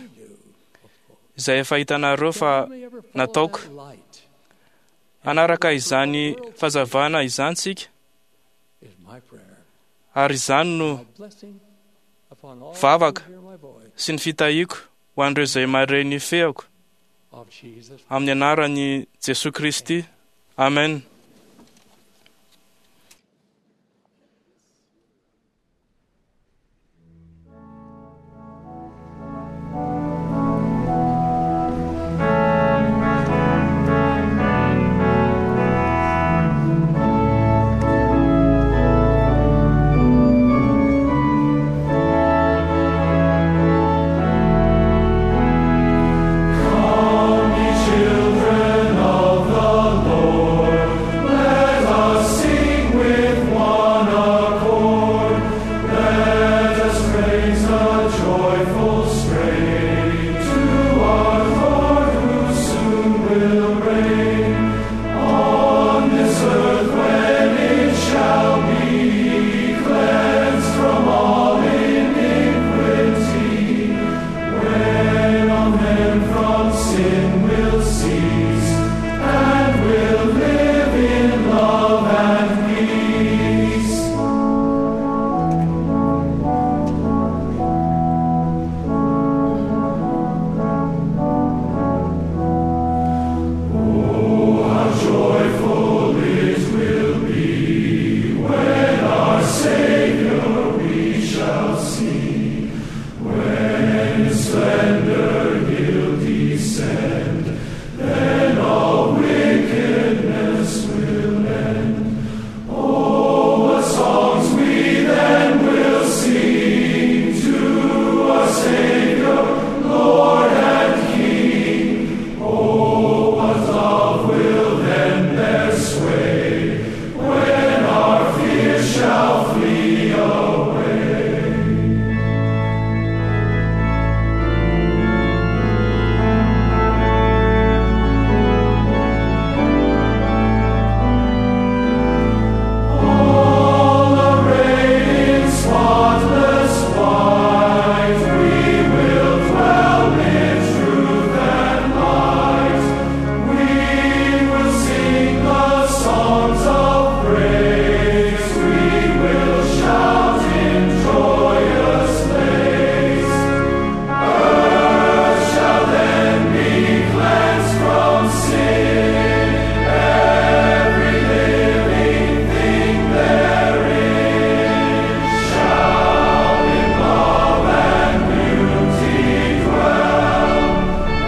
[SPEAKER 7] izay efa hitanareo fa nataoko. Hanaraka izany fahazavana izany tsika, ary izany no vavaka sy ny fitahiako ho an'ireo izay mahare ny feako, amin'ny anaran'i Jesoa Kristy. Amen.
[SPEAKER 4] Come, ye children of the Lord, let us sing with one accord. Let us raise a joyful strain to our Lord who soon will reign on this earth when it shall be cleansed from all iniquity. When all men from sin will cease and will live in love and peace. Oh, how joyful it will be when our Savior we shall see. When in splendor he'll descend, then all wickedness will end. Oh, what songs we then will sing to our Savior, Lord and King. Oh, what love will then bear sway when our fears shall flee away. All arrayed in spotless white, we will dwell in truth and light. We will sing the songs of praise. We will shout in joyous lays. Earth shall then be cleansed from sin. Every living thing therein shall in love and beauty dwell.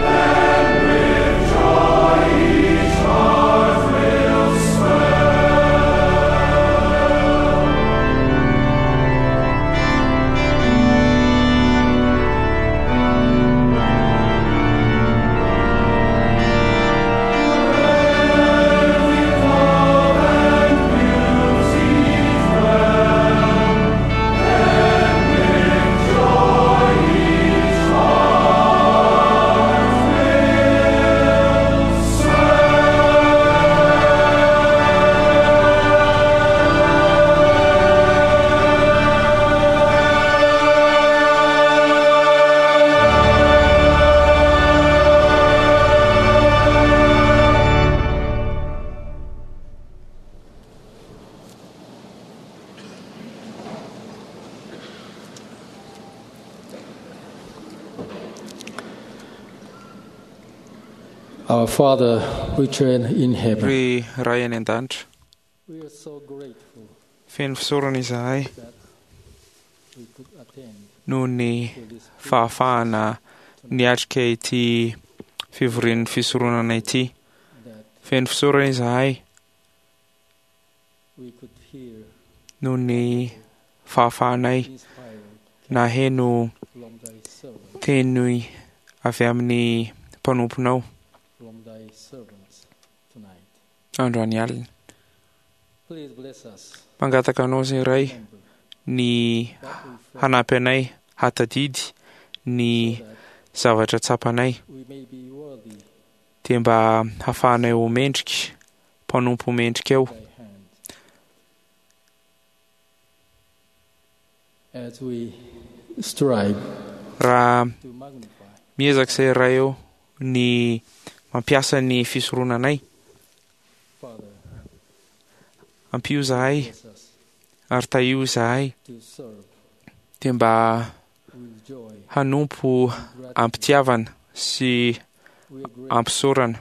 [SPEAKER 4] Then with joy each heart will swell.
[SPEAKER 10] Our Father, which art in heaven,
[SPEAKER 2] Ry Ray any an-danitra,
[SPEAKER 10] we are so grateful
[SPEAKER 2] feno fisaorana izahay
[SPEAKER 10] that we could attend
[SPEAKER 2] noho ny fahafahana niatrika ity fivorian'ny fisoronana ity. Feno fisaorana izahay Noho ny fahafahanay naheno teny avy amin'ny mpanomponao androany alina. Mangataka anao izay Ray ny hanampy anay hatadidy ny zavatra tsapanay, dia mba hahafahanay ho mendrika, mpanompo mendrika eo. Raha miezaka izay Ray eo ny mampiasa ny fisoronanay, ampio izahay ary tahio izahay, dia mba hanompo am-pitiavana sy ampisaorana.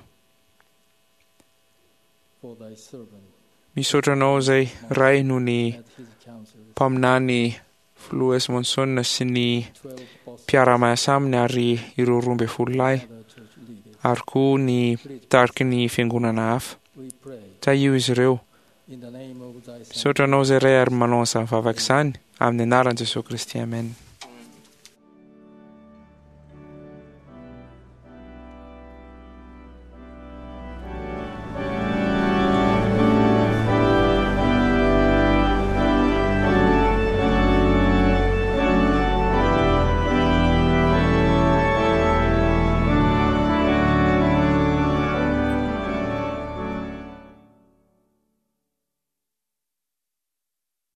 [SPEAKER 2] Misaotra anao izay Ray noho ny mpaminany Filoha S. Monson sy ny mpiara-miasa aminy ary ireo roa ambin'ny folo lahy ary koa ny mpitariky ny fiangonana hafa. Tahio izy ireo. Misaotra anao izay Ray ary manao an'izany vavaka izany amin'ny anaran'i Jesosy Kristy. Amen.